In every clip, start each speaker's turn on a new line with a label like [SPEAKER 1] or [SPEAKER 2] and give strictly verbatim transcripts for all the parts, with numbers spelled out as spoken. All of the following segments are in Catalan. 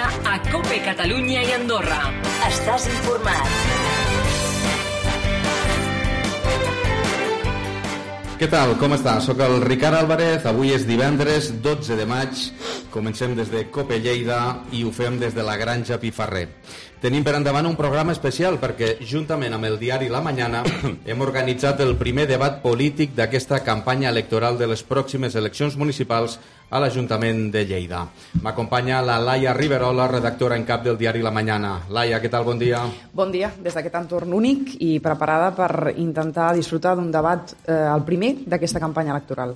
[SPEAKER 1] dia a COPE Catalunya i Andorra. Estàs informat.
[SPEAKER 2] Què tal? Com estàs? Soc el Ricard Álvarez, avui és divendres dotze de maig, comencem des de COPE Lleida i ho fem des de la Granja Pifarrer. Tenim per endavant un programa especial perquè, juntament amb el diari La Mañana, hem organitzat el primer debat polític d'aquesta campanya electoral de les pròximes eleccions municipals a l'Ajuntament de Lleida. M'acompanya la Laia Riverola, redactora en cap del diari La Mañana. Laia, què tal? Bon dia.
[SPEAKER 3] Bon dia, des d'aquest entorn únic i preparada per intentar disfrutar d'un debat, eh, el primer d'aquesta campanya electoral.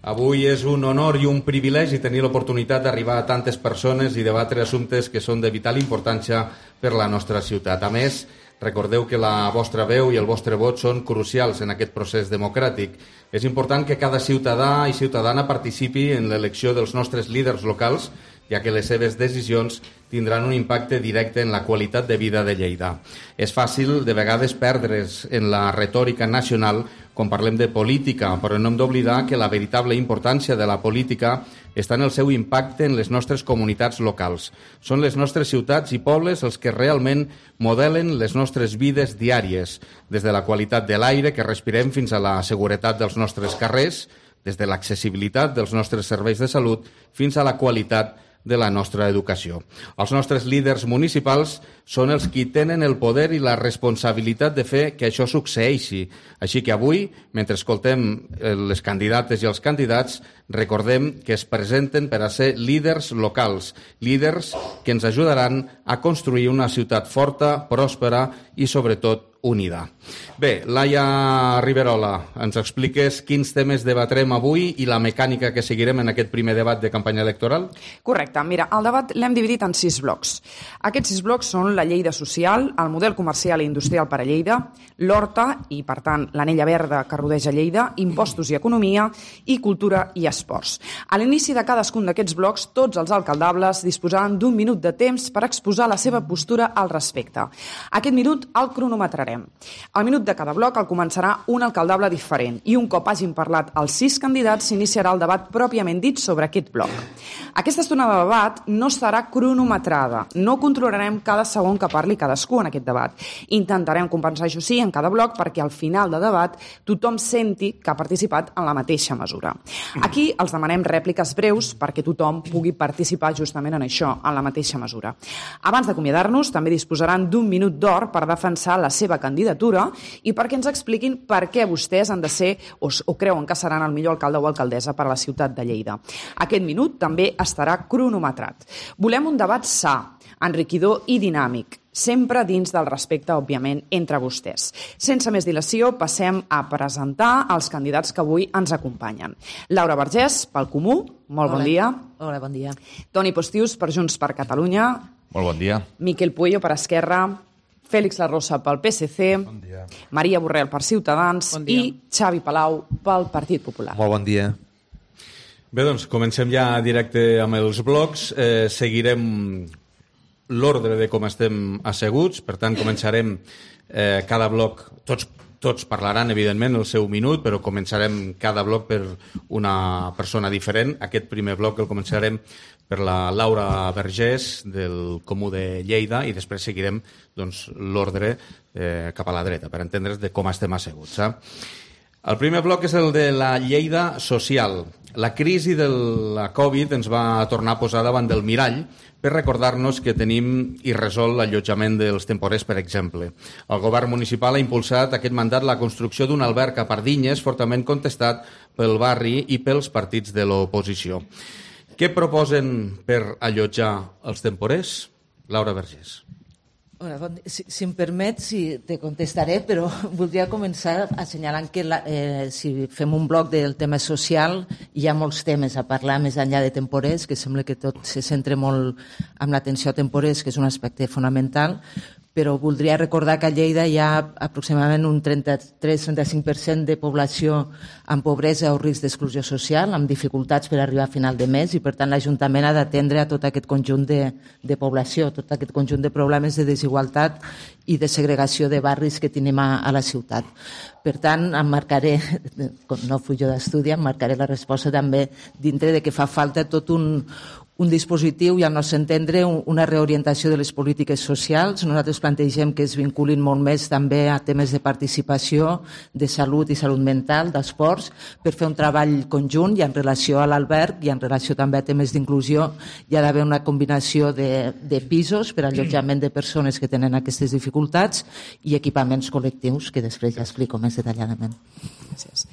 [SPEAKER 2] Avui és un honor i un privilegi tenir l'oportunitat d'arribar a tantes persones i debatre assumptes que són de vital importància per la nostra ciutat. A més, recordeu que la vostra veu i el vostre vot són crucials en aquest procés democràtic. És important que cada ciutadà i ciutadana participi en l'elecció dels nostres líders locals, ja que les seves decisions tindran un impacte directe en la qualitat de vida de Lleida. És fàcil, de vegades, perdre's en la retòrica nacional quan parlem de política, però no hem d'oblidar que la veritable importància de la política està en el seu impacte en les nostres comunitats locals. Són les nostres ciutats i pobles els que realment modelen les nostres vides diàries, des de la qualitat de l'aire que respirem fins a la seguretat dels nostres carrers, des de l'accessibilitat dels nostres serveis de salut fins a la qualitat de la nostra educació. Els nostres líders municipals són els qui tenen el poder i la responsabilitat de fer que això succeeixi. Així que avui, mentre escoltem les candidates i els candidats, recordem que es presenten per a ser líders locals, líders que ens ajudaran a construir una ciutat forta, pròspera i, sobretot, unida. Bé, Laia Riverola, ens expliques quins temes debatrem avui i la mecànica que seguirem en aquest primer debat de campanya electoral?
[SPEAKER 3] Correcte. Mira, el debat l'hem dividit en sis blocs. Aquests sis blocs són la Lleida social, el model comercial i industrial per a Lleida, l'Horta i, per tant, l'anella verda que rodeja Lleida, impostos i economia i cultura i esports. A l'inici de cadascun d'aquests blocs, tots els alcaldables disposaran d'un minut de temps per exposar la seva postura al respecte. Aquest minut el cronometrarem. Al minut de cada bloc el començarà un alcaldable diferent i un cop hagin parlat els sis candidats s'iniciarà el debat pròpiament dit sobre aquest bloc. Aquesta estona de debat no estarà cronometrada, no controlarem cada segon que parli cadascú en aquest debat. Intentarem compensar, això sí, en cada bloc perquè al final de debat tothom senti que ha participat en la mateixa mesura. Aquí els demanem rèpliques breus perquè tothom pugui participar justament en això, en la mateixa mesura. Abans d'acomiadar-nos també disposaran d'un minut d'or per defensar la seva candidatura i perquè ens expliquin per què vostès han de ser o, o creuen que seran el millor alcalde o alcaldessa per a la ciutat de Lleida. Aquest minut també estarà cronometrat. Volem un debat sa, enriquidor i dinàmic, sempre dins del respecte, òbviament, entre vostès. Sense més dilació, passem a presentar els candidats que avui ens acompanyen. Laura Vergés, pel Comú, molt bon dia.
[SPEAKER 4] Hola, bon dia.
[SPEAKER 3] Toni Postius, per Junts per Catalunya.
[SPEAKER 5] Molt bon dia.
[SPEAKER 3] Miquel Puello, per Esquerra. Fèlix Larrosa pel P S C, bon dia. Maria Borrell per Ciutadans bon i Xavi Palau pel Partit Popular.
[SPEAKER 5] Molt bon dia.
[SPEAKER 2] Bé, doncs comencem ja directe amb els blocs. Eh, seguirem l'ordre de com estem asseguts, per tant començarem eh, cada bloc, tots, tots parlaran evidentment el seu minut, però començarem cada bloc per una persona diferent. Aquest primer bloc el començarem per la Laura Vergés del Comú de Lleida i després seguirem doncs, l'ordre eh, cap a la dreta per entendre's de com estem asseguts. Eh? El primer bloc és el de la Lleida social. La crisi de la Covid ens va tornar a posar davant del mirall per recordar-nos que tenim irresolt l'allotjament dels temporers, per exemple. El govern municipal ha impulsat aquest mandat la construcció d'un alberg a Pardinyes fortament contestat pel barri i pels partits de l'oposició. Què proposen per allotjar els temporers? Laura Vergés.
[SPEAKER 4] Bueno, si, si em permets, si te contestaré, però voldria començar assenyalant que la, eh, si fem un bloc del tema social, hi ha molts temes a parlar més enllà de temporers, que sembla que tot se centra molt en l'atenció a temporers, que és un aspecte fonamental, però voldria recordar que a Lleida hi ha aproximadament un trenta-tres a trenta-cinc per cent de població amb pobresa o risc d'exclusió social, amb dificultats per arribar a final de mes, i per tant l'Ajuntament ha d'atendre a tot aquest conjunt de, de població, tot aquest conjunt de problemes de desigualtat i de segregació de barris que tenim a, a la ciutat. Per tant, em marcaré, no fui jo d'estudi, em marcaré la resposta també dintre de que fa falta tot un, un dispositiu i, al nostre entendre, una reorientació de les polítiques socials. Nosaltres plantegem que es vinculin molt més també a temes de participació, de salut i salut mental, d'esports, per fer un treball conjunt, i en relació a l'alberg i en relació també a temes d'inclusió hi ha d'haver una combinació de, de pisos per allotjament de persones que tenen aquestes dificultats i equipaments col·lectius, que després ja explico més detalladament.
[SPEAKER 3] Gràcies.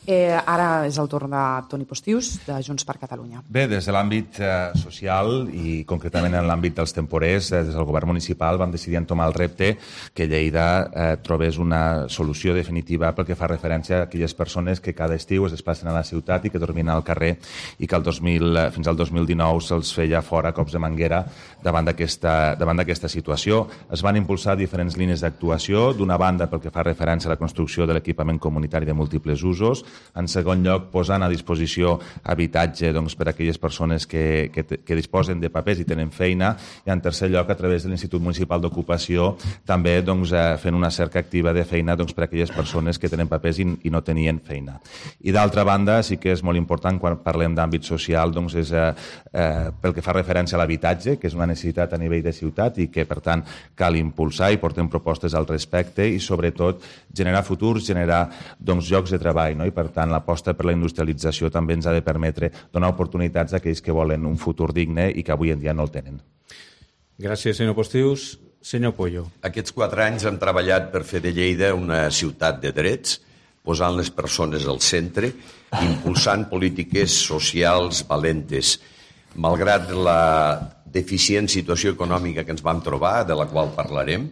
[SPEAKER 3] Eh, ara és el torn de Toni Postius, de Junts per Catalunya.
[SPEAKER 5] Bé, des de l'àmbit eh, social i concretament en l'àmbit dels temporers, eh, des del govern municipal vam decidir entomar el repte que Lleida eh, trobés una solució definitiva pel que fa referència a aquelles persones que cada estiu es desplacen a la ciutat i que dormien al carrer i que el dos mil, fins al dos mil dinou se'ls feia fora cops de manguera davant d'aquesta davant d'aquesta situació. Es van impulsar diferents línies d'actuació, d'una banda pel que fa referència a la construcció de l'equipament comunitari de múltiples usos, en segon lloc posant a disposició habitatge doncs, per a aquelles persones que, que, que disposen de papers i tenen feina, i en tercer lloc a través de l'Institut Municipal d'Ocupació també doncs, fent una cerca activa de feina doncs, per a aquelles persones que tenen papers i, i no tenien feina. I d'altra banda sí que és molt important quan parlem d'àmbit social doncs, és eh, eh, pel que fa referència a l'habitatge, que és una necessitat a nivell de ciutat i que per tant cal impulsar, i portem propostes al respecte, i sobretot generar futurs, generar doncs, llocs de treball, no? I per tant l'aposta per la industrialització també ens ha de permetre donar oportunitats a aquells que volen un futur digne i que avui en dia no el tenen.
[SPEAKER 2] Gràcies, senyor Postius. Senyor Pollo.
[SPEAKER 6] Aquests quatre anys hem treballat per fer de Lleida una ciutat de drets, posant les persones al centre, impulsant polítiques socials valentes. Malgrat la deficient situació econòmica que ens vam trobar, de la qual parlarem,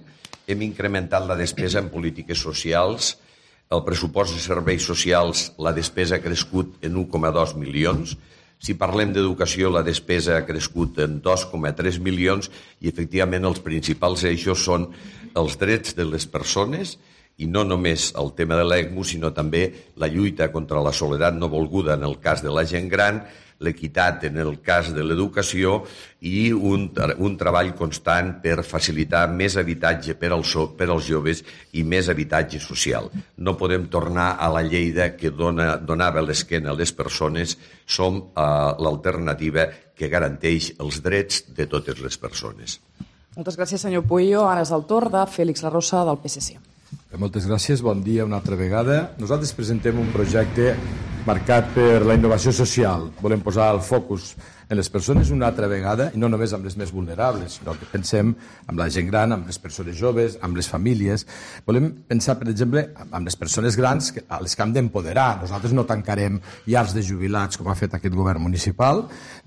[SPEAKER 6] hem incrementat la despesa en polítiques socials. El pressupost de serveis socials, la despesa ha crescut en un coma dos milions. Si parlem d'educació, la despesa ha crescut en dos coma tres milions i, efectivament, els principals eixos són els drets de les persones i no només el tema de l'ECMO, sinó també la lluita contra la soledat no volguda en el cas de la gent gran, l'equitat en el cas de l'educació i un, un treball constant per facilitar més habitatge per als, per als joves i més habitatge social. No podem tornar a la Lleida que dona, donava l'esquena a les persones. Som uh, l'alternativa que garanteix els drets de totes les persones.
[SPEAKER 3] Moltes gràcies, senyor Puello. Ara és el torn de Félix Larrosa, del P S C.
[SPEAKER 7] Moltes gràcies, bon dia una altra vegada. Nosaltres presentem un projecte marcat per la innovació social. Volem posar el focus en les persones una altra vegada, i no només amb les més vulnerables, sinó que pensem amb la gent gran, amb les persones joves, amb les famílies. Volem pensar, per exemple, amb les persones grans a les que hem d'empoderar. Nosaltres no tancarem llars de jubilats com ha fet aquest govern municipal,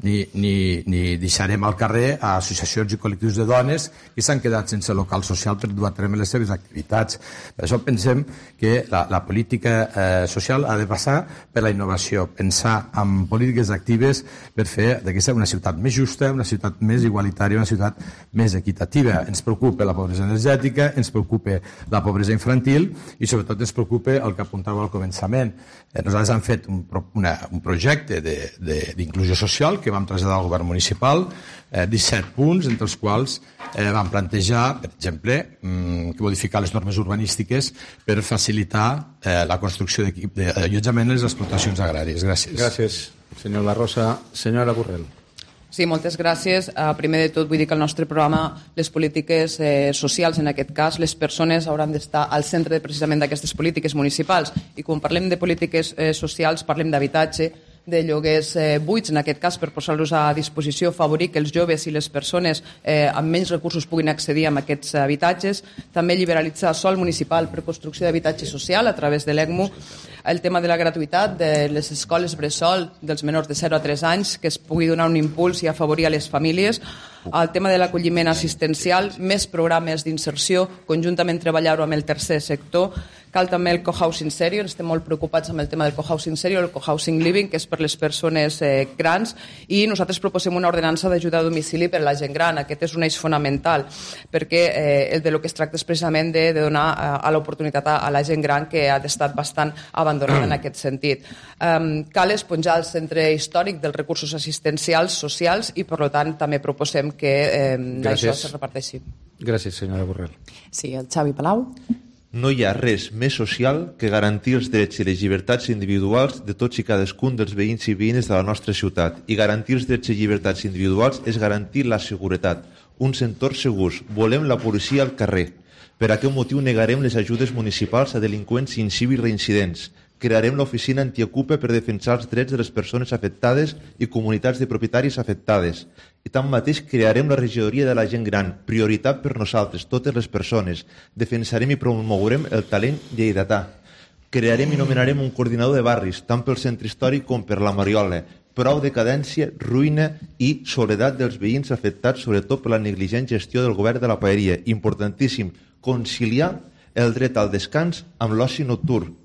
[SPEAKER 7] ni, ni, ni deixarem al carrer a associacions i col·lectius de dones que s'han quedat sense local social per dur a terme les seves activitats. Per això pensem que la, la política eh, social ha de passar per la innovació, pensar en polítiques actives per fer d'aquesta una ciutat més justa, una ciutat més igualitària, una ciutat més equitativa. Ens preocupa la pobresa energètica, ens preocupa la pobresa infantil i sobretot ens preocupa el que apuntava al començament. Eh, nosaltres hem fet un, una, un projecte d'inclusió social que vam traslladar al govern municipal, eh, disset punts, entre els quals eh, vam plantejar, per exemple, mm, que modificar les normes urbanístiques per facilitar eh, la construcció d'allotjament en les explotacions agràries. Gràcies.
[SPEAKER 2] Gràcies, senyor La Rosa. Senyora Borrell.
[SPEAKER 8] Sí, moltes gràcies. Uh, primer de tot vull dir que el nostre programa, les polítiques eh, socials, en aquest cas, les persones hauran d'estar al centre precisament d'aquestes polítiques municipals. I quan parlem de polítiques eh, socials, parlem d'habitatge, de lloguers eh, buits, en aquest cas, per posar-los a disposició, favorir que els joves i les persones eh, amb menys recursos puguin accedir a aquests habitatges, també liberalitzar sòl municipal per construcció d'habitatge social a través de l'ECMO, el tema de la gratuïtat de les escoles bressol dels menors de zero a tres anys, que es pugui donar un impuls i afavorir a les famílies, el tema de l'acolliment assistencial, més programes d'inserció, conjuntament treballar-ho amb el tercer sector. Cal també el cohousing senior, estem molt preocupats amb el tema del cohousing senior, el cohousing living, que és per les persones eh, grans, i nosaltres proposem una ordenança d'ajuda a domicili per a la gent gran. Aquest és un eix fonamental, perquè eh, el de lo que es tracta és precisament de, de donar a, a l'oportunitat a, a la gent gran que ha estat bastant abandonada en aquest sentit. Um, cal esponjar el centre històric dels recursos assistencials socials i, per tant, també proposem que eh, això se reparteixi.
[SPEAKER 2] Gràcies, senyora Borrell.
[SPEAKER 3] Sí, el Xavi Palau.
[SPEAKER 9] No hi ha res més social que garantir els drets i les llibertats individuals de tots i cadascun dels veïns i veïnes de la nostra ciutat. I garantir els drets i llibertats individuals és garantir la seguretat, uns entorns segurs. Volem la policia al carrer. Per aquest motiu negarem les ajudes municipals a delinqüents incívics reincidents. Crearem l'oficina antiocupa per defensar els drets de les persones afectades i comunitats de propietaris afectades. I tanmateix crearem la regidoria de la gent gran, prioritat per nosaltres, totes les persones. Defensarem i promourem el talent lleidatà. Crearem i nomenarem un coordinador de barris, tant pel centre històric com per la Mariola. Prou decadència, ruïna i soledat dels veïns afectats, sobretot per la negligent gestió del govern de la paeria. Importantíssim, conciliar el dret al descans amb l'oci nocturn.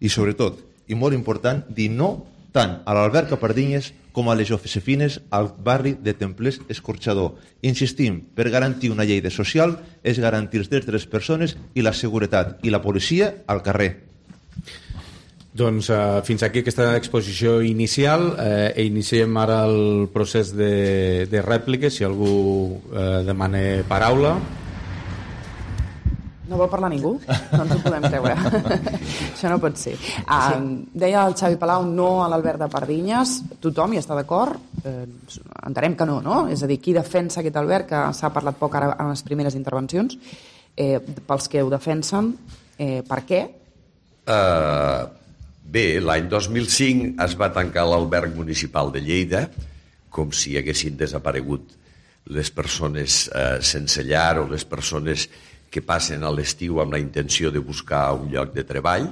[SPEAKER 9] I sobretot, i molt important, dir no tant a l'Alberca Pardinyes com a les Josefines al barri de Templers Escorxador. Insistim, per garantir una llei de social és garantir els drets de les persones i la seguretat, i la policia al carrer.
[SPEAKER 2] Doncs uh, fins aquí aquesta exposició inicial. Eh, iniciem ara el procés de, de rèpliques, si algú eh, demana paraula.
[SPEAKER 3] No vol parlar ningú? No ens ho podem creure. Això no pot ser. Uh, deia el Xavi Palau no a l'Albert de Pardinyes. Tothom hi està d'acord? Eh, entenem que no, no? És a dir, qui defensa aquest Albert, que s'ha parlat poc ara en les primeres intervencions, eh, pels que ho defensen, eh, per què?
[SPEAKER 6] Uh, bé, l'any dos mil cinc es va tancar l'alberg municipal de Lleida, com si haguessin desaparegut les persones uh, sense llar o les persones que passen a l'estiu amb la intenció de buscar un lloc de treball.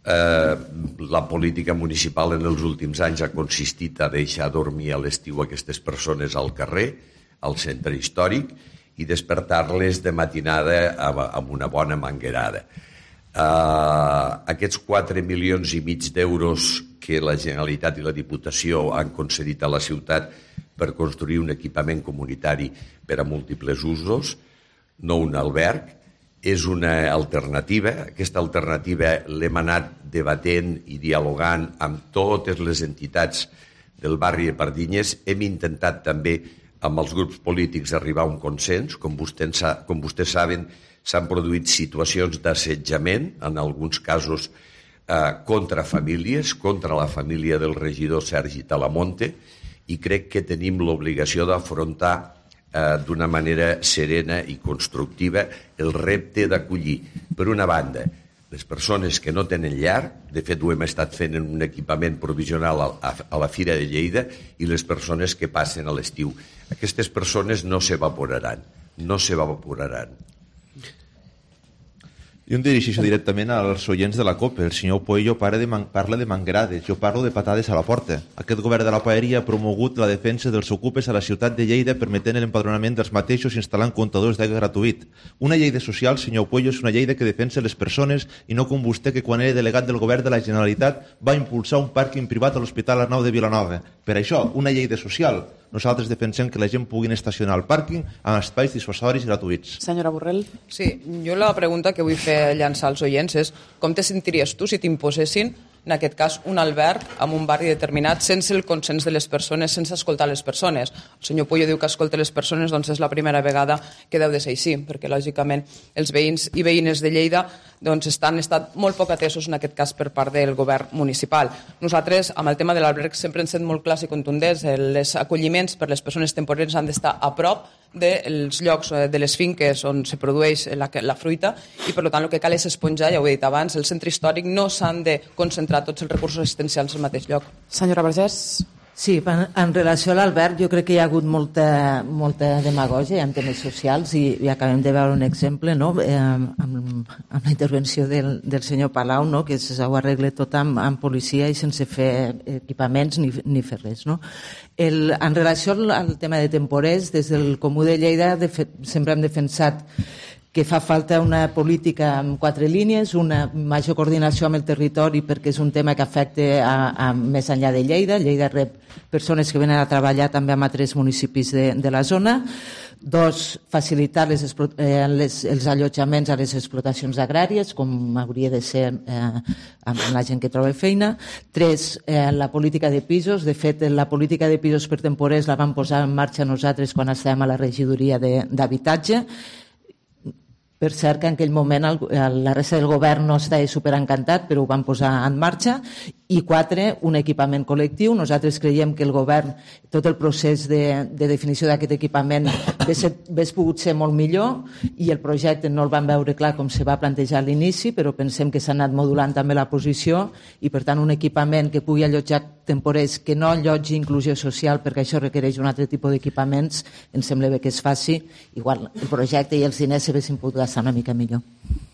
[SPEAKER 6] Eh, la política municipal en els últims anys ha consistit a deixar dormir a l'estiu aquestes persones al carrer, al centre històric, i despertar-les de matinada amb una bona manguerada. Eh, aquests quatre milions i mig d'euros que la Generalitat i la Diputació han concedit a la ciutat per construir un equipament comunitari per a múltiples usos, no un alberg, és una alternativa. Aquesta alternativa l'hem anat debatent i dialogant amb totes les entitats del barri de Pardinyes. Hem intentat també amb els grups polítics arribar a un consens. Com vostès, com vostès saben, s'han produït situacions d'assetjament, en alguns casos eh, contra famílies, contra la família del regidor Sergi Talamonte, i crec que tenim l'obligació d'afrontar d'una manera serena i constructiva el repte d'acollir, per una banda, les persones que no tenen llar, de fet ho hem estat fent en un equipament provisional a la Fira de Lleida, i les persones que passen a l'estiu. Aquestes persones no s'evaporaran, no s'evaporaran.
[SPEAKER 9] Jo em dirigeixo directament als oients de la COPE. El senyor Puello parla de, man parla de mangrades, jo parlo de patades a la porta. Aquest govern de la paeria ha promogut la defensa dels ocupes a la ciutat de Lleida permetent l'empadronament dels mateixos i instal·lant comptadors d'aigua gratuït. Una llei de social, senyor Puello, és una llei que defensa les persones i no com vostè, que quan era delegat del govern de la Generalitat va impulsar un pàrquing privat a l'Hospital Arnau de Vilanova. Per això, una llei de social. Nosaltres defensem que la gent pugui estacionar al pàrquing amb espais dissuasoris gratuïts.
[SPEAKER 3] Senyora Borrell.
[SPEAKER 8] Sí, jo la pregunta que vull fer llançar als oients és com te sentiries tu si t'imposessin, en aquest cas, un alberg en un barri determinat sense el consens de les persones, sense escoltar les persones. El senyor Puello diu que escolta les persones, doncs és la primera vegada que deu de ser així, perquè lògicament els veïns i veïnes de Lleida doncs, estan estat molt poc atesos en aquest cas per part del govern municipal. Nosaltres, amb el tema de l'alberg, sempre hem estat molt clars i contundents. Els acolliments per les persones temporers han d'estar a prop dels llocs de les finques on se produeix la, la fruita, i per tant el que cal és esponjar, ja ho he dit abans, el centre històric no s'han de concentrar tots els recursos assistencials al mateix lloc.
[SPEAKER 3] Senyora Vergés.
[SPEAKER 4] Sí, en, en relació a l'Albert, jo crec que hi ha hagut molta, molta demagògia en temes socials, i, i acabem de veure un exemple, no? eh, amb, amb la intervenció del, del senyor Palau, no? Que s'ho arregla tot amb, amb policia i sense fer equipaments ni, ni fer res. No? El, en relació al, al tema de temporers, des del Comú de Lleida de fet, sempre hem defensat que fa falta una política amb quatre línies, una major coordinació amb el territori, perquè és un tema que afecta a, a més enllà de Lleida. Lleida rep persones que venen a treballar també en altres municipis de, de la zona. Dos, facilitar les, eh, les, els allotjaments a les explotacions agràries, com hauria de ser eh, amb la gent que troba feina. Tres, eh, la política de pisos. De fet, la política de pisos per temporers la vam posar en marxa nosaltres quan estàvem a la regidoria d'habitatge. Per cert que en aquell moment el, la resta del govern no estava superencantat, però ho van posar en marxa. I quatre, un equipament col·lectiu. Nosaltres creiem que el govern, tot el procés de, de definició d'aquest equipament hauria pogut ser molt millor i el projecte no el van veure clar com se va plantejar a l'inici, però pensem que s'ha anat modulant també la posició i, per tant, un equipament que pugui allotjar temporers, que no allotgi inclusió social, perquè això requereix un altre tipus d'equipaments, ens sembla bé que es faci. Igual el projecte i els diners s'haguessin pogut gastar una mica millor.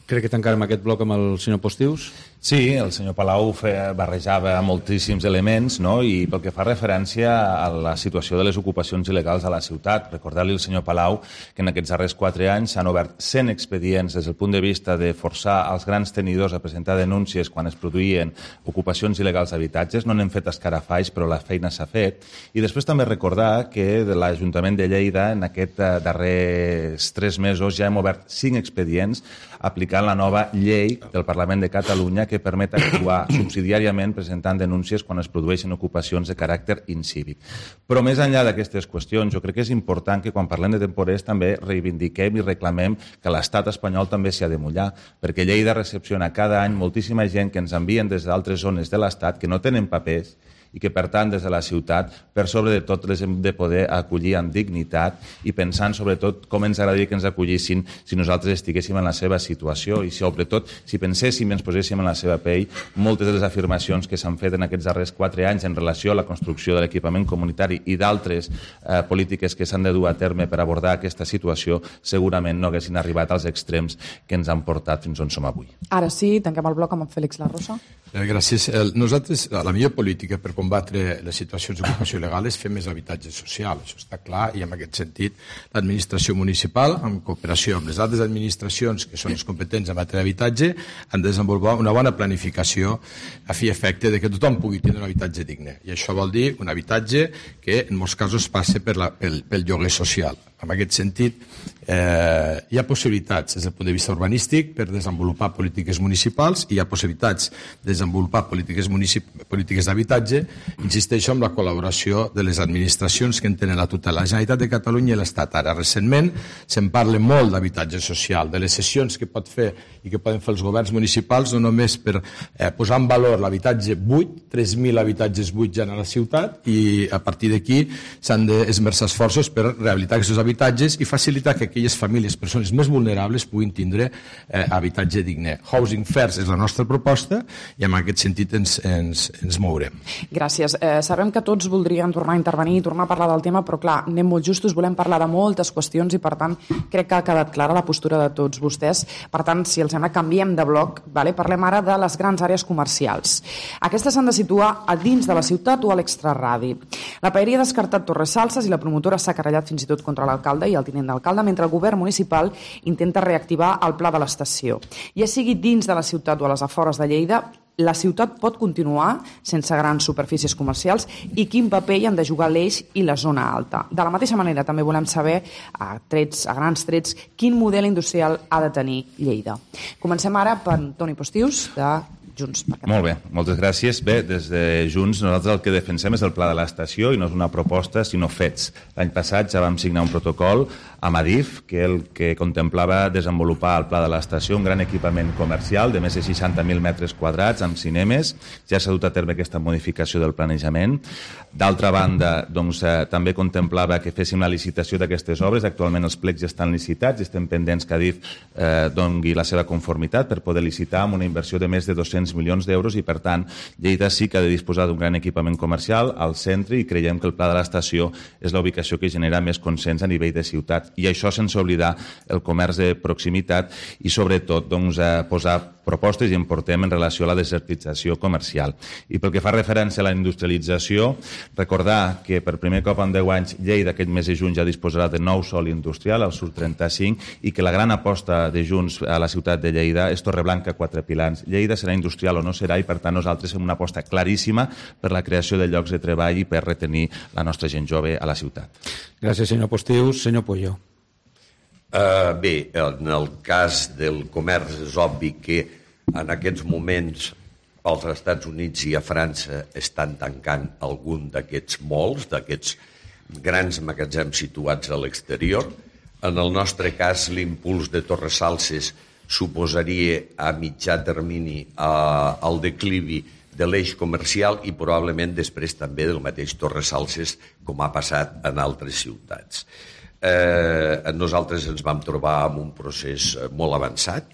[SPEAKER 2] Crec que tancarem aquest bloc amb el senyor Postius.
[SPEAKER 5] Sí, el senyor Palau feia, barrejava moltíssims elements, no? I pel que fa referència a la situació de les ocupacions il·legals a la ciutat, recordar-li al senyor Palau que en aquests darrers quatre anys s'han obert cent expedients des del punt de vista de forçar els grans tenidors a presentar denúncies quan es produïen ocupacions il·legals d'habitatges. No n'hem fet escarafalls, però la feina s'ha fet. I després també recordar que de l'Ajuntament de Lleida en aquests darrers tres mesos ja hem obert cinc expedients aplicant la nova llei del Parlament de Catalunya que permet actuar subsidiàriament presentant denúncies quan es produeixen ocupacions de caràcter incívic. Però més enllà d'aquestes qüestions, jo crec que és important que quan parlem de temporers també reivindiquem i reclamem que l'estat espanyol també s'hi ha de mullar, perquè Lleida recepciona cada any moltíssima gent que ens envien des d'altres zones de l'estat que no tenen papers i que, per tant, des de la ciutat, per sobre de tot, les hem de poder acollir amb dignitat i pensant, sobretot, com ens agradaria que ens acollissin si nosaltres estiguéssim en la seva situació i, sobretot, si penséssim i ens poséssim en la seva pell, moltes de les afirmacions que s'han fet en aquests darrers quatre anys en relació a la construcció de l'equipament comunitari i d'altres eh, polítiques que s'han de dur a terme per abordar aquesta situació, segurament no haguessin arribat als extrems que ens han portat fins on som avui.
[SPEAKER 3] Ara sí, tanquem el bloc amb en Félix Larrosa.
[SPEAKER 7] Eh, gràcies. El, nosaltres, la millor política per combatre les situacions d'ocupació il·legal és fer més habitatge social, això està clar, i en aquest sentit l'administració municipal, en cooperació amb les altres administracions que són les competents en matèria d'habitatge, han de desenvolupar una bona planificació a fi efecte de que tothom pugui tenir un habitatge digne. I això vol dir un habitatge que en molts casos passa per la, pel, pel lloguer social. En aquest sentit, eh, hi ha possibilitats des del punt de vista urbanístic per desenvolupar polítiques municipals i hi ha possibilitats de desenvolupar polítiques, polítiques d'habitatge, insisteixo, amb la col·laboració de les administracions que en tenen la tutela. La Generalitat de Catalunya i l'Estat. Ara, recentment, se'n parla molt d'habitatge social, de les sessions que pot fer i que poden fer els governs municipals, no només per eh, posar en valor l'habitatge buit, tres mil habitatges buits ja a la ciutat, i a partir d'aquí s'han d'esmerçar esforços per rehabilitar aquests habitatges i facilitar que aquelles famílies, persones més vulnerables, puguin tindre eh, habitatge digne. Housing First és la nostra proposta i en aquest sentit ens, ens, ens mourem.
[SPEAKER 3] Gràcies. Eh, sabem que tots voldrien tornar a intervenir i tornar a parlar del tema, però clar, anem molt justos, volem parlar de moltes qüestions i per tant crec que ha quedat clara la postura de tots vostès. Per tant, si els sembla, canviem de bloc, vale? Parlem ara de les grans àrees comercials. Aquestes s'han de situar a dins de la ciutat o a l'extraradi. La paeria ha descartat Torres Salses i la promotora s'ha querellat fins i tot contra l'alcalde i el tinent d'alcalde, mentre el govern municipal intenta reactivar el pla de l'estació. Ja sigui dins de la ciutat o a les afores de Lleida, la ciutat pot continuar sense grans superfícies comercials i quin paper hi han de jugar l'Eix i la zona alta. De la mateixa manera, també volem saber, a, trets, a grans trets, quin model industrial ha de tenir Lleida. Comencem ara per Toni Postius, de Junts per Catalunya.
[SPEAKER 5] Molt bé, moltes gràcies. Bé, des de Junts nosaltres el que defensem és el pla de l'estació i no és una proposta, sinó fets. L'any passat ja vam signar un protocol amb Adif, que el que contemplava desenvolupar el pla de l'estació, un gran equipament comercial de més de seixanta mil metres quadrats amb cinemes. Ja s'ha dut a terme aquesta modificació del planejament. D'altra banda, doncs, eh, també contemplava que féssim la licitació d'aquestes obres. Actualment els plecs ja estan licitats i estem pendents que Adif eh, doni la seva conformitat per poder licitar amb una inversió de més de dos-cents milions d'euros i, per tant, Lleida sí que ha de disposar d'un gran equipament comercial al centre i creiem que el pla de l'estació és la ubicació que genera més consens a nivell de ciutat. I això sense oblidar el comerç de proximitat i, sobretot, doncs, a posar propostes i en portem en relació a la desertització comercial. I pel que fa referència a la industrialització, recordar que per primer cop en deu anys Lleida aquest mes de juny ja disposarà de nou sòl industrial, el Sur trenta-cinc, i que la gran aposta de Junts a la ciutat de Lleida és Torreblanca, Quatre Pilans. Lleida serà industrial o no serà i, per tant, nosaltres fem una aposta claríssima per la creació de llocs de treball i per retenir la nostra gent jove a la ciutat.
[SPEAKER 2] Gràcies, senyor Postius. Senyor Puyo.
[SPEAKER 6] Uh, bé, en el cas del comerç és obvi que en aquests moments als Estats Units i a França estan tancant algun d'aquests malls, d'aquests grans magatzems situats a l'exterior. En el nostre cas, l'impuls de Torresalses suposaria a mitjà termini el declivi de l'eix comercial i probablement després també del mateix Torresalses, com ha passat en altres ciutats. Eh, nosaltres ens vam trobar en un procés molt avançat.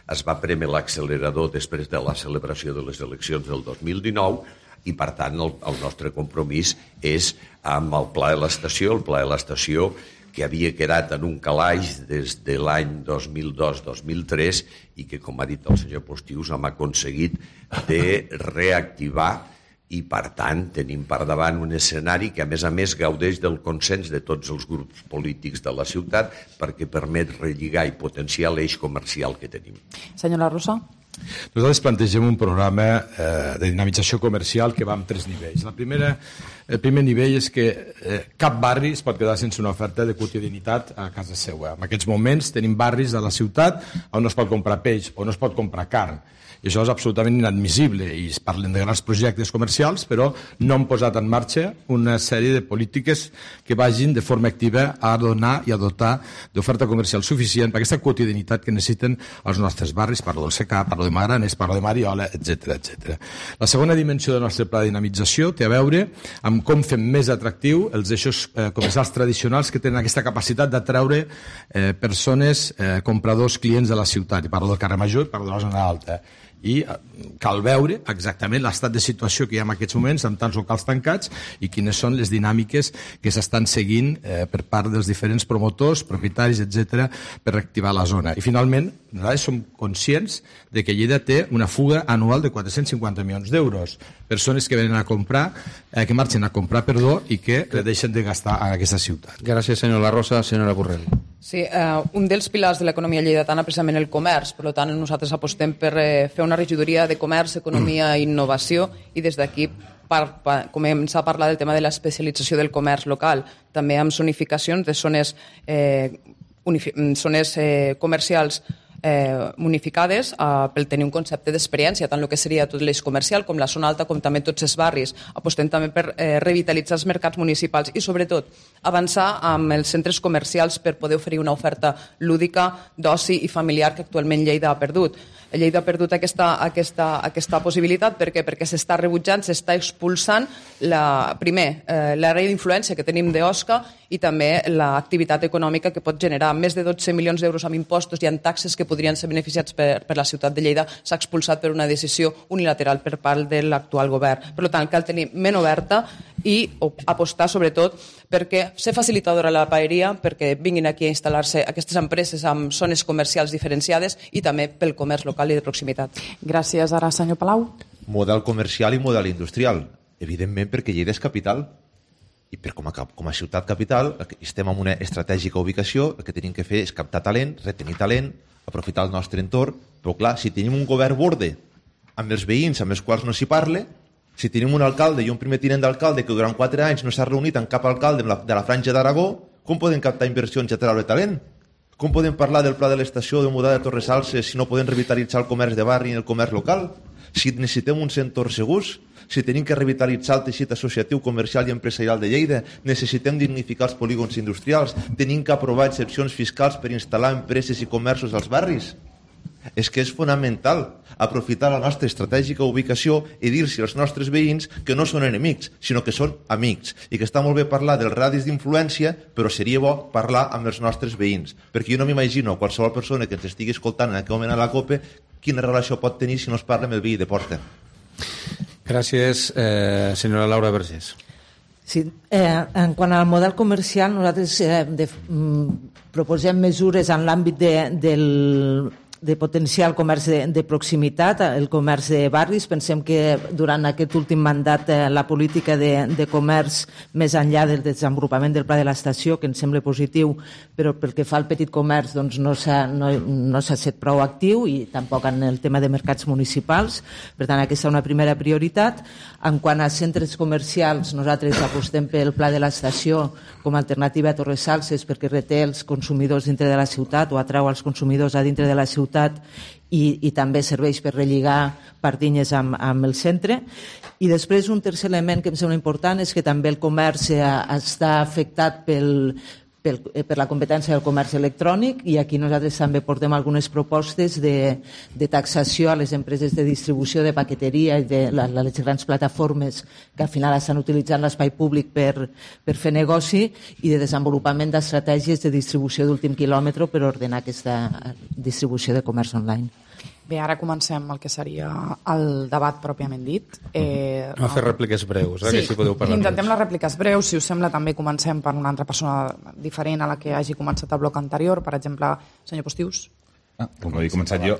[SPEAKER 6] Es va prémer l'accelerador després de la celebració de les eleccions del dos mil dinou i, per tant, el, el nostre compromís és amb el Pla de l'Estació, el Pla de l'Estació que havia quedat en un calaix des de l'any dos mil dos dos mil tres i que, com ha dit el senyor Postius, hem aconseguit de reactivar i, per tant, tenim per davant un escenari que, a més a més, gaudeix del consens de tots els grups polítics de la ciutat perquè permet relligar i potenciar l'eix comercial que tenim.
[SPEAKER 3] Senyora Rosa.
[SPEAKER 7] Nosaltres plantegem un programa eh, de dinamització comercial que va en tres nivells. La primera, el primer nivell és que eh, cap barri es pot quedar sense una oferta de quotidianitat a casa seva. En aquests moments tenim barris a la ciutat on no es pot comprar peix o no es pot comprar carn. I això és absolutament inadmissible i es parlen de grans projectes comercials, però no han posat en marxa una sèrie de polítiques que vagin de forma activa a donar i a dotar d'oferta comercial suficient per aquesta quotidianitat que necessiten els nostres barris. Parlo del Secà, parlo de Magranes, parlo de Mariola, etcètera, etcètera. La segona dimensió del nostre pla de dinamització té a veure amb com fem més atractiu els eixos eh, comercials tradicionals que tenen aquesta capacitat d'atraure eh, persones, eh, compradors, clients de la ciutat. I parlo del carrer Major i parlo de la zona alta. I cal veure exactament l'estat de situació que hi ha en aquests moments amb tants locals tancats i quines són les dinàmiques que s'estan seguint eh, per part dels diferents promotors, propietaris, etcètera, per reactivar la zona. I finalment, nosaltres som conscients de que Lleida té una fuga anual de quatre-cents cinquanta milions d'euros. Persones que venen a comprar, eh, que marxen a comprar, perdó, i que deixen de gastar en aquesta ciutat.
[SPEAKER 2] Gràcies, senyor La Rosa. Senyora Borrell.
[SPEAKER 8] Sí, eh, un dels pilars de l'economia lleidatana és precisament el comerç. Per tant, nosaltres apostem per eh, fer una regidoria de comerç, economia i innovació i des d'aquí per, per començar a parlar del tema de l'especialització del comerç local, també amb zonificacions de zones, eh, zones eh, comercials eh, unificades eh, per tenir un concepte d'experiència, tant el que seria tot l'eix comercial com la zona alta, com també tots els barris. Apostem també per eh, revitalitzar els mercats municipals i, sobretot, avançar amb els centres comercials per poder oferir una oferta lúdica, d'oci i familiar que actualment Lleida ha perdut. Lleida ha perdut aquesta, aquesta, aquesta possibilitat. Per què? Perquè s'està rebutjant, s'està expulsant la, primer, eh, l'àrea d'influència que tenim d'Osca i també l'activitat econòmica que pot generar més de dotze milions d'euros amb impostos i en taxes que podrien ser beneficiats per, per la ciutat de Lleida. S'ha expulsat per una decisió unilateral per part de l'actual govern. Per tant, cal tenir ment oberta i apostar sobretot perquè ser facilitadora de la paeria, perquè vinguin aquí a instal·lar-se aquestes empreses amb zones comercials diferenciades i també pel comerç local i de proximitat.
[SPEAKER 3] Gràcies. Ara, senyor Palau.
[SPEAKER 9] Model comercial i model industrial. Evidentment perquè Lleida és capital i per com a, com a ciutat capital estem en una estratègica ubicació, el que tenim que fer és captar talent, retenir talent, aprofitar el nostre entorn, però clar, si tenim un govern borde amb els veïns amb els quals no s'hi parla, si tenim un alcalde i un primer tinent d'alcalde que durant quatre anys no s'ha reunit amb cap alcalde de la, de la franja d'Aragó, com podem captar inversions i atraure talent? Com podem parlar del pla de l'estació de mudar de Torresalses si no podem revitalitzar el comerç de barri i el comerç local? Si necessitem uns entorns segurs, si tenim que revitalitzar el teixit associatiu, comercial i empresarial de Lleida, necessitem dignificar els polígons industrials, tenim que aprovar excepcions fiscals per instal·lar empreses i comerços als barris. És que és fonamental aprofitar la nostra estratègica ubicació i dir-se als nostres veïns que no són enemics, sinó que són amics, i que està molt bé parlar dels radis d'influència, però seria bo parlar amb els nostres veïns, perquè jo no m'imagino qualsevol persona que ens estigui escoltant en aquest moment a la COPE quina relació pot tenir si no es parla amb el veí de porta.
[SPEAKER 2] Gràcies, eh, senyora Laura Vergés.
[SPEAKER 4] Sí, eh, en quant al model comercial, nosaltres eh, de, mm, proposem mesures en l'àmbit de, del de potenciar el comerç de, de proximitat, el comerç de barris. Pensem que durant aquest últim mandat eh, la política de, de comerç, més enllà del desenvolupament del pla de l'estació, que ens sembla positiu, però pel que fa al petit comerç doncs, no s'ha no, no s'ha set prou actiu i tampoc en el tema de mercats municipals. Per tant, aquesta és una primera prioritat. En quant a centres comercials, nosaltres apostem pel pla de l'estació com a alternativa a Torresalses perquè reté els consumidors dintre de la ciutat o atrau els consumidors a dintre de la ciutat i, i també serveix per relligar Pardinyes amb, amb el centre. I després un tercer element que em sembla important és que també el comerç està afectat pel, per, per la competència del comerç electrònic, i aquí nosaltres també portem algunes propostes de, de taxació a les empreses de distribució de paqueteria i de la, les grans plataformes que al final estan utilitzant l'espai públic per, per fer negoci, i de desenvolupament d'estratègies de distribució d'últim quilòmetre per ordenar aquesta distribució de comerç online.
[SPEAKER 3] Bé, ara comencem el que seria el debat pròpiament dit. Eh,
[SPEAKER 2] a fer rèpliques breus, eh,
[SPEAKER 3] sí,
[SPEAKER 2] que si podeu parlar.
[SPEAKER 3] Intentem les rèpliques breus. Si us sembla, també comencem per una altra persona diferent a la que hagi començat el bloc anterior. Per exemple, senyor Postius.
[SPEAKER 5] Ah, com ho he començat jo.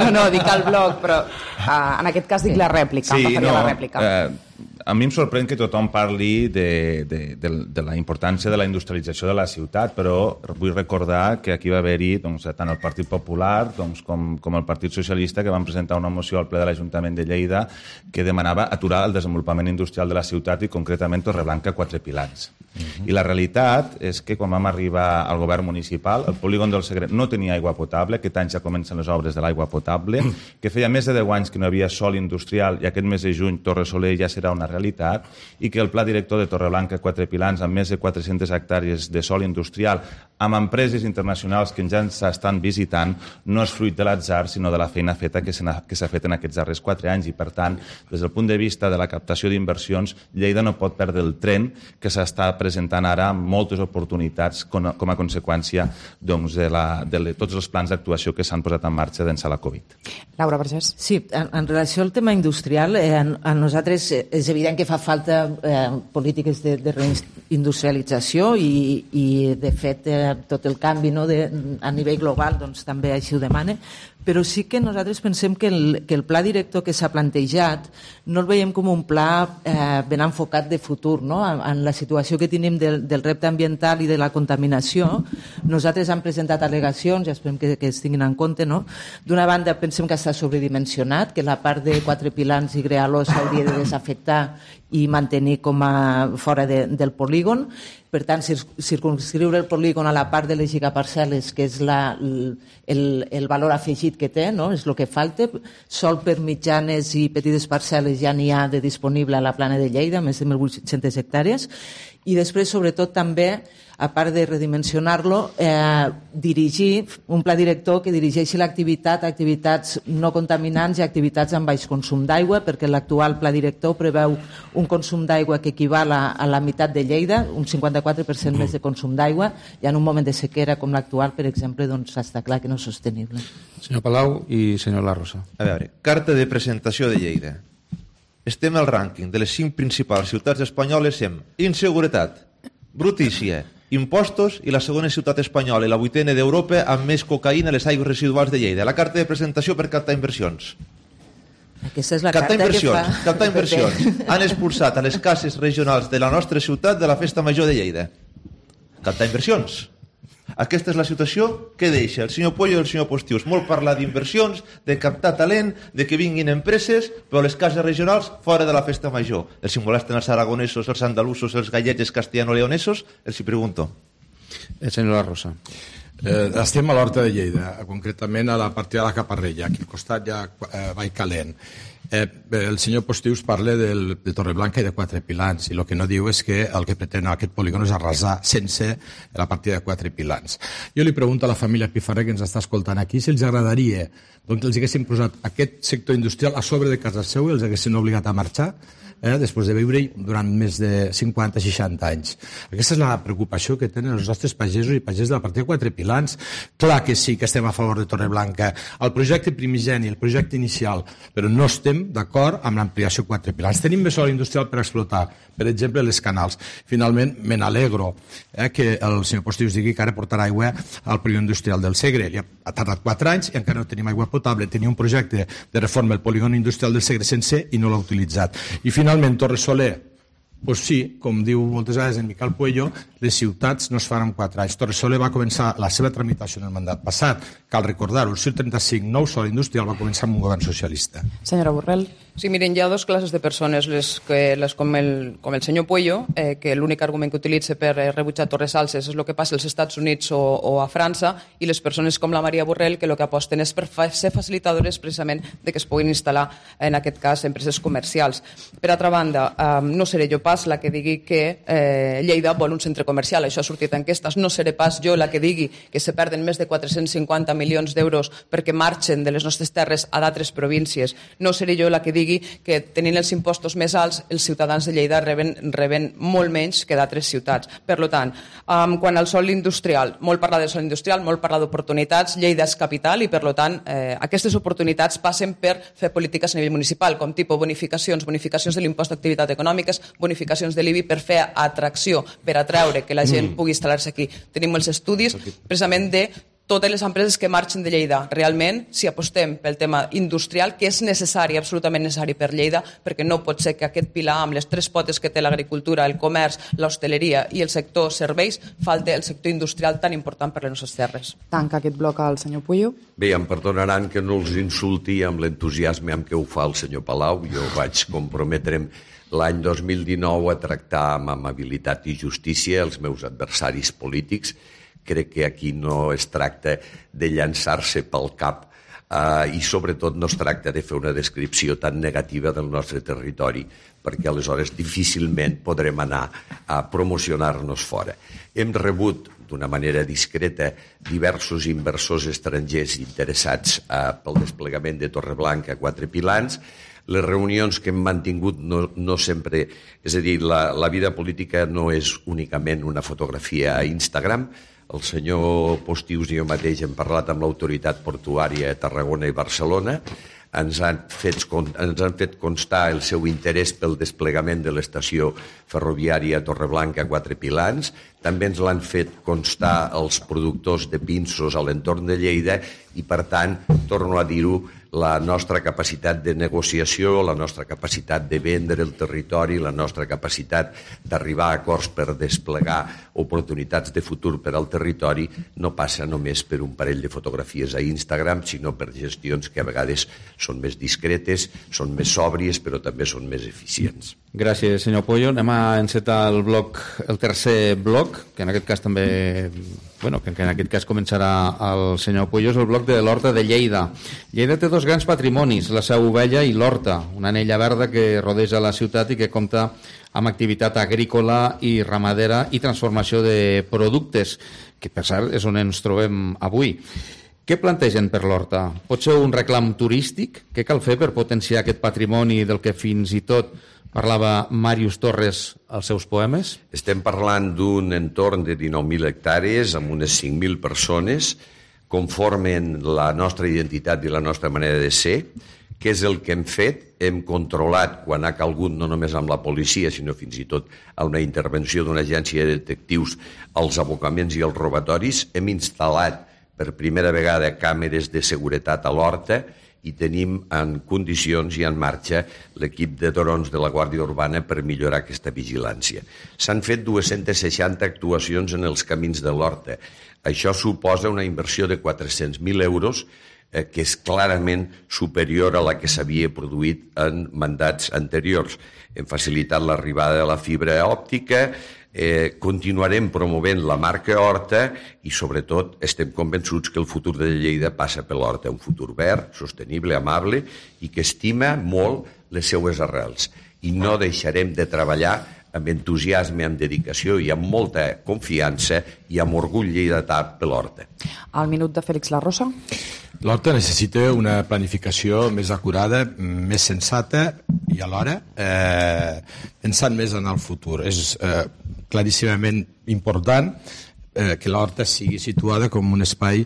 [SPEAKER 3] No, no, dic el bloc, però uh, en aquest cas dic la rèplica.
[SPEAKER 5] Sí,
[SPEAKER 3] em referia
[SPEAKER 5] no,
[SPEAKER 3] a la rèplica.
[SPEAKER 5] Eh, a mi em sorprèn que tothom parli de, de, de, de la importància de la industrialització de la ciutat, però vull recordar que aquí va haver-hi doncs, tant el Partit Popular doncs, com, com el Partit Socialista, que van presentar una moció al ple de l'Ajuntament de Lleida que demanava aturar el desenvolupament industrial de la ciutat i concretament Torreblanca Quatre Pilans. Uh-huh. I la realitat és que quan vam arribar al govern municipal, el polígon del Segre no tenia aigua potable, aquest any ja comencen les obres de l'aigua potable, que feia més de deu anys que no havia sòl industrial i aquest mes de juny Torre Soler ja serà una realitat, i que el pla director de Torreblanca Quatre Pilans, amb més de quatre-centes hectàrees de sòl industrial, amb empreses internacionals que ja ens estan visitant, no és fruit de l'atzar, sinó de la feina feta que s'ha fet en aquests darrers quatre anys. I, per tant, des del punt de vista de la captació d'inversions, Lleida no pot perdre el tren que s'està presentant ara amb moltes oportunitats com a conseqüència doncs, de, la, de tots els plans d'actuació que s'han posat en marxa d'ençà de la Covid.
[SPEAKER 3] Laura Vergés.
[SPEAKER 4] Sí, en, en relació al tema industrial, eh, a, a nosaltres és evident que fa falta eh, polítiques de, de reindustrialització i, i de fet, eh, tot el canvi no, de, a nivell global doncs, també així ho demana, però sí que nosaltres pensem que el, que el pla director que s'ha plantejat no el veiem com un pla eh, ben enfocat de futur, no? En, en la situació que tenim del, del repte ambiental i de la contaminació. Nosaltres hem presentat al·legacions i esperem que, que es tinguin en compte, no? D'una banda pensem que està sobredimensionat, que la part de Quatre Pilans i Grealó s'hauria de desafectar i mantenir com a fora de, del polígon. Per tant, circunscriure el polígon a la part de les gigaparcel·les, que és la, el, el valor afegit que té, no? És el que falta. Sol per mitjanes i petites parcel·les ja n'hi ha de disponible a la plana de Lleida, més de mil vuit-centes hectàrees. I després, sobretot, també, a part de redimensionar-lo, eh, dirigir un pla director que dirigeixi l'activitat a activitats no contaminants i activitats amb baix consum d'aigua, perquè l'actual pla director preveu un consum d'aigua que equival a, a la meitat de Lleida, un cinquanta-quatre per cent més de consum d'aigua, i en un moment de sequera com l'actual, per exemple, doncs està clar que no és sostenible.
[SPEAKER 2] Senyor Palau i senyor La Rosa.
[SPEAKER 9] A veure, carta de presentació de Lleida. Estem al rànquing de les cinc principals ciutats espanyoles en inseguretat, brutícia, impostos i la segona ciutat espanyola i la vuitena d'Europa amb més cocaïna a les aigües residuals de Lleida. La carta de presentació per captar inversions.
[SPEAKER 4] Aquesta és la
[SPEAKER 9] captar
[SPEAKER 4] carta
[SPEAKER 9] inversions,
[SPEAKER 4] que fa...
[SPEAKER 9] captar inversions. Han expulsat a les cases regionals de la nostra ciutat de la Festa Major de Lleida. Captar inversions. Aquesta és la situació que deixa el senyor Pollo i el senyor Postius. Molt parlar d'inversions, de captar talent, de que vinguin empreses, però les cases regionals fora de la Festa Major. Els si molesten els aragonesos, els andalusos, els gallecs castellano-leonesos, els hi pregunto.
[SPEAKER 2] El senyor La Rosa.
[SPEAKER 7] Eh, estem a l'Horta de Lleida, concretament a la partida de la Caparrella, aquí al costat ja eh, Vall Calent. Eh, el senyor Postius parla del, de Torreblanca i de Quatre Pilans, i el que no diu és que el que pretén aquest polígon és arrasar sense la partida de Quatre Pilans. Jo li pregunto a la família Pifarré que ens està escoltant aquí si els agradaria doncs, que els haguessin posat aquest sector industrial a sobre de casa seu i els haguessin obligat a marxar eh, després de viure-hi durant més de cinquanta a seixanta anys. Aquesta és la preocupació que tenen els nostres pagesos i pagesos de la partida de Quatre Pilans. Clar que sí que estem a favor de Torreblanca. El projecte primigeni, el projecte inicial, però no estem d'acord amb l'ampliació Quatre Pilans. Tenim més sòl industrial per explotar, per exemple, les canals. Finalment, me n'alegro eh, que el senyor Postius digui que ara portarà aigua al polígon industrial del Segre. Li ha, ha tardat quatre anys i encara no tenim aigua potable. Tenia un projecte de reforma del polígon industrial del Segre sencer i no l'ha utilitzat. I finalment, Torre Soler, pues sí, com diu moltes vegades en Miquel Puello, les ciutats no es fan en quatre anys. Torre Soler va començar la seva tramitació en el mandat passat. Cal recordar-ho, el cent trenta-cinc, nou sòl industrial, va començar amb un govern socialista.
[SPEAKER 3] Senyora Borrell.
[SPEAKER 8] Sí, miren, hi ha dues classes de persones, les, que, les com, el, com el senyor Puello, eh, que l'únic argument que utilitza per eh, rebutjar Torres Salses és el que passa als Estats Units o, o a França, i les persones com la Maria Borrell, que el que aposten és per fa, ser facilitadores precisament de que es puguin instal·lar, en aquest cas, empreses comercials. Per altra banda, eh, no seré jo pas la que digui que eh, Lleida vol un centre comercial, això ha sortit en enquestes, no seré pas jo la que digui que se perden més de quatre-cents cinquanta milions d'euros perquè marxen de les nostres terres a d'altres províncies, no seré jo la que digui que tenint els impostos més alts els ciutadans de Lleida reben, reben molt menys que d'altres ciutats. Per tant, um, quan al sòl industrial, molt parlar del sòl industrial, molt parlar d'oportunitats, Lleida és capital i per tant eh, aquestes oportunitats passen per fer polítiques a nivell municipal, com tipus bonificacions, bonificacions de l'impost d'activitat econòmiques, bonificacions de l'I B I per fer atracció, per atreure que la gent pugui instal·lar-se aquí. Tenim els estudis precisament de totes les empreses que marxen de Lleida. Realment, si apostem pel tema industrial, que és necessari, absolutament necessari per Lleida, perquè no pot ser que aquest pilar, amb les tres potes que té l'agricultura, el comerç, l'hostaleria i el sector serveis, falte el sector industrial tan important per les nostres terres.
[SPEAKER 3] Tanca aquest bloc al senyor Puello.
[SPEAKER 6] Bé, em perdonaran que no els insulti amb l'entusiasme amb què ho fa el senyor Palau. Jo vaig comprometre'm l'any dos mil dinou a tractar amb amabilitat i justícia els meus adversaris polítics. Crec que aquí no es tracta de llançar-se pel cap eh, i sobretot no es tracta de fer una descripció tan negativa del nostre territori, perquè aleshores difícilment podrem anar a promocionar-nos fora. Hem rebut d'una manera discreta diversos inversors estrangers interessats eh, pel desplegament de Torreblanca a Quatre Pilans. Les reunions que hem mantingut no, no sempre... És a dir, la, la vida política no és únicament una fotografia a Instagram. El senyor Postius i jo mateix hem parlat amb l'autoritat portuària a Tarragona i Barcelona. Ens han, fet, ens han fet constar el seu interès pel desplegament de l'estació ferroviària Torreblanca a Quatre Pilans. També ens l'han fet constar els productors de pinsos a l'entorn de Lleida i, per tant, torno a dir-ho, la nostra capacitat de negociació, la nostra capacitat de vendre el territori, la nostra capacitat d'arribar a acords per desplegar oportunitats de futur per al territori no passa només per un parell de fotografies a Instagram, sinó per gestions que a vegades són més discretes, són més sòbries, però també són més eficients.
[SPEAKER 2] Gràcies, senyor Puello. Anem a encetar el bloc, el tercer bloc, que en aquest cas també, bueno, que en aquest cas començarà el senyor Puello, és el bloc de l'Horta de Lleida. Lleida té dos grans patrimonis, la Seu Vella i l'Horta, una anella verda que rodeja la ciutat i que compta amb activitat agrícola i ramadera i transformació de productes, que per cert és on ens trobem avui. Què plantegen per l'Horta? Pot ser un reclam turístic? Què cal fer per potenciar aquest patrimoni del que fins i tot parlava Màrius Torres als seus poemes?
[SPEAKER 6] Estem parlant d'un entorn de dinou mil hectàrees amb unes cinc mil persones, conformen la nostra identitat i la nostra manera de ser. Què és el que hem fet? Hem controlat, quan ha calgut, no només amb la policia, sinó fins i tot amb la intervenció d'una agència de detectius, els abocaments i els robatoris. Hem instal·lat per primera vegada càmeres de seguretat a l'Horta i tenim en condicions i en marxa l'equip de drons de la Guàrdia Urbana per millorar aquesta vigilància. S'han fet dues-centes seixanta actuacions en els camins de l'Horta. Això suposa una inversió de quatre-cents mil euros, eh, que és clarament superior a la que s'havia produït en mandats anteriors. Hem facilitat l'arribada de la fibra òptica, Eh, continuarem promovent la marca Horta i, sobretot, estem convençuts que el futur de Lleida passa per l'Horta, un futur verd, sostenible, amable i que estima molt les seues arrels. I no deixarem de treballar amb entusiasme, amb dedicació i amb molta confiança i amb orgull lleidatà per l'Horta.
[SPEAKER 3] Al minut de Fèlix La Rosa.
[SPEAKER 7] L'Horta necessita una planificació més acurada, més sensata i alhora eh, pensant més en el futur. És eh, claríssimament important eh, que l'Horta sigui situada com un espai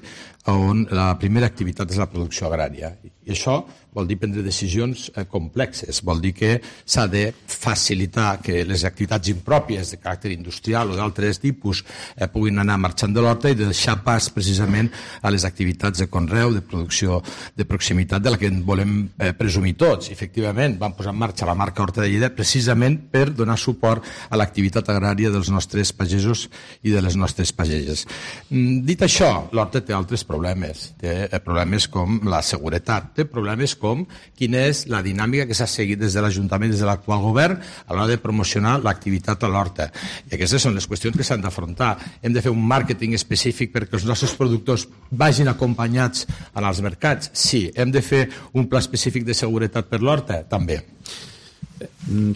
[SPEAKER 7] on la primera activitat és la producció agrària. I això vol dir prendre decisions eh, complexes, vol dir que s'ha de facilitar que les activitats impròpies de caràcter industrial o d'altres tipus eh, puguin anar marxant de l'Horta i deixar pas precisament a les activitats de conreu, de producció de proximitat de la que en volem eh, presumir tots. I, efectivament, vam posar en marxa la marca Horta de Lleida precisament per donar suport a l'activitat agrària dels nostres pagesos i de les nostres pageses. Mm, dit això, l'Horta té altres problemes. Té problemes com la seguretat, té problemes com quina és la dinàmica que s'ha seguit des de l'Ajuntament, des de l'actual govern, a l'hora de promocionar l'activitat a l'horta. I aquestes són les qüestions que s'han d'afrontar. Hem de fer un màrqueting específic perquè els nostres productors vagin acompanyats en els mercats? Sí. Hem de fer un pla específic de seguretat per l'horta? També.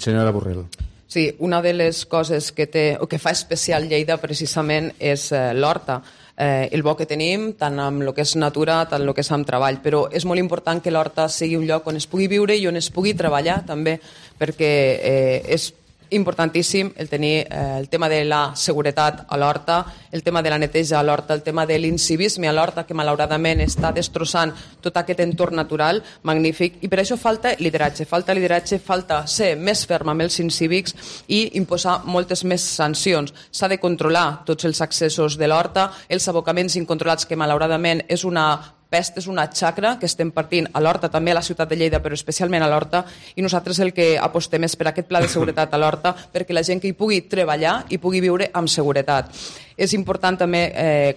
[SPEAKER 2] Senyora Borrell.
[SPEAKER 8] Sí, una de les coses que, té, o que fa especial Lleida precisament és eh, l'horta. Eh, el bo que tenim, tant amb el que és natura, tant amb el que és amb treball, però és molt important que l'horta sigui un lloc on es pugui viure i on es pugui treballar també, perquè eh, és importantíssim el tenir eh, el tema de la seguretat a l'horta, el tema de la neteja a l'horta, el tema de l'incivisme a l'horta, que malauradament està destrossant tot aquest entorn natural magnífic, i per això falta lideratge, falta lideratge, falta ser més ferm amb els incívics i imposar moltes més sancions. S'ha de controlar tots els accessos de l'horta, els abocaments incontrolats, que malauradament és una pest, és una xacra que estem partint a l'horta, també a la ciutat de Lleida, però especialment a l'horta, i nosaltres el que apostem és per aquest pla de seguretat a l'horta, perquè la gent que hi pugui treballar i pugui viure amb seguretat. És important també eh,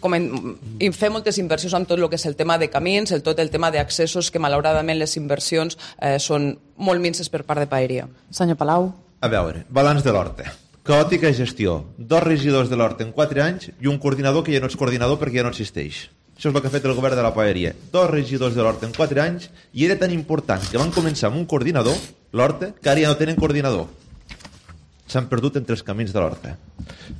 [SPEAKER 8] com en, fer moltes inversions en tot el que és el tema de camins, el tot el tema d'accessos, que malauradament les inversions eh, són molt minces per part de Paeria.
[SPEAKER 3] Senyor Palau.
[SPEAKER 9] A veure, balanç de l'horta. Caòtica gestió. Dos regidors de l'horta en quatre anys i un coordinador que ja no és coordinador perquè ja no existeix. Això és el que ha fet el govern de la Paeria. Dos regidors de l'horta en quatre anys, i era tan important que van començar amb un coordinador, l'horta, que ara ja no tenen coordinador. S'han perdut entre els camins de l'horta.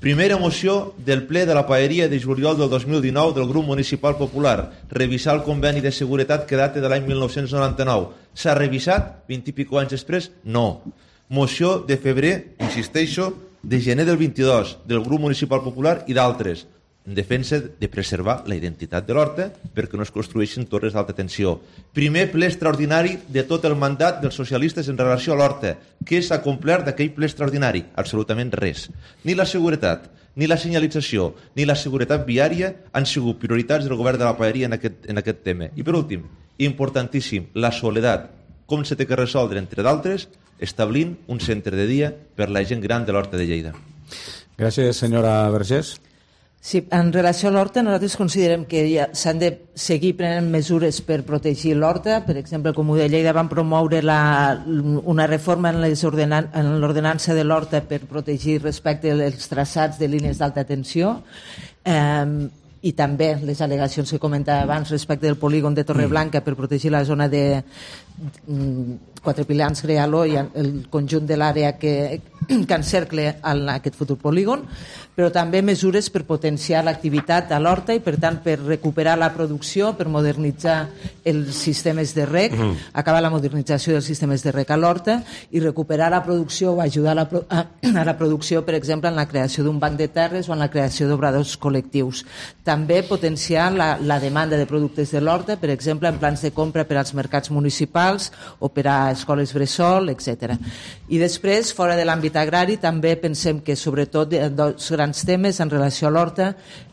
[SPEAKER 9] Primera moció del ple de la Paeria de juliol del dos mil dinou del grup municipal popular. Revisar el conveni de seguretat que data de l'any mil nou-cents noranta-nou. S'ha revisat vint i pico anys després? No. Moció de febrer, insisteixo, de gener del vint-i-dos del grup municipal popular i d'altres, en defensa de preservar la identitat de l'horta perquè no es construeixin torres d'alta tensió. Primer ple extraordinari de tot el mandat dels socialistes en relació a l'horta. Què s'ha complert d'aquell ple extraordinari? Absolutament res. Ni la seguretat, ni la senyalització, ni la seguretat viària han sigut prioritats del govern de la Paeria en aquest, en aquest tema. I per últim, importantíssim, la soledat. Com se té que resoldre, entre d'altres, establint un centre de dia per la gent gran de l'horta de Lleida.
[SPEAKER 2] Gràcies, senyora Vergés.
[SPEAKER 4] Sí, en relació a l'horta, nosaltres considerem que ja s'han de seguir prenent mesures per protegir l'horta. Per exemple, el Comú de Lleida van promoure la, una reforma en, les ordenan, en l'ordenança de l'horta per protegir respecte als traçats de línies d'alta tensió. Eh, i també les al·legacions que comentava abans respecte del polígon de Torreblanca per protegir la zona de Quatre Pilans, Grealó i el conjunt de l'àrea que, que encercle aquest futur polígon, però també mesures per potenciar l'activitat a l'horta i, per tant, per recuperar la producció, per modernitzar els sistemes de rec, mm. acabar la modernització dels sistemes de rec a l'horta i recuperar la producció o ajudar a la, a, a la producció, per exemple, en la creació d'un banc de terres o en la creació d'obradors col·lectius. També potenciar la, la demanda de productes de l'horta, per exemple, en plans de compra per als mercats municipals o per a escoles bressol, etcètera. I després, fora de l'àmbit agrari, també pensem que, sobretot, dos grans temes en relació a l'horta,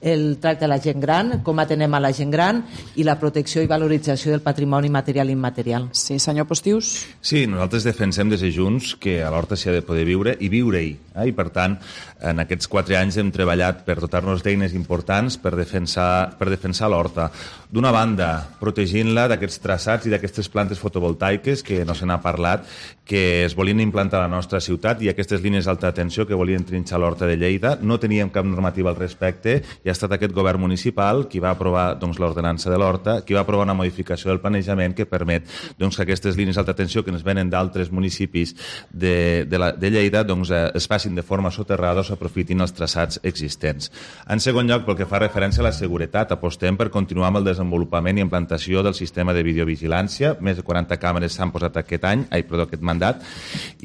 [SPEAKER 4] el tracte a la gent gran, com atenem a la gent gran, i la protecció i valorització del patrimoni material i immaterial.
[SPEAKER 3] Sí, senyor Postius?
[SPEAKER 5] Sí, nosaltres defensem des de Junts que a l'horta s'hi ha de poder viure i viure-hi. Eh? I, per tant, en aquests quatre anys hem treballat per dotar-nos d'eines importants per defensar, per defensar l'horta. D'una banda, protegint-la d'aquests traçats i d'aquestes plantes fotovoltaiques que no se n'ha parlat, que es volien implantar a la nostra ciutat, i aquestes línies d'alta tensió que volien trinxar l'horta de Lleida. No teníem cap normativa al respecte i ha estat aquest govern municipal qui va aprovar doncs, l'ordenança de l'horta, qui va aprovar una modificació del planejament que permet doncs, que aquestes línies d'alta tensió que ens venen d'altres municipis de, de, la, de Lleida doncs, eh, es facin de forma soterrada o s'aprofitin els traçats existents. En segon lloc, pel que fa referència a la seguretat, apostem per continuar amb el desenvolupament i implantació del sistema de videovigilància. Més de quaranta càmeres s'han posat aquest any, ai, perdó, aquest mandat.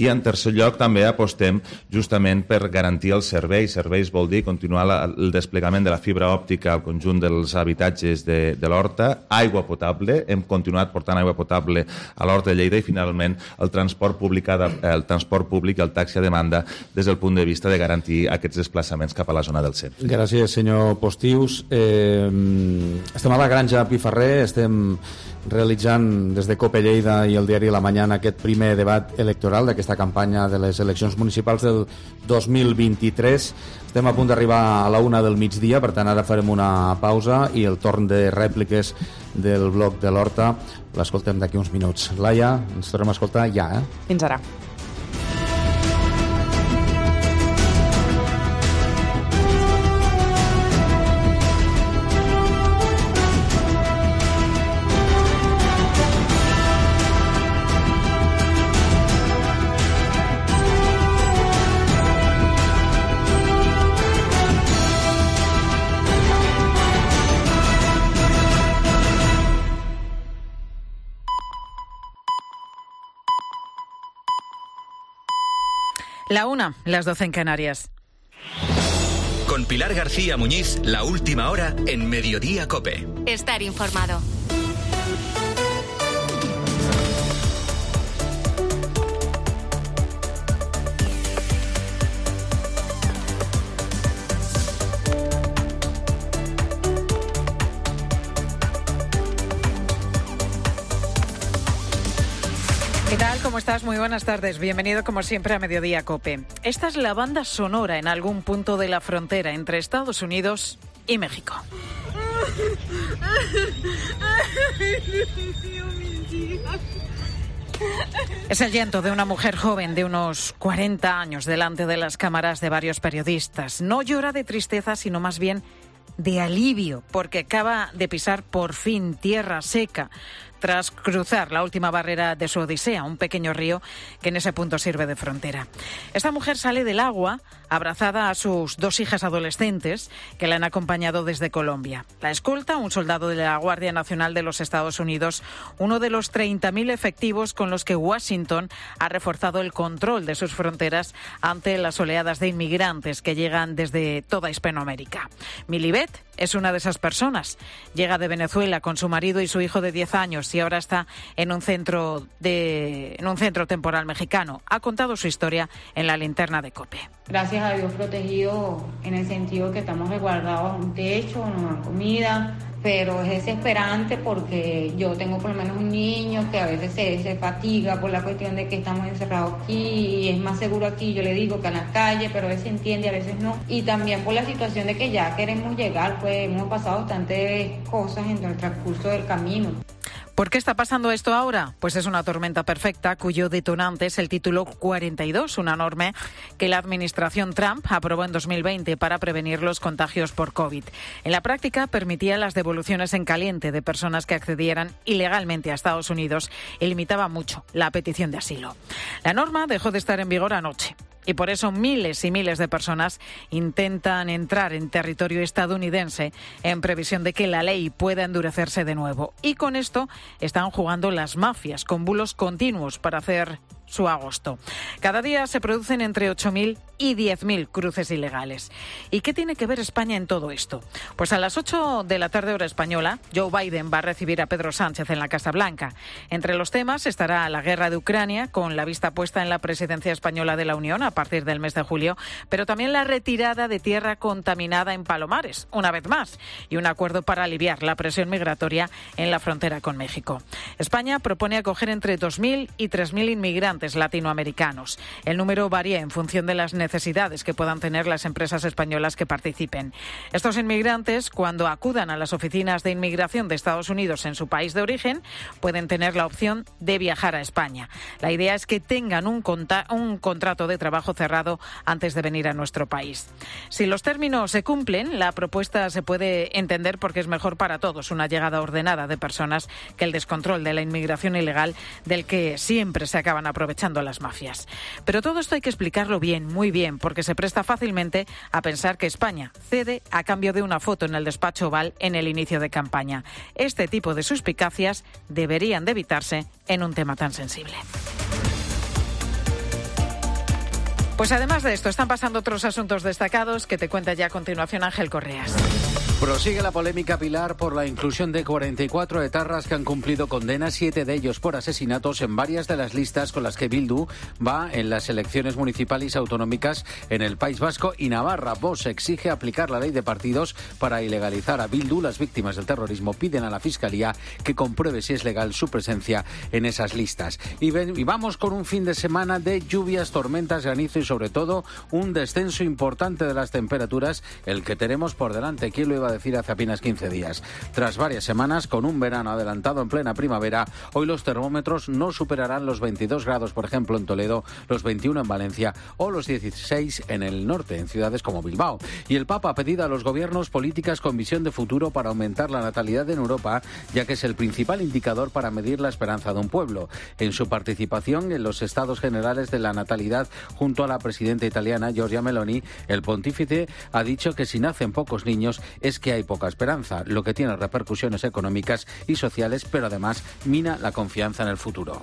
[SPEAKER 5] I en tercer lloc també apostem justament per garantir els serveis. Serveis vol dir continuar la, el desplegament de la fibra òptica al conjunt dels habitatges de, de l'horta, aigua potable, hem continuat portant aigua potable a l'horta de Lleida, i finalment el transport públic, el transport públic i el taxi a demanda des del punt de vista de garantir aquests desplaçaments cap a la zona del centre.
[SPEAKER 2] Gràcies, senyor Postius. Eh, estem a la Granja Piferrer, estem realitzant des de COPE Lleida i el diari La Mañana aquest primer debat electoral d'aquesta campanya de les eleccions municipals del dos mil vint-i-tres. Estem a punt d'arribar a la una del migdia, per tant ara farem una pausa i el torn de rèpliques del bloc de l'Horta l'escoltem d'aquí uns minuts. Laia, ens tornem a escoltar ja, eh?
[SPEAKER 3] Fins ara.
[SPEAKER 10] La una, las doce en Canarias.
[SPEAKER 11] Con Pilar García Muñiz, la última hora en Mediodía COPE.
[SPEAKER 12] Estar informado.
[SPEAKER 10] ¿Qué tal? ¿Cómo estás? Muy buenas tardes. Bienvenido como siempre a Mediodía COPE. Esta es la banda sonora en algún punto de la frontera entre Estados Unidos y México. Es el llanto de una mujer joven de unos cuarenta años delante de las cámaras de varios periodistas. No llora de tristeza, sino más bien de alivio, porque acaba de pisar por fin tierra seca tras cruzar la última barrera de su odisea, un pequeño río que en ese punto sirve de frontera. Esta mujer sale del agua abrazada a sus dos hijas adolescentes que la han acompañado desde Colombia. La escolta un soldado de la Guardia Nacional de los Estados Unidos, uno de los treinta mil efectivos con los que Washington ha reforzado el control de sus fronteras ante las oleadas de inmigrantes que llegan desde toda Hispanoamérica. Milibet es una de esas personas. Llega de Venezuela con su marido y su hijo de diez años y ahora está en un centro de en un centro temporal mexicano. Ha contado su historia en la linterna de COPE.
[SPEAKER 13] Gracias a Dios protegido en el sentido que estamos resguardados a un techo, nos dan comida, pero es desesperante porque yo tengo por lo menos un niño que a veces se, se fatiga por la cuestión de que estamos encerrados aquí y es más seguro aquí, yo le digo, que en la calle, pero a veces entiende, a veces no. Y también por la situación de que ya queremos llegar, pues hemos pasado bastantes cosas en el transcurso del camino.
[SPEAKER 10] ¿Por qué está pasando esto ahora? Pues es una tormenta perfecta cuyo detonante es el título cuarenta y dos, una norma que la administración Trump aprobó en dos mil veinte para prevenir los contagios por COVID. En la práctica permitía las devoluciones en caliente de personas que accedieran ilegalmente a Estados Unidos y limitaba mucho la petición de asilo. La norma dejó de estar en vigor anoche. Y por eso miles y miles de personas intentan entrar en territorio estadounidense en previsión de que la ley pueda endurecerse de nuevo. Y con esto están jugando las mafias con bulos continuos para hacer su agosto. Cada día se producen entre ocho mil y diez mil cruces ilegales. ¿Y qué tiene que ver España en todo esto? Pues a las ocho de la tarde hora española, Joe Biden va a recibir a Pedro Sánchez en la Casa Blanca. Entre los temas estará la guerra de Ucrania, con la vista puesta en la presidencia española de la Unión a partir del mes de julio, pero también la retirada de tierra contaminada en Palomares, una vez más, y un acuerdo para aliviar la presión migratoria en la frontera con México. España propone acoger entre dos mil y tres mil inmigrantes latinoamericanos. El número varía en función de las necesidades que puedan tener las empresas españolas que participen. Estos inmigrantes, cuando acudan a las oficinas de inmigración de Estados Unidos en su país de origen, pueden tener la opción de viajar a España. La idea es que tengan un, conta- un contrato de trabajo cerrado antes de venir a nuestro país. Si los términos se cumplen, la propuesta se puede entender porque es mejor para todos una llegada ordenada de personas que el descontrol de la inmigración ilegal del que siempre se acaban aprovechando las mafias. Pero todo esto hay que explicarlo bien, muy bien, porque se presta fácilmente a pensar que España cede a cambio de una foto en el despacho Oval en el inicio de campaña. Este tipo de suspicacias deberían de evitarse en un tema tan sensible. Pues además de esto, están pasando otros asuntos destacados que te cuenta ya a continuación Ángel Correas.
[SPEAKER 12] Prosigue la polémica, Pilar, por la inclusión de cuarenta y cuatro etarras que han cumplido condena, siete de ellos por asesinatos, en varias de las listas con las que Bildu va en las elecciones municipales y autonómicas en el País Vasco y Navarra. Vox exige aplicar la ley de partidos para ilegalizar a Bildu. Las víctimas del terrorismo piden a la Fiscalía que compruebe si es legal su presencia en esas listas. Y, ven, y vamos con un fin de semana de lluvias, tormentas, granizo y sobre todo un descenso importante de las temperaturas, el que tenemos por delante. ¿Quién lo iba a decir hace apenas quince días? Tras varias semanas, con un verano adelantado en plena primavera, hoy los termómetros no superarán los veintidós grados, por ejemplo, en Toledo, los veintiuno en Valencia o los dieciséis en el norte, en ciudades como Bilbao. Y el Papa ha pedido a los gobiernos políticas con visión de futuro para aumentar la natalidad en Europa, ya que es el principal indicador para medir la esperanza de un pueblo. En su participación en los estados generales de la natalidad junto a la presidenta italiana Giorgia Meloni, el pontífice ha dicho que si nacen pocos niños es que hay poca esperanza, lo que tiene repercusiones económicas y sociales, pero además mina la confianza en el futuro.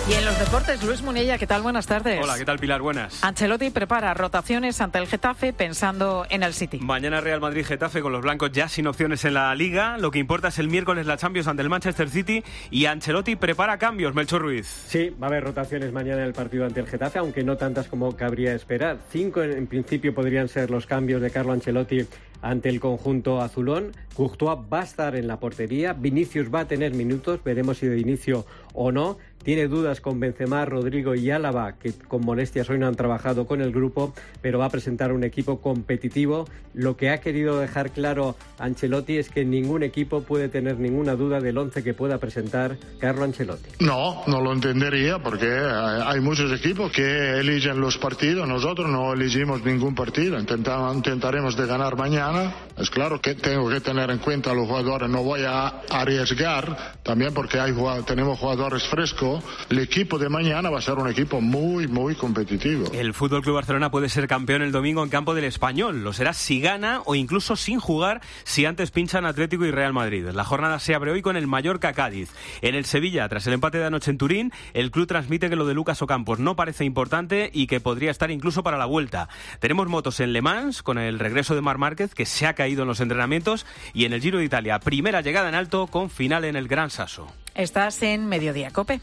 [SPEAKER 10] Y en los deportes, Luis Munella, ¿qué tal? Buenas tardes.
[SPEAKER 14] Hola, ¿qué tal, Pilar? Buenas.
[SPEAKER 10] Ancelotti prepara rotaciones ante el Getafe pensando en el City.
[SPEAKER 14] Mañana Real Madrid-Getafe con los blancos ya sin opciones en la Liga. Lo que importa es el miércoles la Champions ante el Manchester City y Ancelotti prepara cambios, Melchor Ruiz.
[SPEAKER 15] Sí, va a haber rotaciones mañana en el partido ante el Getafe, aunque no tantas como cabría esperar. Cinco en, en principio podrían ser los cambios de Carlo Ancelotti ante el conjunto azulón. Courtois va a estar en la portería, Vinicius va a tener minutos, veremos si de inicio o no. Tiene dudas con Benzema, Rodrigo y Álava, que con molestias hoy no han trabajado con el grupo, pero va a presentar un equipo competitivo. Lo que ha querido dejar claro Ancelotti es que ningún equipo puede tener ninguna duda del once que pueda presentar Carlo Ancelotti.
[SPEAKER 16] No, no lo entendería porque hay muchos equipos que eligen los partidos. Nosotros no elegimos ningún partido, Intentamos, intentaremos de ganar mañana. Es claro que tengo que tener en cuenta a los jugadores, no voy a arriesgar también porque hay, tenemos jugadores frescos. El equipo de mañana va a ser un equipo muy, muy competitivo.
[SPEAKER 14] El F C Barcelona puede ser campeón el domingo en campo del Español. Lo será si gana o incluso sin jugar si antes pinchan Atlético y Real Madrid. La jornada se abre hoy con el Mallorca-Cádiz. En el Sevilla, tras el empate de anoche en Turín, el club transmite que lo de Lucas Ocampos no parece importante y que podría estar incluso para la vuelta. Tenemos motos en Le Mans con el regreso de Marc Márquez, que se ha caído en los entrenamientos, y en el Giro de Italia, primera llegada en alto con final en el Gran Sasso.
[SPEAKER 10] Estás en Mediodía Cope.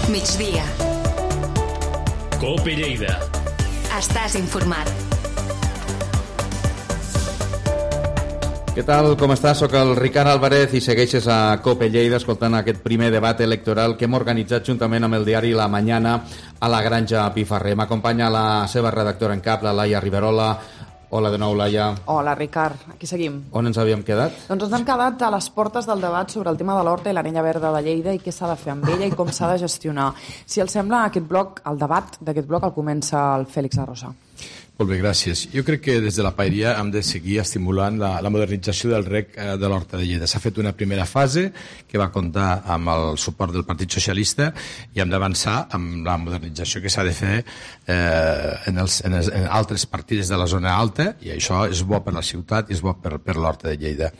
[SPEAKER 1] Migdia.
[SPEAKER 11] Cope Lleida.
[SPEAKER 1] Estàs informat.
[SPEAKER 2] Què tal, com estàs? Soc el Ricard Álvarez i segueixes a Cope Lleida escoltant aquest primer debat electoral que hem organitzat juntament amb el diari La Mañana a la Granja Pifarré. M'acompanya la seva redactora en cap, la Laia Riverola. Hola de nou, Laia.
[SPEAKER 3] Hola, Ricard. Aquí seguim.
[SPEAKER 2] On ens havíem quedat?
[SPEAKER 3] Doncs ens hem quedat a les portes del debat sobre el tema de l'Horta i l'Arenya Verda de Lleida i què s'ha de fer amb ella i com s'ha de gestionar. Si els sembla, aquest bloc, el debat d'aquest bloc el comença el Fèlix Arrosa.
[SPEAKER 7] Molt bé, gràcies. Jo crec que des de la paeria hem de seguir estimulant la, la modernització del rec eh, de l'Horta de Lleida. S'ha fet una primera fase que va comptar amb el suport del Partit Socialista i hem d'avançar amb la modernització que s'ha de fer eh, en, els, en, els, en altres partides de la zona alta, i això és bo per la ciutat i és bo per, per l'Horta de Lleida.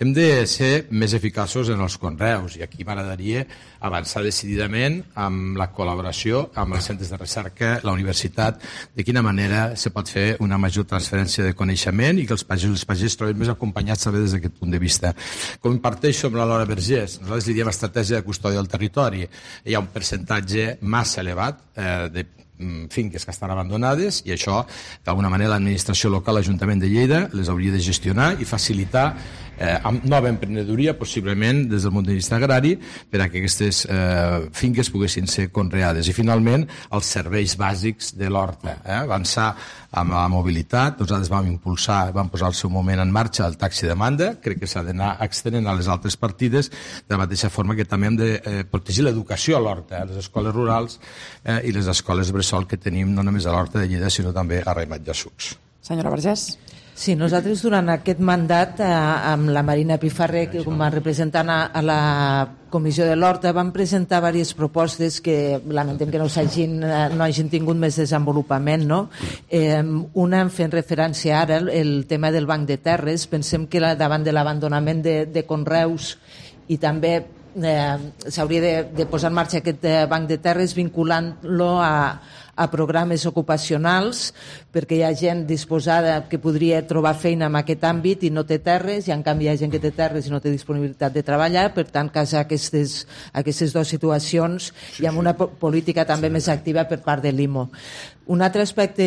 [SPEAKER 7] Hem de ser més eficaços en els conreus i aquí m'agradaria avançar decididament amb la col·laboració amb els centres de recerca, la universitat, de quina manera se pot fer una major transferència de coneixement i que els pagesos i els pagesos trobin més acompanyats també des d'aquest punt de vista. Com imparteixo amb la Laura Vergés, nosaltres li diem estratègia de custòdia del territori. Hi ha un percentatge massa elevat eh, de finques que estan abandonades i això, d'alguna manera, l'administració local, l'Ajuntament de Lleida, les hauria de gestionar i facilitar eh, amb nova emprenedoria, possiblement des del punt de vista agrari, per a que aquestes eh, finques poguessin ser conreades. I finalment, els serveis bàsics de l'horta. Eh? Avançar amb la mobilitat, nosaltres vam impulsar, vam posar al seu moment en marxa el taxi de demanda, crec que s'ha d'anar extenent a les altres partides, de la mateixa forma que també hem de eh, protegir l'educació a l'horta, eh? Les escoles rurals eh, i les escoles bressol que tenim no només a l'Horta de Lleida, sinó també a Raimat de Sucs.
[SPEAKER 3] Senyora Vergés.
[SPEAKER 4] Sí, nosaltres durant aquest mandat eh, amb la Marina Pifarré, que com a representant a, a la Comissió de l'Horta, vam presentar diverses propostes que lamentem que no, hagin, no hagin tingut més desenvolupament, no? Eh, una fent referència ara el, el tema del banc de terres. Pensem que la, davant de l'abandonament de, de conreus i també eh, s'hauria de, de posar en marxa aquest eh, banc de terres vinculant-lo a a programes ocupacionals, perquè hi ha gent disposada que podria trobar feina en aquest àmbit i no té terres, i en canvi hi ha gent que té terres i no té disponibilitat de treballar. Per tant, casar aquestes, aquestes dues situacions sí, i amb una po política també sí. més activa per part de l'I M O. Un altre aspecte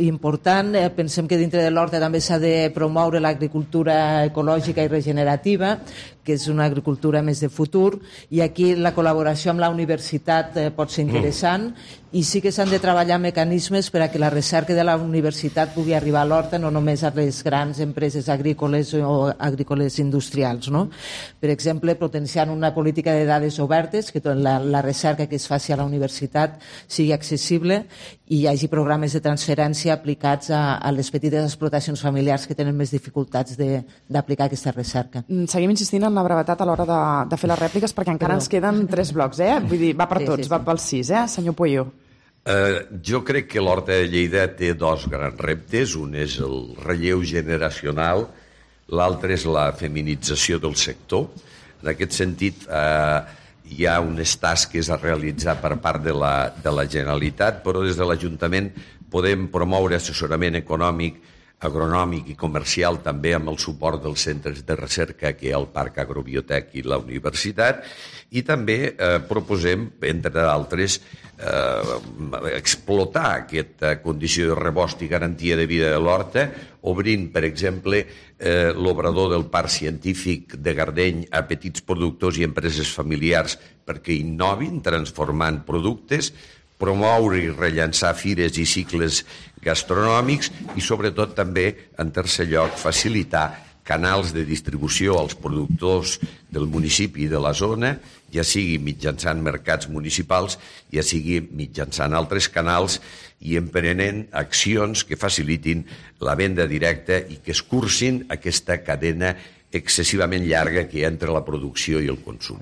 [SPEAKER 4] important, eh, pensem que dintre de l'Horta també s'ha de promoure l'agricultura ecològica i regenerativa, que és una agricultura més de futur, i aquí la col·laboració amb la universitat eh, pot ser interessant, mm. i sí que s'han de treballar mecanismes per a que la recerca de la universitat pugui arribar a l'Horta, no només a les grans empreses agrícoles o agrícoles industrials, no? Per exemple, potenciant una política de dades obertes, que la, la recerca que es faci a la universitat sigui accessible i hi hagi programes de transferència aplicats a, a les petites explotacions familiars que tenen més dificultats d'aplicar aquesta recerca.
[SPEAKER 3] Seguim insistint en la brevetat a l'hora de, de fer les rèpliques, perquè encara Però... ens queden tres blocs, eh? Vull dir, va per sí, tots, sí, sí. va pels sis, eh? Senyor Pueyo.
[SPEAKER 6] Uh, jo crec que l'Horta de Lleida té dos grans reptes. Un és el relleu generacional, l'altre és la feminització del sector. En aquest sentit, uh, hi ha unes tasques a realitzar per part de la, de la Generalitat, però des de l'Ajuntament podem promoure assessorament econòmic, agronòmic i comercial també amb el suport dels centres de recerca que hi ha al Parc Agrobiotec i la Universitat, i també eh, proposem, entre d'altres, eh, explotar aquesta condició de rebost i garantia de vida de l'Horta, obrint, per exemple, eh, l'obrador del Parc Científic de Gardeny a petits productors i empreses familiars perquè innovin, transformant productes, promoure i rellançar fires i cicles gastronòmics i, sobretot, també, en tercer lloc, facilitar canals de distribució als productors del municipi i de la zona, ja sigui mitjançant mercats municipals, ja sigui mitjançant altres canals i emprenent accions que facilitin la venda directa i que escurcin aquesta cadena excessivament llarga que hi ha entre la producció i el consum.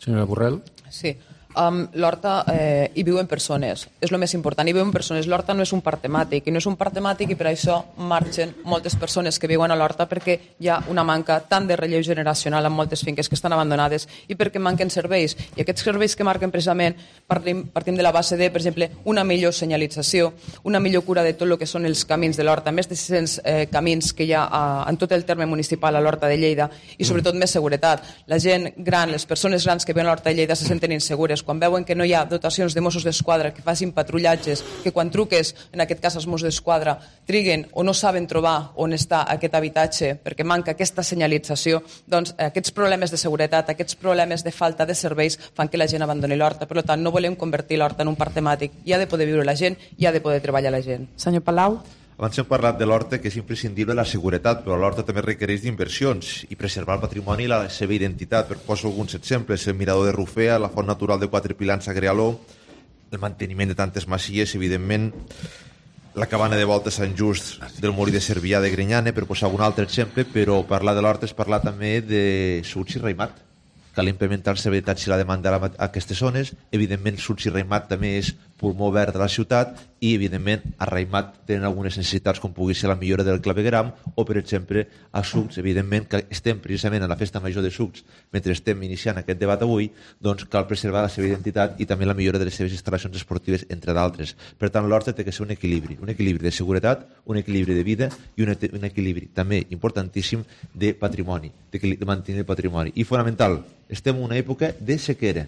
[SPEAKER 2] Senyora Borrell.
[SPEAKER 8] Sí. Um, L'Horta eh, hi viuen persones, és el més important, hi viuen persones. L'Horta no és un parc temàtic, i no és un parc temàtic i per això marxen moltes persones que viuen a l'Horta, perquè hi ha una manca tant de relleu generacional en moltes finques que estan abandonades i perquè manquen serveis. I aquests serveis que marquen precisament partim, partim de la base de, per exemple, una millor senyalització, una millor cura de tot el que són els camins de l'Horta, més de sis-cents eh, camins que hi ha a, en tot el terme municipal a l'Horta de Lleida, i sobretot més seguretat. La gent gran, les persones grans que viuen a l'Horta de Lleida se senten insegures quan veuen que no hi ha dotacions de Mossos d'Esquadra que facin patrullatges, que quan truques, en aquest cas els Mossos d'Esquadra, triguen o no saben trobar on està aquest habitatge perquè manca aquesta senyalització, doncs aquests problemes de seguretat, aquests problemes de falta de serveis fan que la gent abandoni l'Horta. Per tant, no volem convertir l'Horta en un parc temàtic. Hi ha de poder viure la gent, hi ha de poder treballar la gent.
[SPEAKER 3] Senyor Palau.
[SPEAKER 9] Abans hem parlat de l'Horta, que és imprescindible la seguretat, però l'Horta també requereix d'inversions i preservar el patrimoni i la seva identitat. Per posar alguns exemples, el mirador de Rufea, la font natural de Quatre Pilans a Grealó, el manteniment de tantes masies, evidentment, la cabana de volta Sant Just del Molí de Cervià de Grinyane, per posar un altre exemple, però parlar de l'Horta és parlar també de Suts i Raimat. Cal implementar els habitatges i la demanda a aquestes zones. Evidentment, Suts i Raimat també és pulmó verd de la ciutat i, evidentment, a Raimat tenen algunes necessitats com pugui ser la millora del clavegueram o, per exemple, a Sucs, evidentment, que estem precisament a la festa major de Sucs mentre estem iniciant aquest debat avui, doncs cal preservar la seva identitat i també la millora de les seves instal·lacions esportives, entre d'altres. Per tant, l'Horta té que ser un equilibri, un equilibri de seguretat, un equilibri de vida i un, un equilibri també importantíssim de patrimoni, de mantenir el patrimoni. I fonamental, estem en una època de sequera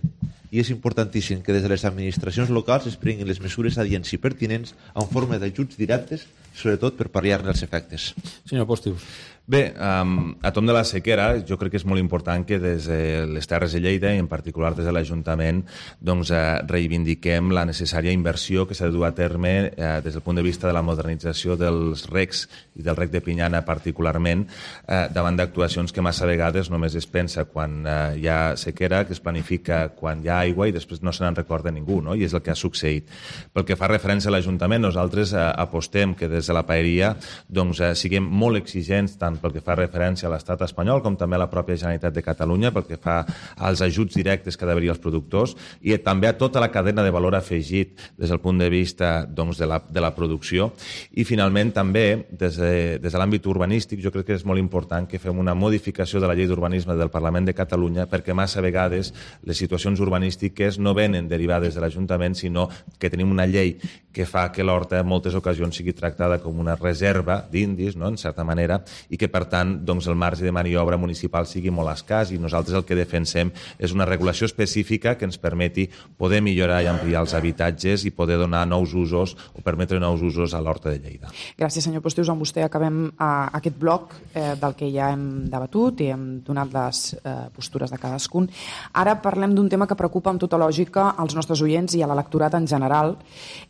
[SPEAKER 9] i és importantíssim que des de les administracions locals es prenguin les mesures adients i pertinents en forma d'ajuts directes, sobretot per pal·liar-ne els efectes.
[SPEAKER 2] Senyor Postius.
[SPEAKER 5] Bé, um, a tom de la sequera, jo crec que és molt important que des de les Terres de Lleida i en particular des de l'Ajuntament doncs, eh, reivindiquem la necessària inversió que s'ha de dur a terme eh, des del punt de vista de la modernització dels recs i del rec de Pinyana particularment, eh, davant d'actuacions que massa vegades només es pensa quan eh, hi ha sequera, que es planifica quan hi ha aigua i després no se n'en recorda ningú, no? I és el que ha succeït. Pel que fa referència a l'Ajuntament, nosaltres eh, apostem que des de la paeria doncs, eh, siguem molt exigents tant tant pel que fa referència a l'estat espanyol com també a la pròpia Generalitat de Catalunya, pel que fa als ajuts directes que ha d'haver-hi als productors i també a tota la cadena de valor afegit des del punt de vista doncs, de, la, de la producció. I finalment també des de, des de l'àmbit urbanístic jo crec que és molt important que fem una modificació de la llei d'urbanisme del Parlament de Catalunya perquè massa vegades les situacions urbanístiques no venen derivades de l'Ajuntament, sinó que tenim una llei que fa que l'horta en moltes ocasions sigui tractada com una reserva d'indis, no?, en certa manera, i que per tant doncs, el marge de maniobra municipal sigui molt escàs i nosaltres el que defensem és una regulació específica que ens permeti poder millorar i ampliar els habitatges i poder donar nous usos o permetre nous usos a l'horta de Lleida.
[SPEAKER 3] Gràcies, senyor Postius. Amb vostè acabem eh, aquest bloc eh, del que ja hem debatut i hem donat les eh, postures de cadascun. Ara parlem d'un tema que preocupa amb tota lògica als nostres oients i a l'electorat en general,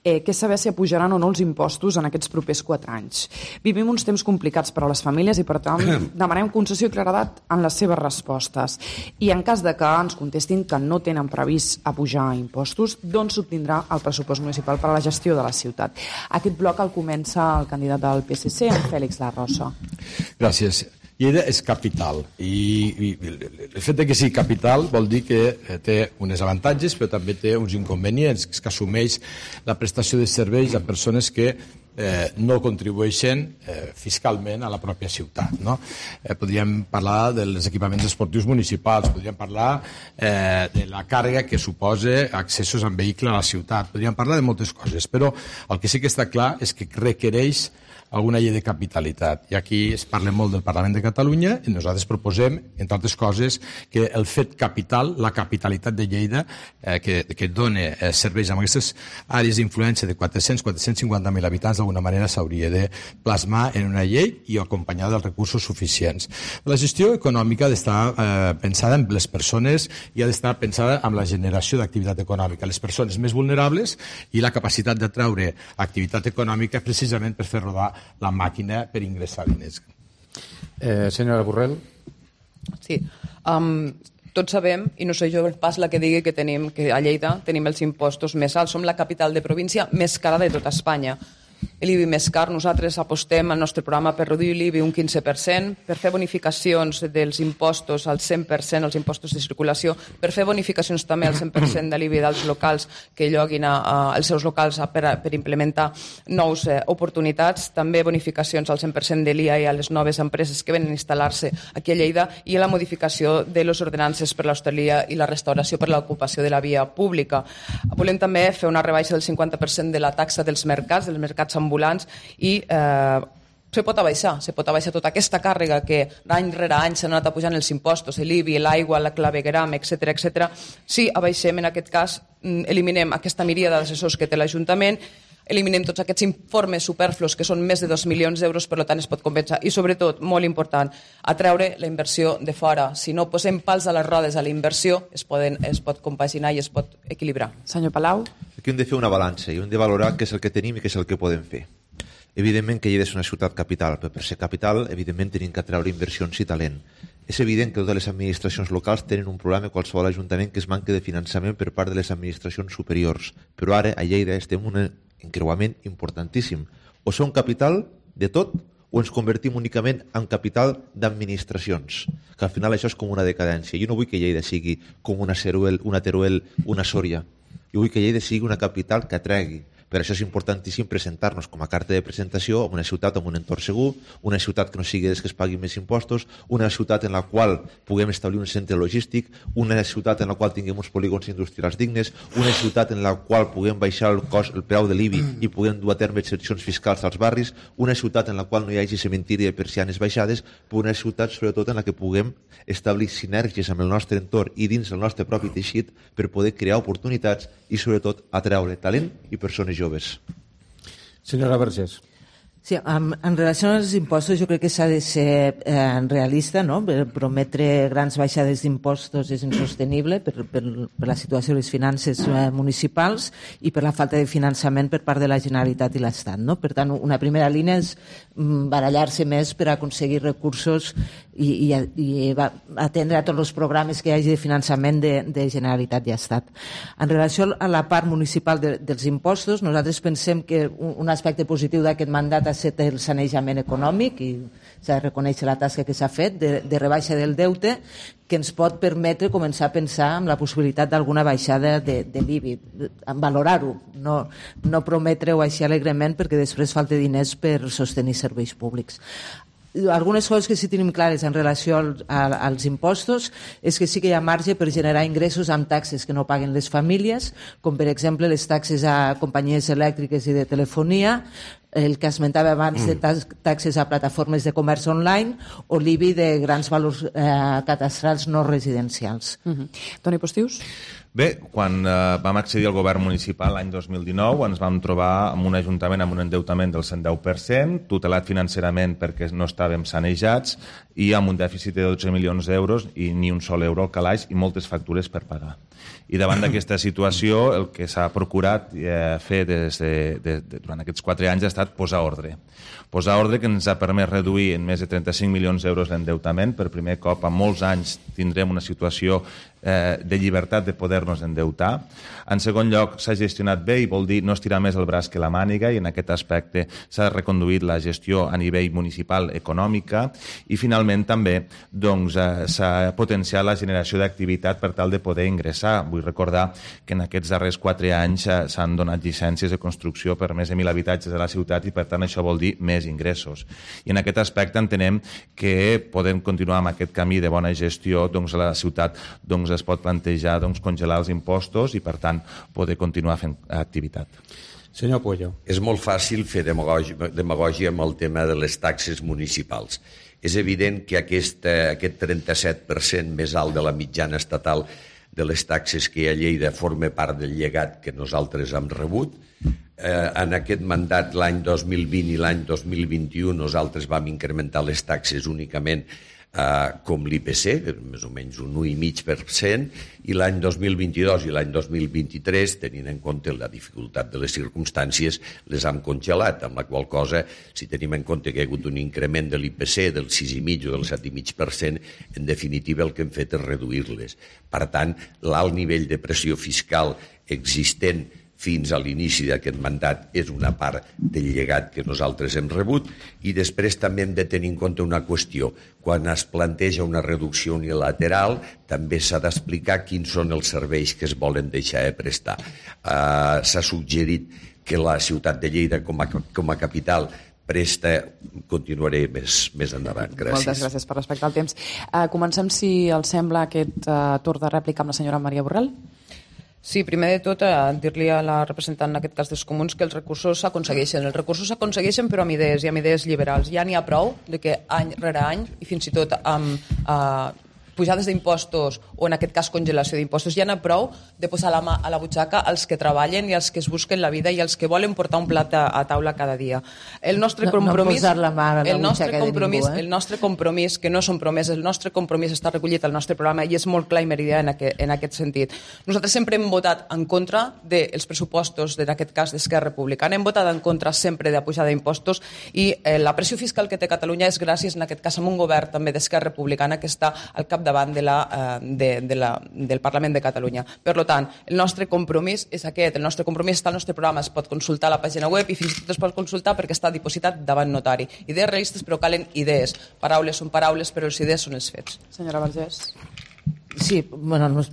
[SPEAKER 3] eh, que és saber si apujaran o no els impostos en aquests propers quatre anys. Vivim uns temps complicats per a les famílies i, per tant, demanem concessió i claredat en les seves respostes. I en cas de que ens contestin que no tenen previst apujar impostos, d'on s'obtindrà el pressupost municipal per a la gestió de la ciutat? Aquest bloc el comença el candidat del P S C, en Fèlix Larrosa.
[SPEAKER 7] Gràcies. Lleida és capital i, i el fet de que sigui capital vol dir que té uns avantatges però també té uns inconvenients, que assumeix la prestació de serveis a persones que eh, no contribueixen eh, fiscalment a la pròpia ciutat. No? Eh, podríem parlar dels equipaments esportius municipals, podríem parlar eh, de la càrrega que suposa accessos en vehicle a la ciutat, podríem parlar de moltes coses, però el que sí que està clar és que requereix alguna llei de capitalitat. I aquí es parla molt del Parlament de Catalunya i nosaltres proposem, entre altres coses, que el fet capital, la capitalitat de Lleida, eh, que, que dona eh, serveis amb aquestes àrees d'influència de quatre-cents a quatre-cents cinquanta mil habitants, d'alguna manera s'hauria de plasmar en una llei i acompanyar dels recursos suficients. La gestió econòmica ha d'estar eh, pensada en les persones i ha d'estar pensada en la generació d'activitat econòmica. Les persones més vulnerables i la capacitat d'atraure activitat econòmica precisament per fer rodar la màquina per ingressar diners.
[SPEAKER 2] Eh, senyora Borrell.
[SPEAKER 8] Sí. Um, tots sabem, i no soy jo pas la que digui que tenim que a Lleida tenim els impostos més alts. Som la capital de província més cara de tota Espanya. L'I B I més car, nosaltres apostem al nostre programa per reduir l'I B I un quinze per cent, per fer bonificacions dels impostos al cent per cent, els impostos de circulació, per fer bonificacions també al cent per cent de l'I B I dels locals que lloguin a, a, els seus locals a, per, a, per implementar nous eh, oportunitats, també bonificacions al cent per cent de l'I A i a les noves empreses que venen a instal·lar-se aquí a Lleida i a la modificació de les ordenances per l'hostaleria i la restauració per l'ocupació de la via pública. Volem també fer una rebaixa del cinquanta per cent de la taxa dels mercats, dels mercats ambulants i eh, se pot abaixar, se pot abaixar tota aquesta càrrega que any rere any s'han anat pujant els impostos, l'I B I, l'aigua, la clavegueram, etcètera, etcètera. Si abaixem, en aquest cas, eliminem aquesta miríada d'assessors que té l'Ajuntament, eliminem tots aquests informes superflus que són més de dos milions d'euros, per tant es pot compensar i sobretot, molt important, atreure la inversió de fora. Si no posem pals a les rodes a la inversió, es, poden, es pot compaginar i es pot equilibrar.
[SPEAKER 3] Senyor Palau.
[SPEAKER 9] Aquí hem de fer una balança i hem de valorar què és el que tenim i què és el que podem fer. Evidentment que Lleida és una ciutat capital, però per ser capital, evidentment, tenim que atreure inversions i talent. És evident que totes les administracions locals tenen un problema, qualsevol ajuntament, que es manca de finançament per part de les administracions superiors. Però ara, a Lleida, estem en un encreuament importantíssim. O som capital de tot o ens convertim únicament en capital d'administracions, que al final això és com una decadència. Jo no vull que Lleida sigui com una Teruel, una, Teruel, una Sòria. Jo vull que Lleida sigui una capital que atregui. Per això és importantíssim presentar-nos com a carta de presentació en una ciutat amb un entorn segur, una ciutat que no sigui des que es paguin més impostos, una ciutat en la qual puguem establir un centre logístic, una ciutat en la qual tinguem uns polígons industrials dignes, una ciutat en la qual puguem baixar el cost, el preu de l'I B I i puguem dur a terme excepcions fiscals als barris, una ciutat en la qual no hi hagi cementiri de persianes baixades, però una ciutat sobretot en la que puguem establir sinergies amb el nostre entorn i dins el nostre propi teixit per poder crear oportunitats i sobretot atreure talent i persones joves.
[SPEAKER 2] Senyora Vergés.
[SPEAKER 4] Sí, en, en relació als impostos jo crec que s'ha de ser eh, realista, no? Prometre grans baixades d'impostos és insostenible per, per, per la situació de les finances eh, municipals i per la falta de finançament per part de la Generalitat i l'Estat, no? Per tant, una primera línia és mm, barallar-se més per aconseguir recursos i, i, i va atendre a tots els programes que hi hagi de finançament de, de Generalitat i Estat. En relació a la part municipal de, dels impostos, nosaltres pensem que un, un aspecte positiu d'aquest mandat ha estat el sanejament econòmic, i s'ha de reconèixer la tasca que s'ha fet de, de rebaixa del deute, que ens pot permetre començar a pensar en la possibilitat d'alguna baixada de, de l'I B I, valorar-ho, no, no prometre-ho així alegrement perquè després falta diners per sostenir serveis públics. Algunes coses que sí tenim clares en relació al, a, als impostos és que sí que hi ha marge per generar ingressos amb taxes que no paguen les famílies, com per exemple les taxes a companyies elèctriques i de telefonia, el que esmentava abans de taxes a plataformes de comerç online o l'I B I de grans valors eh, cadastrals no residencials.
[SPEAKER 3] Uh-huh. Toni Postius?
[SPEAKER 5] Bé, quan eh, vam accedir al govern municipal l'any dos mil dinou ens vam trobar amb un ajuntament amb un endeutament del cent deu per cent, tutelat financerament perquè no estàvem sanejats i amb un dèficit de dotze milions d'euros i ni un sol euro al calaix i moltes factures per pagar. I davant d'aquesta situació el que s'ha procurat eh, fer des de, de, de, durant aquests quatre anys ha estat posar ordre. Posar ordre que ens ha permès reduir en més de trenta-cinc milions d'euros l'endeutament. Per primer cop, en molts anys, tindrem una situació eh, de llibertat de poder-nos endeutar. En segon lloc, s'ha gestionat bé i vol dir no estirar més el braç que la màniga, i en aquest aspecte s'ha reconduït la gestió a nivell municipal econòmica. I finalment també doncs, eh, s'ha potenciat la generació d'activitat per tal de poder ingressar. Vull recordar que en aquests darrers quatre anys eh, s'han donat llicències de construcció per més de mil habitatges a la ciutat i per tant això vol dir més ingressos. I en aquest aspecte entenem que podem continuar amb aquest camí de bona gestió, doncs la ciutat doncs, es pot plantejar doncs, congelar els impostos i per tant poder continuar fent activitat.
[SPEAKER 2] Senyor Puello.
[SPEAKER 6] És molt fàcil fer demagògia, demagògia amb el tema de les taxes municipals. És evident que aquest, aquest trenta-set per cent més alt de la mitjana estatal de les taxes que hi ha a Lleida forma part del llegat que nosaltres hem rebut. Eh, en aquest mandat l'any dos mil vint i l'any dos mil vint-i-u nosaltres vam incrementar les taxes únicament eh, com l'I P C, més o menys un u coma cinc per cent, i l'any dos mil vint-i-dos i l'any dos mil vint-i-tres, tenint en compte la dificultat de les circumstàncies, les hem congelat, amb la qual cosa, si tenim en compte que hi ha hagut un increment de l'I P C del sis coma cinc o del set coma cinc per cent, en definitiva el que hem fet és reduir-les. Per tant, l'alt nivell de pressió fiscal existent fins a l'inici d'aquest mandat és una part del llegat que nosaltres hem rebut, i després també hem de tenir en compte una qüestió. Quan es planteja una reducció unilateral també s'ha d'explicar quins són els serveis que es volen deixar de prestar. Uh, s'ha suggerit que la ciutat de Lleida com a, com a capital presta, continuaré més, més endavant. Gràcies.
[SPEAKER 3] Moltes gràcies per respectar el temps. Uh, comencem, si els sembla, aquest uh, torn de rèplica amb la senyora Maria Borrell.
[SPEAKER 8] Sí, primer de tot, eh, dir-li a la representant, en aquest cas dels comuns, que els recursos s'aconsegueixen. Els recursos s'aconsegueixen però amb idees i amb idees liberals. Ja n'hi ha prou de que any rere any, i fins i tot amb eh, pujades d'impostos o en aquest cas congelació d'impostos, ja n'hi ha prou de posar la mà a la butxaca als que treballen i als que es busquen la vida i als que volen portar un plat a, a taula cada dia. El nostre
[SPEAKER 4] no,
[SPEAKER 8] compromís,
[SPEAKER 4] no posar la mà a la
[SPEAKER 8] el nostre
[SPEAKER 4] butxaca
[SPEAKER 8] compromís,
[SPEAKER 4] de ningú, eh?
[SPEAKER 8] el nostre compromís, que no són promeses, el nostre compromís està recollit al nostre programa i és molt clar i meridià en, aquest, en aquest sentit. Nosaltres sempre hem votat en contra dels pressupostos, en aquest cas d'Esquerra Republicana, hem votat en contra sempre de la pujada d'impostos i eh, la pressió fiscal que té Catalunya és gràcies, en aquest cas, a un govern també d'Esquerra Republicana que està al capdavant de la eh, De, de la, del Parlament de Catalunya. Per tant, el nostre compromís és aquest, el nostre compromís està al nostre programa, es pot consultar a la pàgina web i fins i tot es pot consultar perquè està dipositat davant notari. Idees realistes però calen idees. Paraules són paraules però les idees són els fets.
[SPEAKER 3] Senyora Vergés.
[SPEAKER 4] Sí, bueno, no,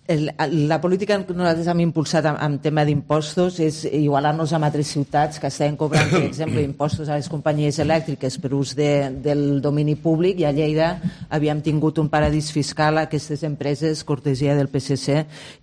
[SPEAKER 4] el, la política que nosaltres hem impulsat amb, amb tema d'impostos és igualar-nos amb altres ciutats que estaven cobrant, per exemple, impostos a les companyies elèctriques per ús de, del domini públic, i a Lleida havíem tingut un paradís fiscal a aquestes empreses, cortesia del P S C,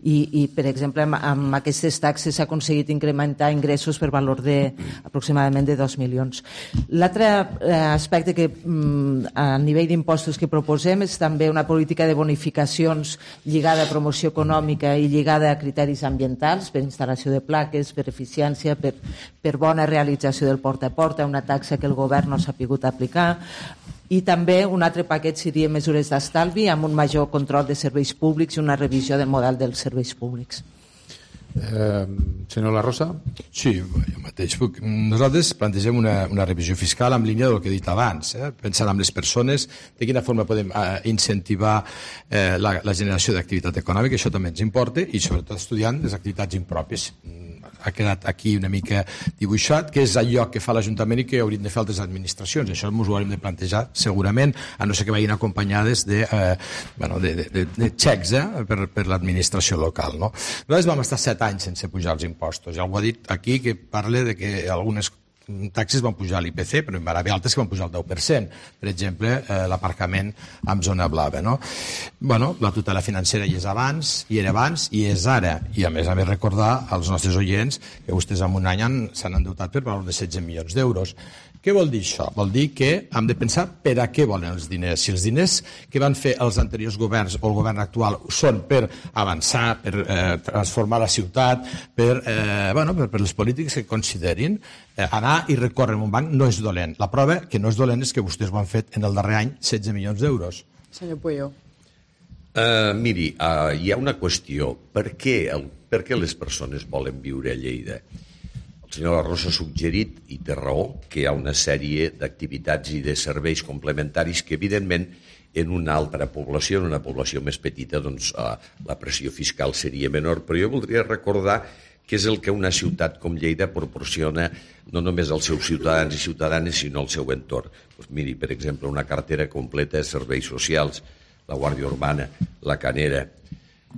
[SPEAKER 4] i, i per exemple, amb, amb aquestes taxes s'ha aconseguit incrementar ingressos per valor de aproximadament de dos milions. L'altre eh, aspecte que mm, a nivell d'impostos que proposem és també una política de bonificacions lligada a promoció econòmica i lligada a criteris ambientals per instal·lació de plaques, per eficiència, per, per bona realització del porta a porta, una taxa que el govern no s'ha pogut aplicar, i també un altre paquet seria mesures d'estalvi amb un major control de serveis públics i una revisió del model dels serveis públics.
[SPEAKER 2] Eh, senyor La Rosa?
[SPEAKER 7] Sí, jo mateix. Nosaltres plantegem una, una revisió fiscal en línia del que he dit abans, eh? pensant en les persones, de quina forma podem eh, incentivar eh, la, la generació d'activitat econòmica, això també ens importa, i sobretot estudiant les activitats impròpies. Ha quedat aquí una mica dibuixat, que és allò que fa l'Ajuntament i que haurien de fer altres administracions. Això ens ho haurem de plantejar segurament, a no ser que vagin acompanyades de, eh, bueno, de, de, de, de xecs eh, per, per l'administració local. No? Nosaltres vam estar set anys sense pujar els impostos. Ja algú ha dit aquí que parla de que algunes taxes van pujar l'I P C, però hi va haver altres que van pujar el deu per cent. Per exemple, eh, l'aparcament en zona blava. No? Bueno, la tutela financera hi és abans, hi era abans, i és ara. I a més a més recordar als nostres oients que vostès en un any s'han endeutat per valor de setze milions d'euros. Què vol dir això? Vol dir que hem de pensar per a què volen els diners. Si els diners que van fer els anteriors governs o el govern actual són per avançar, per eh, transformar la ciutat, per, eh, bueno, per, per les polítiques que considerin, eh, anar i recórrer en un banc no és dolent. La prova que no és dolent és que vostès ho han fet en el darrer any setze milions d'euros.
[SPEAKER 8] Senyor Pueyo.
[SPEAKER 6] Uh, miri, uh, hi ha una qüestió. Per què, el, per què les persones volen viure a Lleida? El senyor La Rosa ha suggerit, i té raó, que hi ha una sèrie d'activitats i de serveis complementaris que, evidentment, en una altra població, en una població més petita, doncs uh, la pressió fiscal seria menor. Però jo voldria recordar que és el que una ciutat com Lleida proporciona no només als seus ciutadans i ciutadanes, sinó al seu entorn. Doncs miri, per exemple, una cartera completa de serveis socials, la Guàrdia Urbana, la Canera,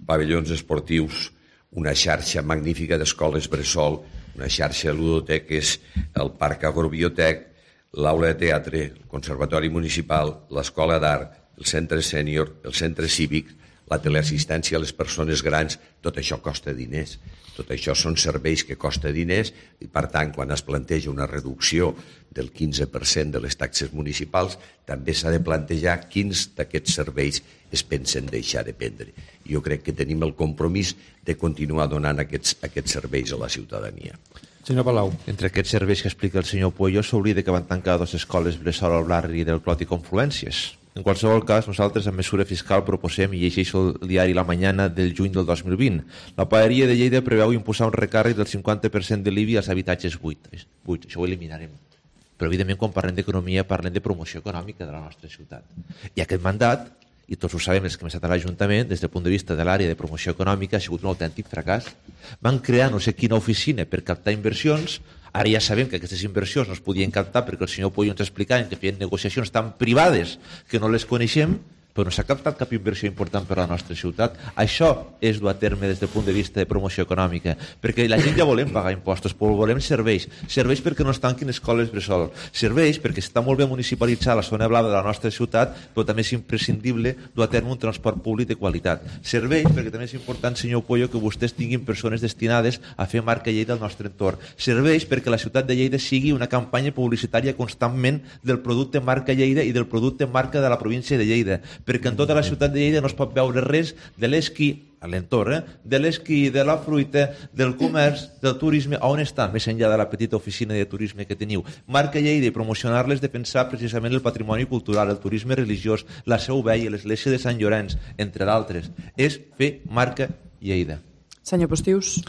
[SPEAKER 6] pavellons esportius, una xarxa magnífica d'escoles bressol, una xarxa de ludoteques, el Parc Agrobiotec, l'aula de teatre, el Conservatori Municipal, l'Escola d'Art, el Centre Sènior, el Centre Cívic, la teleassistència a les persones grans, tot això costa diners. Tot això són serveis que costa diners i, per tant, quan es planteja una reducció del quinze per cent de les taxes municipals, també s'ha de plantejar quins d'aquests serveis es pensen deixar de prendre. Jo crec que tenim el compromís de continuar donant aquests, aquests serveis a la ciutadania.
[SPEAKER 2] Senyor Palau.
[SPEAKER 9] Entre aquests serveis que explica el senyor Pueyo s'oblida que van tancar dues escoles bressol al barri del Clot i Confluències. En qualsevol cas, nosaltres en mesura fiscal proposem, i llegeixo el diari La Mañana del juny del dos mil vint, la paeria de Lleida preveu imposar un recàrrec del cinquanta per cent de l'I B I als habitatges buits. buits. Això ho eliminarem. Però, evidentment, quan parlem d'economia, parlem de promoció econòmica de la nostra ciutat. I aquest mandat, i tots ho sabem els que hem estat a l'Ajuntament, des del punt de vista de l'àrea de promoció econòmica, ha sigut un autèntic fracàs. Van crear no sé quina oficina per captar inversions. Ara ja sabem que aquestes inversions no es podien captar perquè el senyor Pueyo ens explicava que feien negociacions tan privades que no les coneixem, però no s'ha captat cap inversió important per a la nostra ciutat. Això és dur a terme des del punt de vista de promoció econòmica, perquè la gent ja volem pagar impostos, però volem serveis. Serveis perquè no es tanquin escoles bressol. Serveis perquè està molt bé municipalitzar la zona blava de la nostra ciutat, però també és imprescindible dur a terme un transport públic de qualitat. Serveis perquè també és important, senyor Pueyo, que vostès tinguin persones destinades a fer marca Lleida al nostre entorn. Serveis perquè la ciutat de Lleida sigui una campanya publicitària constantment del producte marca Lleida i del producte marca de la província de Lleida, perquè en tota la ciutat de Lleida no es pot veure res de l'esquí a l'entorn, eh? de l'esquí, de la fruita, del comerç, del turisme, on està, més enllà de la petita oficina de turisme que teniu. Marca Lleida i promocionar-les de pensar precisament el patrimoni cultural, el turisme religiós, la Seu Vella, l'església de Sant Llorenç, entre d'altres. És fer marca Lleida.
[SPEAKER 3] Senyor Postius.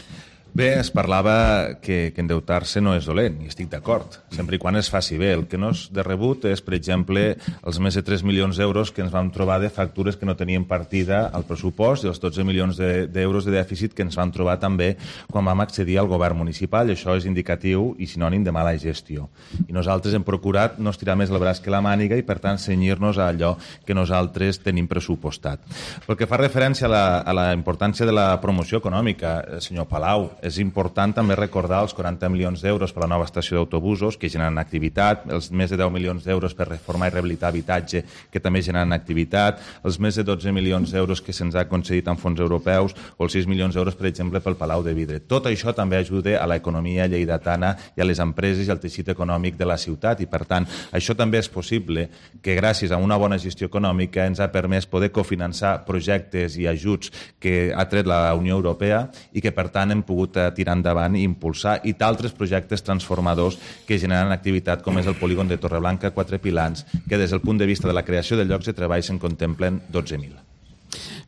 [SPEAKER 5] Bé, es parlava que, que endeutar-se no és dolent, i estic d'acord, sempre i quan es faci bé. El que no és de rebut és, per exemple, els més de tres milions d'euros que ens vam trobar de factures que no tenien partida al pressupost i els dotze milions d'euros de, de dèficit que ens vam trobar també quan vam accedir al govern municipal. I això és indicatiu i sinònim de mala gestió. I nosaltres hem procurat no estirar més el braç que la màniga i, per tant, cenyir-nos a allò que nosaltres tenim pressupostat. Pel que fa referència a la, a la importància de la promoció econòmica, senyor Palau, és important també recordar els quaranta milions d'euros per a la nova estació d'autobusos que generen activitat, els més de deu milions d'euros per reformar i rehabilitar habitatge que també generen activitat, els més de dotze milions d'euros que se'ns ha concedit en fons europeus o els sis milions d'euros, per exemple, pel Palau de Vidre. Tot això també ajuda a l'economia lleidatana i a les empreses i al teixit econòmic de la ciutat i, per tant, això també és possible que gràcies a una bona gestió econòmica ens ha permès poder cofinançar projectes i ajuts que ha tret la Unió Europea i que, per tant, hem pogut tirar endavant i impulsar i d'altres projectes transformadors que generen activitat com és el polígon de Torreblanca Quatre Pilans, que des del punt de vista de la creació de llocs de treball se'n contemplen dotze mil.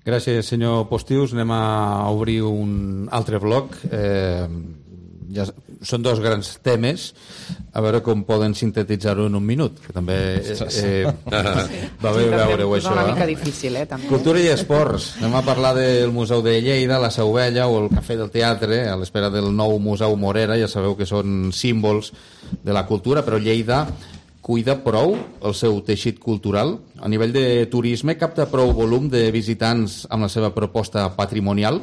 [SPEAKER 2] Gràcies, senyor Postius. Anem a obrir un altre bloc. Eh, ja, són dos grans temes, a veure com poden sintetitzar-ho en un minut, que també eh, eh, va bé veure-ho, això.
[SPEAKER 3] És una mica difícil, eh? També.
[SPEAKER 2] Cultura i esports. Anem a parlar del Museu de Lleida, la Seu Vella o el Cafè del Teatre, a l'espera del nou Museu Morera. Ja sabeu que són símbols de la cultura, però Lleida cuida prou el seu teixit cultural? A nivell de turisme, capta prou volum de visitants amb la seva proposta patrimonial?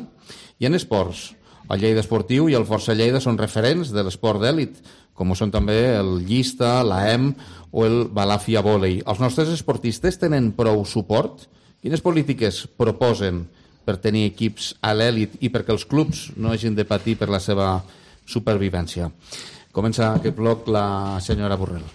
[SPEAKER 2] I en esports, el Lleida Esportiu i el Força Lleida són referents de l'esport d'èlit, com ho són també el Llista, l'A E M o el Balàfia Vòlei. Els nostres esportistes tenen prou suport? Quines polítiques proposen per tenir equips a l'èlit i perquè els clubs no hagin de patir per la seva supervivència? Comença aquest bloc la senyora Borrell.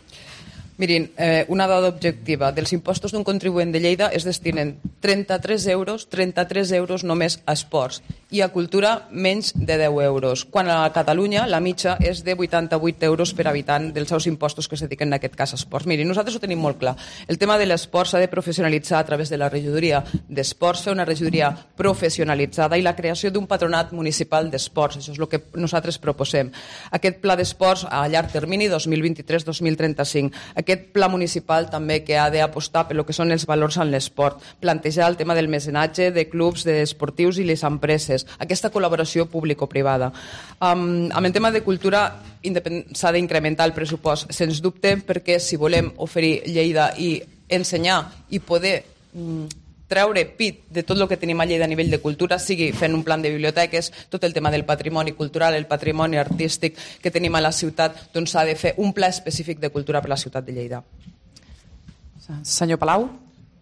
[SPEAKER 8] Mirin, eh, una dada objectiva. Dels impostos d'un contribuent de Lleida es destinen trenta-tres euros, trenta-tres euros només a esports i a cultura menys de deu euros, quan a Catalunya la mitja és de vuitanta-vuit euros per habitant dels seus impostos que es dediquen en aquest cas a esports. Mirin, nosaltres ho tenim molt clar. El tema de l'esport s'ha de professionalitzar a través de la regidoria d'esports, fer una regidoria professionalitzada i la creació d'un patronat municipal d'esports. Això és el que nosaltres proposem. Aquest pla d'esports a llarg termini, dos mil vint-i-tres dos mil trenta-cinc. Aquest pla municipal també que ha d'apostar per el que són els valors en l'esport, plantejar el tema del mecenatge de clubs, d'esportius i les empreses, aquesta col·laboració público-privada. Um, amb el tema de cultura s'ha d'incrementar el pressupost, sens dubte, perquè si volem oferir Lleida i ensenyar i poder um, treure pit de tot el que tenim a Lleida a nivell de cultura, sigui fent un plan de biblioteques, tot el tema del patrimoni cultural, el patrimoni artístic que tenim a la ciutat, doncs s'ha de fer un pla específic de cultura per a la ciutat de Lleida.
[SPEAKER 3] Senyor Palau.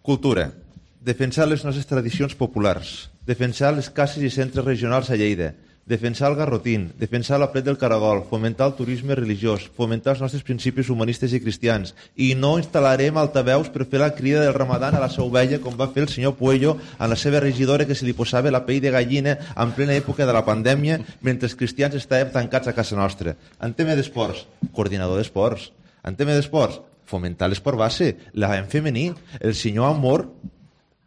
[SPEAKER 9] Cultura. Defensar les nostres tradicions populars. Defensar les cases i centres regionals a Lleida. Defensar el garrotín, defensar la plet del caragol, fomentar el turisme religiós, fomentar els nostres principis humanistes i cristians. I no instal·larem altaveus per fer la crida del Ramadan a la Seu Vella, com va fer el senyor Puello a la seva regidora, que se li posava la pell de gallina en plena època de la pandèmia, mentre els cristians estàvem tancats a casa nostra. En tema d'esports, coordinador d'esports. En tema d'esports, fomentar l'esport base, l'A E M femení. El senyor Amor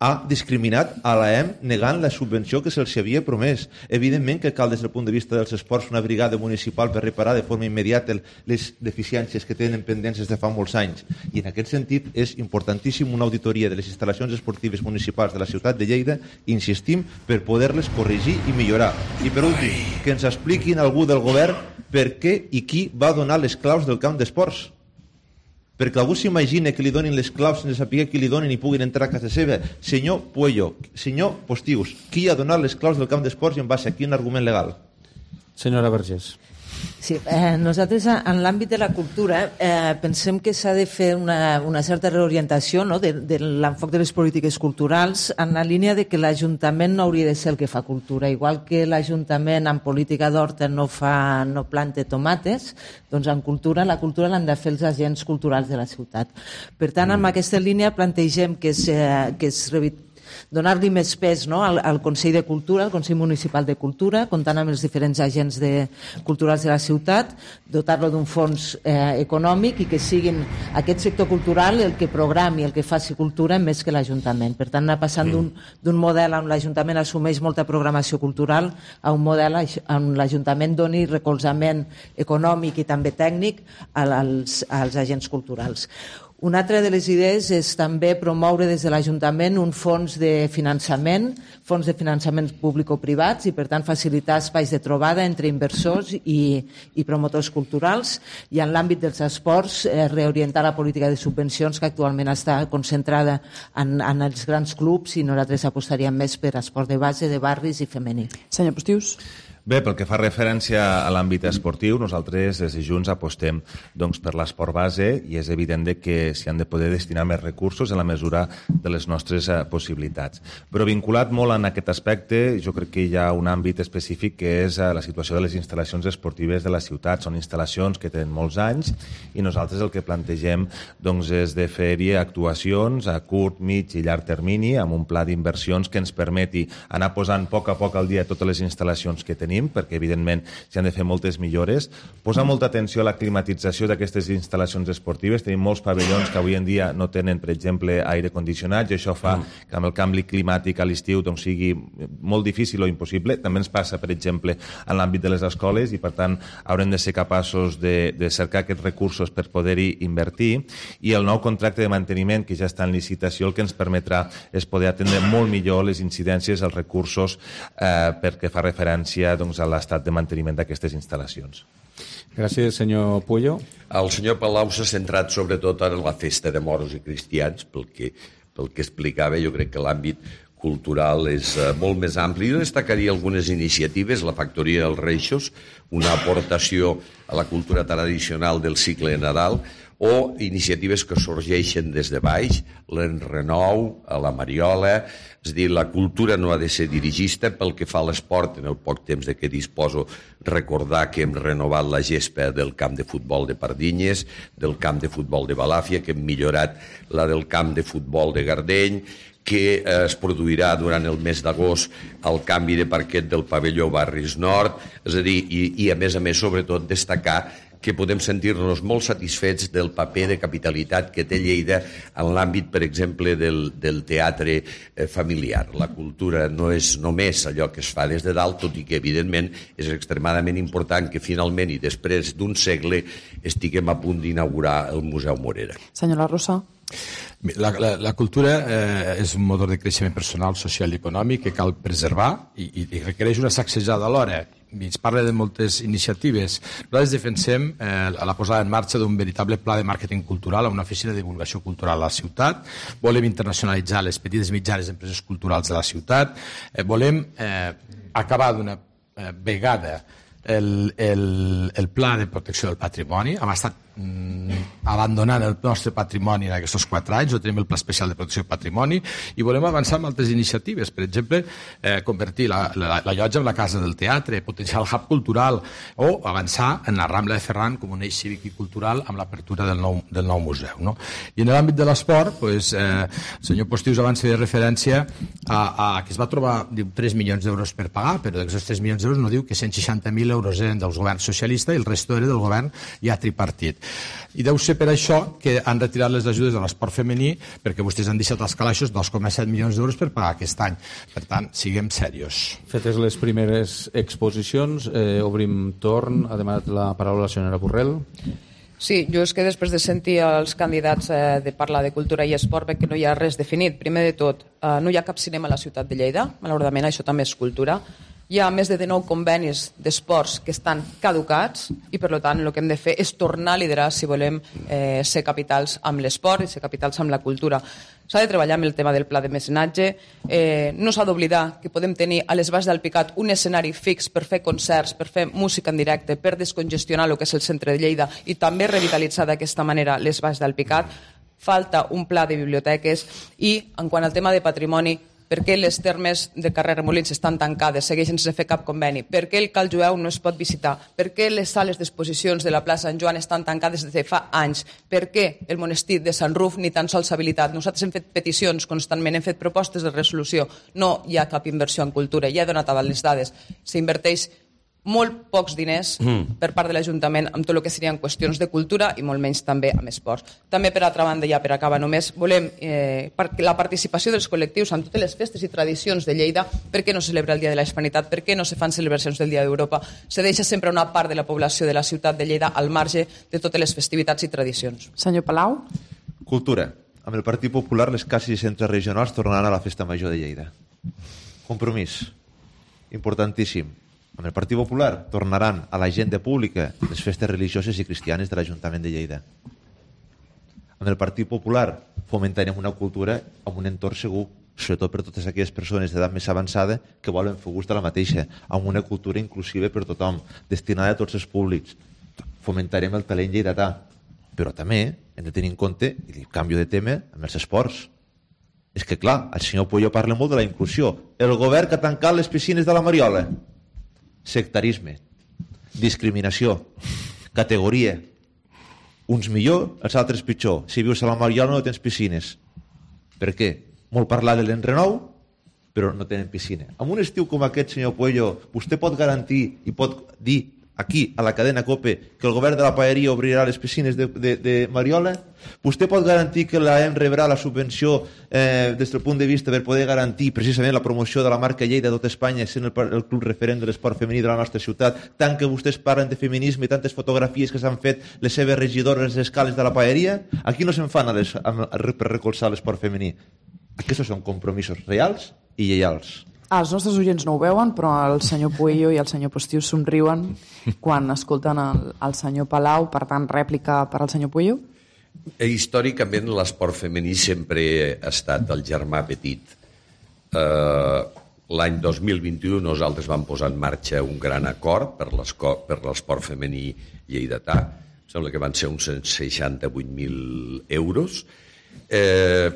[SPEAKER 9] ha discriminat a l'A E M negant la subvenció que se'ls havia promès. Evidentment que cal, des del punt de vista dels esports, una brigada municipal per reparar de forma immediata les deficiències que tenen pendents des de fa molts anys. I en aquest sentit és importantíssim una auditoria de les instal·lacions esportives municipals de la ciutat de Lleida, insistim, per poder-les corregir i millorar. I per últim, que ens expliquin algú del govern per què i qui va donar les claus del camp d'esports. Perquè algú s'imagina que li donin les claus sense saber qui li donin i puguin entrar a casa seva. Senyor Puello, senyor Postius, qui ha donat les claus del camp d'esports i en base a quin argument legal?
[SPEAKER 2] Senyora Vergés.
[SPEAKER 4] Sí, eh, nosaltres en l'àmbit de la cultura eh, pensem que s'ha de fer una, una certa reorientació, no?, de, de l'enfoc de les polítiques culturals en la línia de que l'Ajuntament no hauria de ser el que fa cultura. Igual que l'Ajuntament en política d'horta no, fa, no planta tomates, doncs en cultura, la cultura l'han de fer els agents culturals de la ciutat. Per tant, en aquesta línia plantegem que es, eh, que es revit donar-li més pes, no?, al, al Consell de Cultura, al Consell Municipal de Cultura, comptant amb els diferents agents de, culturals de la ciutat, dotar-lo d'un fons eh, econòmic i que siguin aquest sector cultural el que programi, el que faci cultura més que l'Ajuntament. Per tant, anar passant d'un, d'un model on l'Ajuntament assumeix molta programació cultural a un model on l'Ajuntament doni recolzament econòmic i també tècnic als, als agents culturals. Una altra de les idees és també promoure des de l'Ajuntament un fons de finançament, fons de finançament públic-privats i, per tant, facilitar espais de trobada entre inversors i, i promotors culturals, i en l'àmbit dels esports eh, reorientar la política de subvencions que actualment està concentrada en, en els grans clubs, i nosaltres apostaríem més per esport de base, de barris i femení.
[SPEAKER 3] Senyor Postius.
[SPEAKER 5] Bé, pel que fa referència a l'àmbit esportiu, nosaltres des de Junts apostem doncs, per l'esport base, i és evident que s'hi han de poder destinar més recursos en la mesura de les nostres eh, possibilitats. Però vinculat molt en aquest aspecte, jo crec que hi ha un àmbit específic que és eh, la situació de les instal·lacions esportives de la ciutat. Són instal·lacions que tenen molts anys i nosaltres el que plantegem doncs, és de fer-hi actuacions a curt, mig i llarg termini amb un pla d'inversions que ens permeti anar posant a poc a poc al dia totes les instal·lacions que tenim tenim, perquè evidentment s'hi han de fer moltes millores. Posar molta atenció a la climatització d'aquestes instal·lacions esportives. Tenim molts pavellons que avui en dia no tenen, per exemple, aire condicionat, i això fa que amb el canvi climàtic a l'estiu doncs, sigui molt difícil o impossible. També ens passa, per exemple, en l'àmbit de les escoles, i per tant haurem de ser capaços de, de cercar aquests recursos per poder-hi invertir, i el nou contracte de manteniment que ja està en licitació el que ens permetrà és poder atendre molt millor les incidències, els recursos eh, perquè fa referència doncs, a l'estat de manteniment d'aquestes instal·lacions.
[SPEAKER 2] Gràcies, senyor Puyo.
[SPEAKER 6] El senyor Palau s'ha centrat sobretot en la festa de moros i cristians, pel que, pel que explicava. Jo crec que l'àmbit cultural és uh, molt més ampli. Jo destacaria algunes iniciatives, la Factoria dels Reixos, una aportació a la cultura tradicional del cicle de Nadal, o iniciatives que sorgeixen des de baix, l'Enrenou, a la Mariola. És a dir, la cultura no ha de ser dirigista. Pel que fa a l'esport, en el poc temps de què disposo, recordar que hem renovat la gespa del camp de futbol de Pardinyes, del camp de futbol de Balàfia, que hem millorat la del camp de futbol de Gardeny, que es produirà durant el mes d'agost el canvi de parquet del pavelló Barris Nord. És a dir, i, i a més a més, sobretot, destacar que podem sentir-nos molt satisfets del paper de capitalitat que té Lleida en l'àmbit, per exemple, del, del teatre eh, familiar. La cultura no és només allò que es fa des de dalt, tot i que, evidentment, és extremadament important que finalment i després d'un segle estiguem a punt d'inaugurar el Museu Morera.
[SPEAKER 3] Senyora Rosa.
[SPEAKER 7] La, la, la cultura eh, és un motor de creixement personal, social i econòmic que cal preservar i, i requereix una sacsejada alhora. I es parla de moltes iniciatives. Nosaltres defensem eh, la posada en marxa d'un veritable pla de màrqueting cultural a una oficina de divulgació cultural a la ciutat. Volem internacionalitzar les petites i mitjanes empreses culturals de la ciutat. Eh, volem eh, acabar d'una eh, vegada el, el, el pla de protecció del patrimoni. Hem estat mm, abandonant el nostre patrimoni en aquests quatre anys, no tenim el pla especial de protecció del patrimoni, i volem avançar amb altres iniciatives, per exemple, eh, convertir la, la, la llotja en la casa del teatre, potenciar el hub cultural, o avançar en la Rambla de Ferran com un eix cívic i cultural amb l'apertura del, nou, del nou museu. No? I en l'àmbit de l'esport, pues, eh, el senyor Postius abans feia referència a, a que es va trobar diu, tres milions d'euros per pagar, però d'aquests tres milions d'euros no diu que cent seixanta mil euros eren dels governs socialistes i el resto era del govern ja tripartit. I deu ser per això que han retirat les ajudes a l'esport femení, perquè vostès han deixat als calaixos dos coma set milions d'euros per pagar aquest any. Per tant, siguem serios.
[SPEAKER 2] Fetes les primeres exposicions, eh, obrim torn. Ha demanat la paraula la senyora Borrell.
[SPEAKER 8] Sí, jo és que després de sentir els candidats eh, de parlar de cultura i esport veig que no hi ha res definit. Primer de tot, eh, no hi ha cap cinema a la ciutat de Lleida, malauradament això també és cultura. Hi ha més de dinou convenis d'esports que estan caducats i, per tant, el que hem de fer és tornar a liderar si volem eh, ser capitals amb l'esport i ser capitals amb la cultura. S'ha de treballar amb el tema del pla de mecenatge. Eh, no s'ha d'oblidar que podem tenir a les Valls d'Alpicat un escenari fix per fer concerts, per fer música en directe, per descongestionar el que és el centre de Lleida i també revitalitzar d'aquesta manera les Valls d'Alpicat. Falta un pla de biblioteques i, en quant al tema de patrimoni, per què les termes de carrer Remolins estan tancades, segueixen sense fer cap conveni, per què el Cal Jueu no es pot visitar, per què les sales d'exposicions de la plaça Sant Joan estan tancades des de fa anys, per què el monestir de Sant Ruf ni tan sols s'ha habilitat. Nosaltres hem fet peticions constantment, hem fet propostes de resolució, no hi ha cap inversió en cultura, ja he donat a les dades, s'inverteix molt pocs diners mm. per part de l'Ajuntament amb tot el que serien qüestions de cultura i molt menys també amb esports. També, per altra banda, ja per acabar només, volem eh, la participació dels col·lectius en totes les festes i tradicions de Lleida. Per què no se celebra el Dia de la Hispanitat? Per què no se fan celebracions del Dia d'Europa? Se deixa sempre una part de la població de la ciutat de Lleida al marge de totes les festivitats i tradicions.
[SPEAKER 3] Senyor Palau.
[SPEAKER 9] Cultura. Amb el Partit Popular, les cases i centres regionals tornaran a la Festa Major de Lleida. Compromís. Importantíssim. Amb el Partit Popular tornaran a l'agenda pública les festes religioses i cristianes de l'Ajuntament de Lleida. Amb el Partit Popular fomentarem una cultura amb un entorn segur, sobretot per totes aquelles persones d'edat més avançada que volen fer gust de la mateixa, amb una cultura inclusiva per tothom, destinada a tots els públics. Fomentarem el talent lleidatà, però també hem de tenir en compte, i canvio de tema, amb els esports. És que, clar, el senyor Puyo parla molt de la inclusió. El govern que ha tancat les piscines de la Mariola. Sectarisme, discriminació, categoria. Uns millor, els altres pitjor. Si vius a la Mariola no tens piscines. Per què? Molt parlar de l'Enrenou, però no tenen piscina. En un estiu com aquest, senyor Puello, vostè pot garantir i pot dir aquí, a la cadena COPE, que el govern de la Paeria obrirà les piscines de, de, de Mariola? Vostè pot garantir que l'A E M rebrà la subvenció eh, des del punt de vista per poder garantir precisament la promoció de la marca Lleida a tot Espanya, sent el, el club referent de l'esport femení de la nostra ciutat, tant que vostès parlen de feminisme i tantes fotografies que s'han fet les seves regidores escales de la Paeria? Aquí no se'n fan a les, a, a, per recolzar l'esport femení. Aquests són compromisos reals i lleials.
[SPEAKER 3] Els nostres oients no ho veuen, però el senyor Puello i el senyor Postius somriuen quan escolten el, el senyor Palau. Per tant, rèplica per al senyor Puello.
[SPEAKER 6] Històricament, l'esport femení sempre ha estat el germà petit. Eh, l'any dos mil vint-i-u nosaltres vam posar en marxa un gran acord per l'esport femení lleidatà. Em sembla que van ser uns seixanta-vuit mil euros. Eh,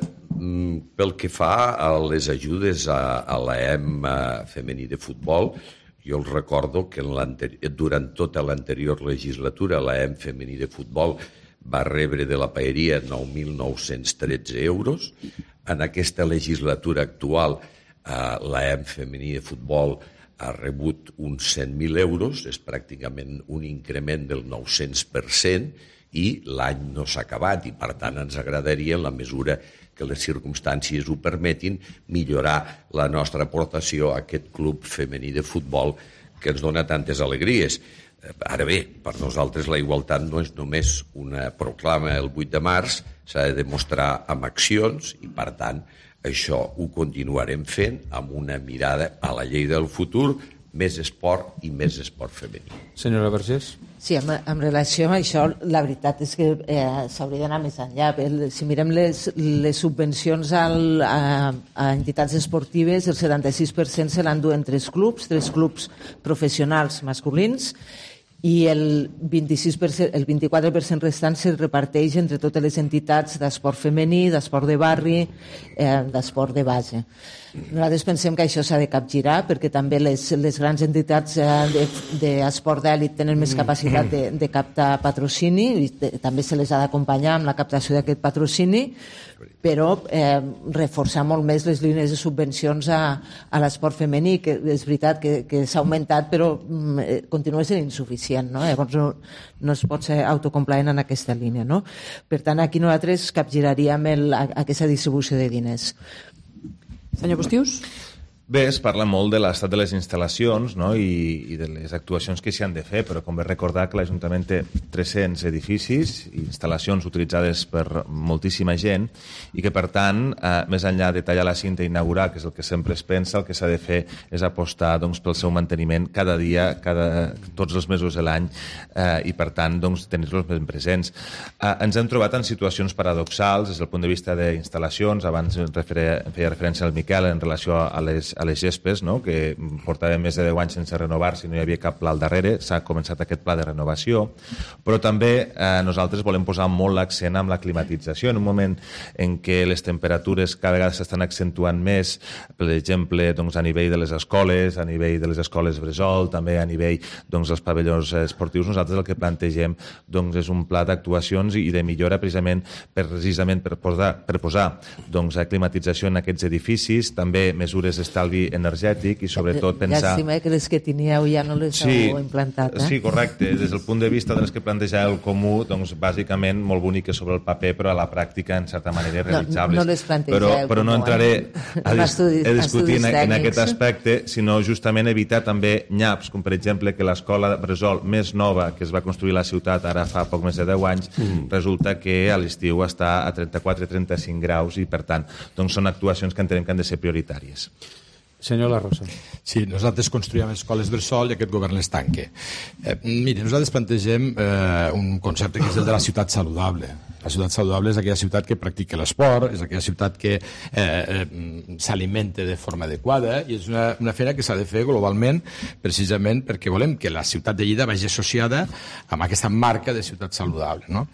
[SPEAKER 6] pel que fa a les ajudes a, a l'A E M femení de futbol, jo els recordo que durant tota l'anterior legislatura l'A E M femení de futbol va rebre de la Paeria nou mil nou-cents tretze euros. En aquesta legislatura actual eh, l'A E M femení de futbol ha rebut uns cent mil euros, és pràcticament un increment del nou-cents per cent, i l'any no s'ha acabat i per tant ens agradaria, en la mesura que les circumstàncies ho permetin, millorar la nostra aportació a aquest club femení de futbol que ens dona tantes alegries. Ara bé, per nosaltres la igualtat no és només una proclama el vuit de març, s'ha de demostrar amb accions i per tant això ho continuarem fent amb una mirada a la llei del futur, més esport i més esport femení.
[SPEAKER 2] Senyora Vergés?
[SPEAKER 4] Sí, en, en relació amb això, la veritat és que eh, s'hauria d'anar més enllà. Si mirem les, les subvencions al, a, a entitats esportives, el setanta-sis per cent se l'enduen tres clubs, tres clubs professionals masculins, i el vint-i-sis per cent, el vint-i-quatre per cent restant se reparteix entre totes les entitats d'esport femení, d'esport de barri, eh, d'esport de base. Nosaltres pensem que això s'ha de capgirar perquè també les, les grans entitats eh, d'esport de, d'èlit tenen més capacitat de, de captar patrocini i de, també se les ha d'acompanyar amb la captació d'aquest patrocini, però eh, reforçar molt més les línies de subvencions a, a l'esport femení, que és veritat que, que s'ha augmentat però eh, continua sent insuficient, no? Llavors no, no es pot ser autocomplaent en aquesta línia, no? Per tant, aquí nosaltres capgiraríem el, aquesta distribució de diners.
[SPEAKER 3] Senyor Postius?
[SPEAKER 5] Bé, es parla molt de l'estat de les instal·lacions, no? I, i de les actuacions que s'hi han de fer, però convé recordar que l'Ajuntament té tres-cents edificis i instal·lacions utilitzades per moltíssima gent i que, per tant, eh, més enllà de tallar la cinta i inaugurar, que és el que sempre es pensa, el que s'ha de fer és apostar doncs, pel seu manteniment cada dia, cada, tots els mesos de l'any eh, i, per tant, doncs, tenir-los ben presents. Eh, ens hem trobat en situacions paradoxals des del punt de vista d'instal·lacions. Abans referia, feia referència al Miquel en relació a les a les gespes, no? Que portava més de deu anys sense renovar-se i no hi havia cap pla al darrere. S'ha començat aquest pla de renovació, però també eh, nosaltres volem posar molt l'accent amb la climatització. En un moment en què les temperatures cada vegada s'estan accentuant més, per exemple, doncs, a nivell de les escoles, a nivell de les escoles bressol, també a nivell doncs, dels pavellons esportius, nosaltres el que plantegem doncs, és un pla d'actuacions i de millora precisament per, precisament per posar, per posar doncs, climatització en aquests edificis, també mesures d'estalvi energètic i sobretot pensar...
[SPEAKER 4] Llàstima que les que teníeu ja no les
[SPEAKER 5] sí,
[SPEAKER 4] heu implantat. Eh?
[SPEAKER 5] Sí, correcte. Des del punt de vista de les que planteja el comú, doncs bàsicament molt boniques sobre el paper, però a la pràctica en certa manera realitzables.
[SPEAKER 4] No, no les plantegeu
[SPEAKER 5] però, però no entraré
[SPEAKER 4] eh?
[SPEAKER 5] a, dis
[SPEAKER 4] estudis,
[SPEAKER 5] a discutir en, en aquest
[SPEAKER 4] tècnics.
[SPEAKER 5] aspecte, sinó justament evitar també nyaps, com per exemple que l'escola bressol més nova que es va construir a la ciutat ara fa poc més de deu anys, mm. resulta que a l'estiu està a trenta-quatre a trenta-cinc graus i per tant doncs són actuacions que entenem que han de ser prioritàries.
[SPEAKER 2] Senyor La Rosa.
[SPEAKER 7] Sí, nosaltres construïm escoles bressol i aquest govern les tanca. Eh, mire, nosaltres plantegem eh, un concepte que és el de la ciutat saludable. La ciutat saludable és aquella ciutat que practica l'esport, és aquella ciutat que eh, eh, s'alimenta de forma adequada i és una, una feina que s'ha de fer globalment precisament perquè volem que la ciutat de Lleida vagi associada amb aquesta marca de ciutat saludable. No?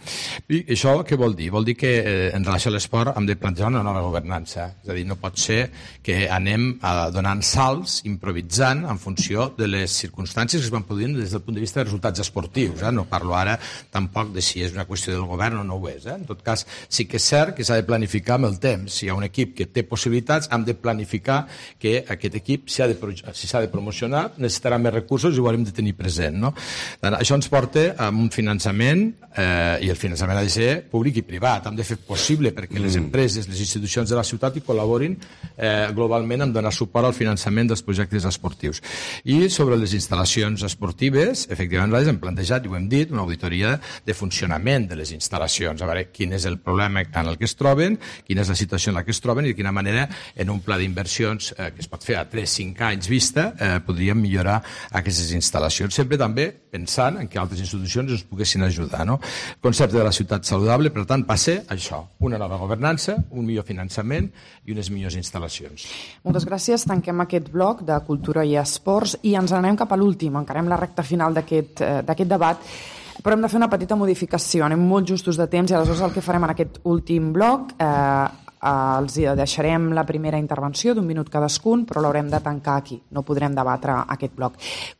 [SPEAKER 7] I això què vol dir? Vol dir que eh, en relació a l'esport hem de plantejar una nova governança. És a dir, no pot ser que anem a donant salts, improvisant en funció de les circumstàncies que es van produint des del punt de vista de resultats esportius. Eh? No parlo ara tampoc de si és una qüestió del govern o no ho és. possibles. Eh? En tot cas, sí que és cert que s'ha de planificar amb el temps. Si hi ha un equip que té possibilitats, hem de planificar que aquest equip, si s'ha de, si s'ha de promocionar, necessitarà més recursos i ho haurem de tenir present. No? Això ens porta a un finançament, eh, i el finançament ha de ser públic i privat. Hem de fer possible perquè les empreses, les institucions de la ciutat hi col·laborin eh, globalment en donar suport al finançament dels projectes esportius. I sobre les instal·lacions esportives, efectivament, nosaltres hem plantejat, i ho hem dit, una auditoria de funcionament de les instal·lacions, a veure quin és el problema en el que es troben, quina és la situació en la que es troben i de quina manera en un pla d'inversions eh, que es pot fer a tres a cinc anys vista eh, podríem millorar aquestes instal·lacions, sempre també pensant en que altres institucions ens poguessin ajudar. No? El concepte de la ciutat saludable, per tant, passa això, una nova governança, un millor finançament i unes millors instal·lacions.
[SPEAKER 3] Moltes gràcies. Tanquem aquest bloc de cultura i esports i ens anem cap a l'últim. Encarem la recta final d'aquest eh, d'aquest debat, però hem de fer una petita modificació. Anem molt justos de temps i aleshores el que farem en aquest últim bloc eh, els deixarem la primera intervenció d'un minut cadascun, però l'haurem de tancar aquí. No podrem debatre aquest bloc.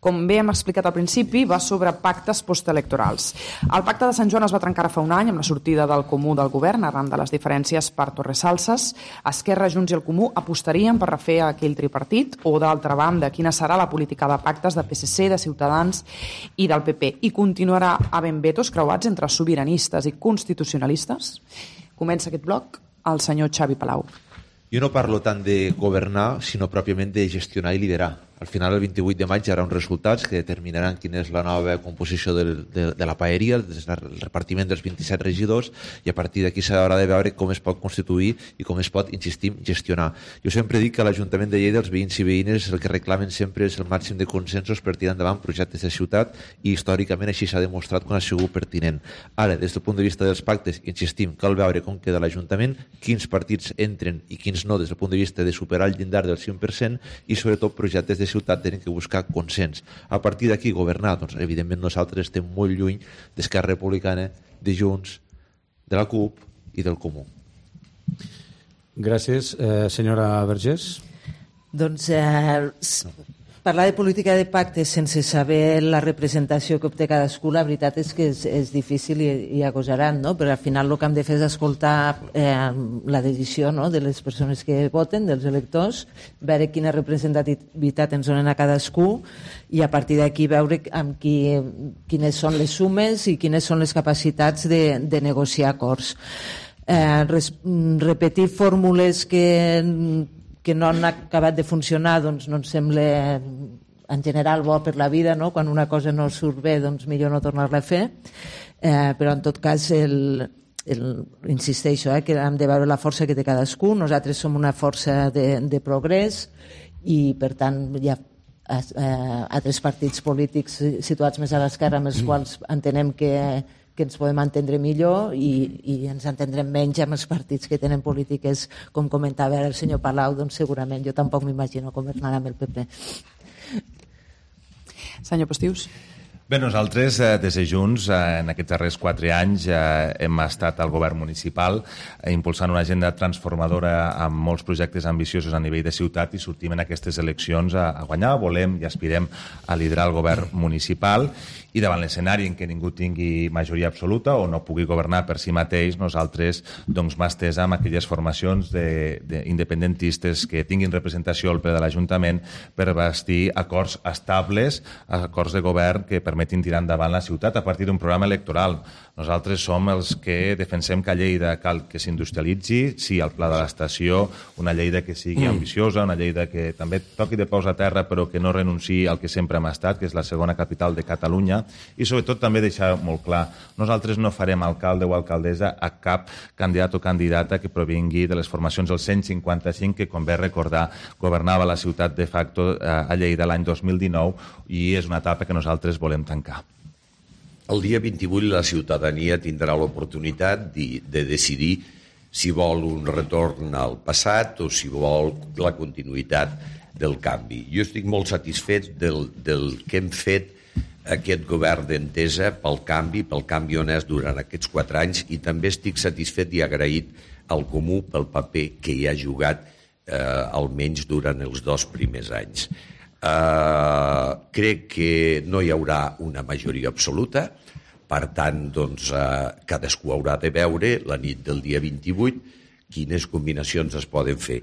[SPEAKER 3] Com bé hem explicat al principi, va sobre pactes postelectorals. El pacte de Sant Joan es va trencar fa un any amb la sortida del Comú del govern arran de les diferències per Torresalses. Esquerra, Junts i el Comú apostarien per refer aquell tripartit o, d'altra banda, quina serà la política de pactes de P S C, de Ciutadans i del P P. I continuarà havent vetos creuats entre sobiranistes i constitucionalistes? Comença aquest bloc el senyor Xavi Palau.
[SPEAKER 9] Jo no parlo tant de governar, sinó pròpiament de gestionar i liderar. Al final, el vint-i-vuit de maig hi haurà uns resultats que determinaran quina és la nova composició de, de, de la paeria, el repartiment dels vint-i-set regidors, i a partir d'aquí s'haurà de veure com es pot constituir i com es pot, insistim, gestionar. Jo sempre dic que a l'Ajuntament de Lleida els veïns i veïnes el que reclamen sempre és el màxim de consensos per tirar endavant projectes de ciutat i històricament així s'ha demostrat quan ha sigut pertinent. Ara, des del punt de vista dels pactes, insistim, cal veure com queda l'Ajuntament, quins partits entren i quins no des del punt de vista de superar el llindar del cinc per cent i sobretot projectes de ciutat tenen que buscar consens. A partir d'aquí, governar, doncs evidentment nosaltres estem molt lluny d'Esquerra Republicana, de Junts, de la CUP i del Comú.
[SPEAKER 12] Gràcies. Eh, senyora Vergés.
[SPEAKER 4] Doncs eh, parlar de política de pactes sense saber la representació que obté cadascú, la veritat és que és, és difícil i, i agosarat, no? Però al final el que hem de fer és escoltar eh, la decisió, no?, de les persones que voten, dels electors, veure quina representativitat ens donen a cadascú i a partir d'aquí veure amb qui, quines són les sumes i quines són les capacitats de, de negociar acords. Eh, res, repetir fórmules que que no han acabat de funcionar, doncs no ens sembla en general bo per la vida, no? Quan una cosa no surt bé, doncs millor no tornar-la a fer, eh, però en tot cas el, el, insisteixo, eh, que hem de veure la força que té cadascú. Nosaltres som una força de, de progrés i per tant hi ha eh, altres partits polítics situats més a l'esquerra amb els quals entenem que que ens podem entendre millor i, i ens entendrem menys amb els partits que tenen polítiques, com comentava el senyor Palau, doncs segurament jo tampoc m'imagino governar amb el P P.
[SPEAKER 3] Senyor Postius.
[SPEAKER 5] Bé, nosaltres, eh, des de Junts, eh, en aquests darrers quatre anys eh, hem estat al govern municipal eh, impulsant una agenda transformadora amb molts projectes ambiciosos a nivell de ciutat i sortim en aquestes eleccions a, a guanyar. Volem i aspirem a liderar el govern municipal i davant l'escenari en què ningú tingui majoria absoluta o no pugui governar per si mateix, nosaltres doncs, mà estesa amb aquelles formacions de, de independentistes que tinguin representació al ple de l'Ajuntament per bastir acords estables, acords de govern que permetin tirar endavant la ciutat a partir d'un programa electoral. Nosaltres som els que defensem que a Lleida cal que s'industrialitzi, sí al pla de l'estació, una Lleida que sigui ambiciosa, una Lleida que també toqui de peus a terra però que no renunciï al que sempre hem estat, que és la segona capital de Catalunya, i sobretot també deixar molt clar, nosaltres no farem alcalde o alcaldessa a cap candidat o candidata que provingui de les formacions del cent cinquanta cinc que, com bé recordar, governava la ciutat de facto a Lleida l'any dos mil dinou i és una etapa que nosaltres volem tancar.
[SPEAKER 6] El dia vint-i-vuit la ciutadania tindrà l'oportunitat de, de decidir si vol un retorn al passat o si vol la continuïtat del canvi. Jo estic molt satisfet del, del que hem fet aquest govern d'entesa pel canvi, pel canvi honest durant aquests quatre anys i també estic satisfet i agraït al Comú pel paper que hi ha jugat eh, almenys durant els dos primers anys. Uh, crec que no hi haurà una majoria absoluta, Per tant, doncs, eh, cadascú haurà de veure la nit del dia vint-i-vuit quines combinacions es poden fer.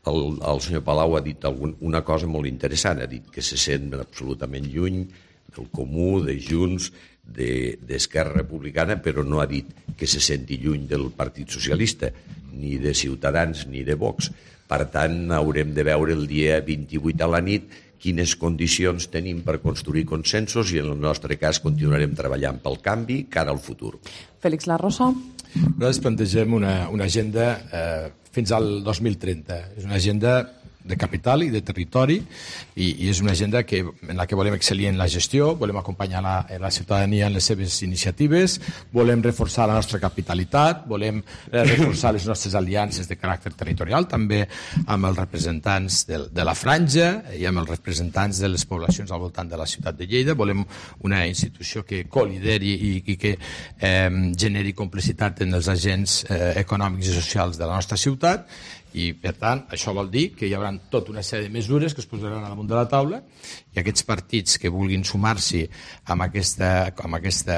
[SPEAKER 6] El, el senyor Palau ha dit algun, una cosa molt interessant, ha dit que se sent absolutament lluny del Comú, de Junts, d'Esquerra Republicana, però no ha dit que se senti lluny del Partit Socialista, ni de Ciutadans ni de Vox. Per tant, haurem de veure el dia vint-i-vuit a la nit quines condicions tenim per construir consensos i en el nostre cas continuarem treballant pel canvi cara al futur.
[SPEAKER 3] Félix La Rosa.
[SPEAKER 7] Nosaltres plantegem una, una agenda eh, fins al dos mil trenta. És una agenda de capital i de territori i, i és una agenda que, en la que volem excel·lir en la gestió, volem acompanyar la, la ciutadania en les seves iniciatives, volem reforçar la nostra capitalitat, volem eh, reforçar les nostres aliances de caràcter territorial, també amb els representants de, de la franja i amb els representants de les poblacions al voltant de la ciutat de Lleida. Volem una institució que co-lideri i, i que eh, generi complicitat en els agents eh, econòmics i socials de la nostra ciutat. I, per tant, això vol dir que hi haurà tota una sèrie de mesures que es posaran al damunt de la taula i aquests partits que vulguin sumar-s'hi amb aquesta, amb aquesta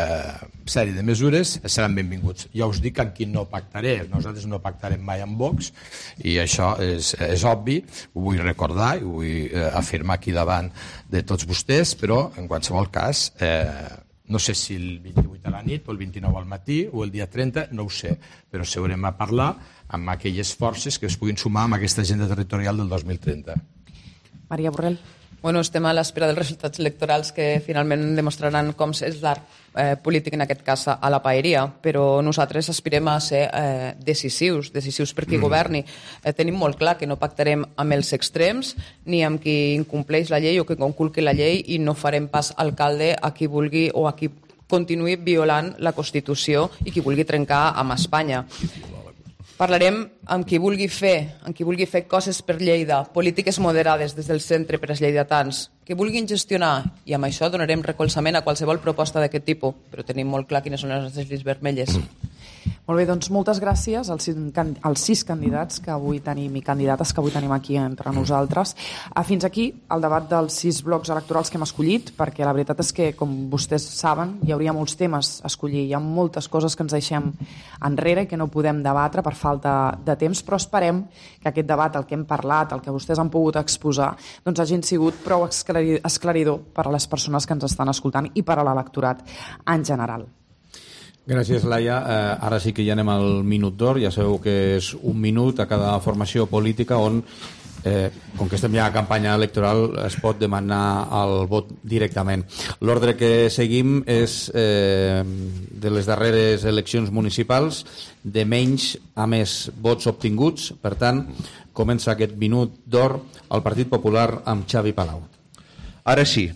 [SPEAKER 7] sèrie de mesures seran benvinguts. Ja us dic amb qui no pactaré. Nosaltres no pactarem mai amb Vox i això és, és obvi, ho vull recordar i ho vull eh, afirmar aquí davant de tots vostès, però en qualsevol cas eh, no sé si el vint-i-vuit a la nit o el vint-i-nou al matí o el dia trenta, no ho sé, però seurem a parlar amb aquelles forces que es puguin sumar amb aquesta agenda territorial del dos mil trenta.
[SPEAKER 3] Maria Borrell.
[SPEAKER 8] Bueno, estem a l'espera dels resultats electorals que finalment demostraran com és l'art eh, polític, en aquest cas a la paeria, però nosaltres aspirem a ser eh, decisius, decisius per qui mm. governi. Eh, tenim molt clar que no pactarem amb els extrems ni amb qui incompleix la llei o que conculqui la llei i no farem pas alcalde a qui vulgui o a qui continuï violant la Constitució i qui vulgui trencar amb Espanya. Parlarem amb qui vulgui fer, amb qui vulgui fer coses per Lleida, polítiques moderades des del centre per als lleidatans, que vulguin gestionar, i amb això donarem recolzament a qualsevol proposta d'aquest tipus, però tenim molt clar quines són les nostres línies vermelles.
[SPEAKER 3] Molt bé, doncs moltes gràcies als, als sis candidats que avui tenim i candidates que avui tenim aquí entre nosaltres. Fins aquí el debat dels sis blocs electorals que hem escollit, perquè la veritat és que, com vostès saben, hi hauria molts temes a escollir. Hi ha moltes coses que ens deixem enrere i que no podem debatre per falta de temps, però esperem que aquest debat, el que hem parlat, el que vostès han pogut exposar, doncs hagin sigut prou esclaridor per a les persones que ens estan escoltant i per a l'electorat en general.
[SPEAKER 2] Gràcies, Laia. Eh, ara sí que ja anem al minut d'or. Ja sabeu que és un minut a cada formació política on, eh, com que estem ja a campanya electoral, es pot demanar el vot directament. L'ordre que seguim és eh, de les darreres eleccions municipals, de menys a més vots obtinguts. Per tant, comença aquest minut d'or al Partit Popular amb Xavi Palau.
[SPEAKER 9] Ara sí,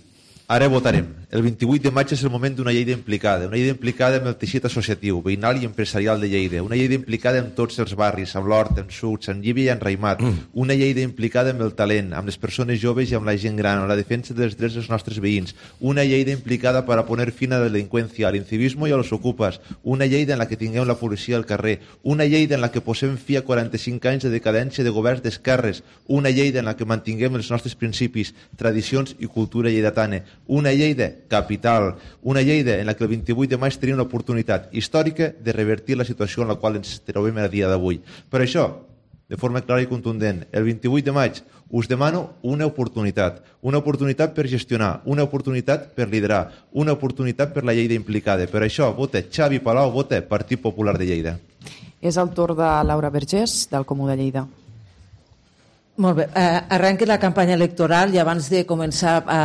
[SPEAKER 9] ara votarem. El vint-i-vuit de maig és el moment d'una Lleida implicada, una Lleida implicada amb el teixit associatiu, veïnal i empresarial de Lleida, una Lleida implicada amb tots els barris, amb l'Hort, amb Sucs, amb Llívia i amb Raimat, mm. una Lleida implicada amb el talent, amb les persones joves i amb la gent gran, amb la defensa dels drets dels nostres veïns, una Lleida implicada per a poner fin a la delinqüència, a l'incivisme i a los ocupes, una Lleida en la que tinguem la policia al carrer, una Lleida en la que posem fi a quaranta-cinc anys de decadència de governs d'esquerres, una Lleida en la que mantinguem els nostres principis, tradicions i cultura lleidatana, una Lleida capital, una Lleida en la que el vint-i-vuit de maig tenim una oportunitat històrica de revertir la situació en la qual ens trobem a dia d'avui. Per això, de forma clara i contundent, el vint-i-vuit de maig us demano una oportunitat, una oportunitat per gestionar, una oportunitat per liderar, una oportunitat per la Lleida implicada. Per això, vota Xavi Palau, vota Partit Popular de Lleida.
[SPEAKER 3] És el torn de Laura Vergés, del Comú de Lleida.
[SPEAKER 4] Molt bé, eh, arrenca la campanya electoral i abans de començar a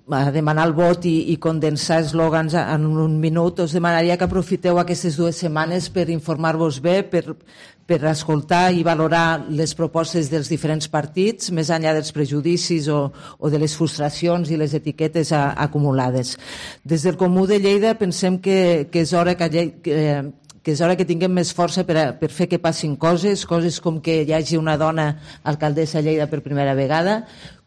[SPEAKER 4] a demanar el vot i, i condensar eslògans en un minut, us demanaria que aprofiteu aquestes dues setmanes per informar-vos bé, per, per escoltar i valorar les propostes dels diferents partits, més enllà dels prejudicis o, o de les frustracions i les etiquetes a, acumulades. Des del Comú de Lleida pensem que, que és hora que, que, que és hora que tinguem més força per, a, per fer que passin coses, coses com que hi hagi una dona alcaldessa a Lleida per primera vegada,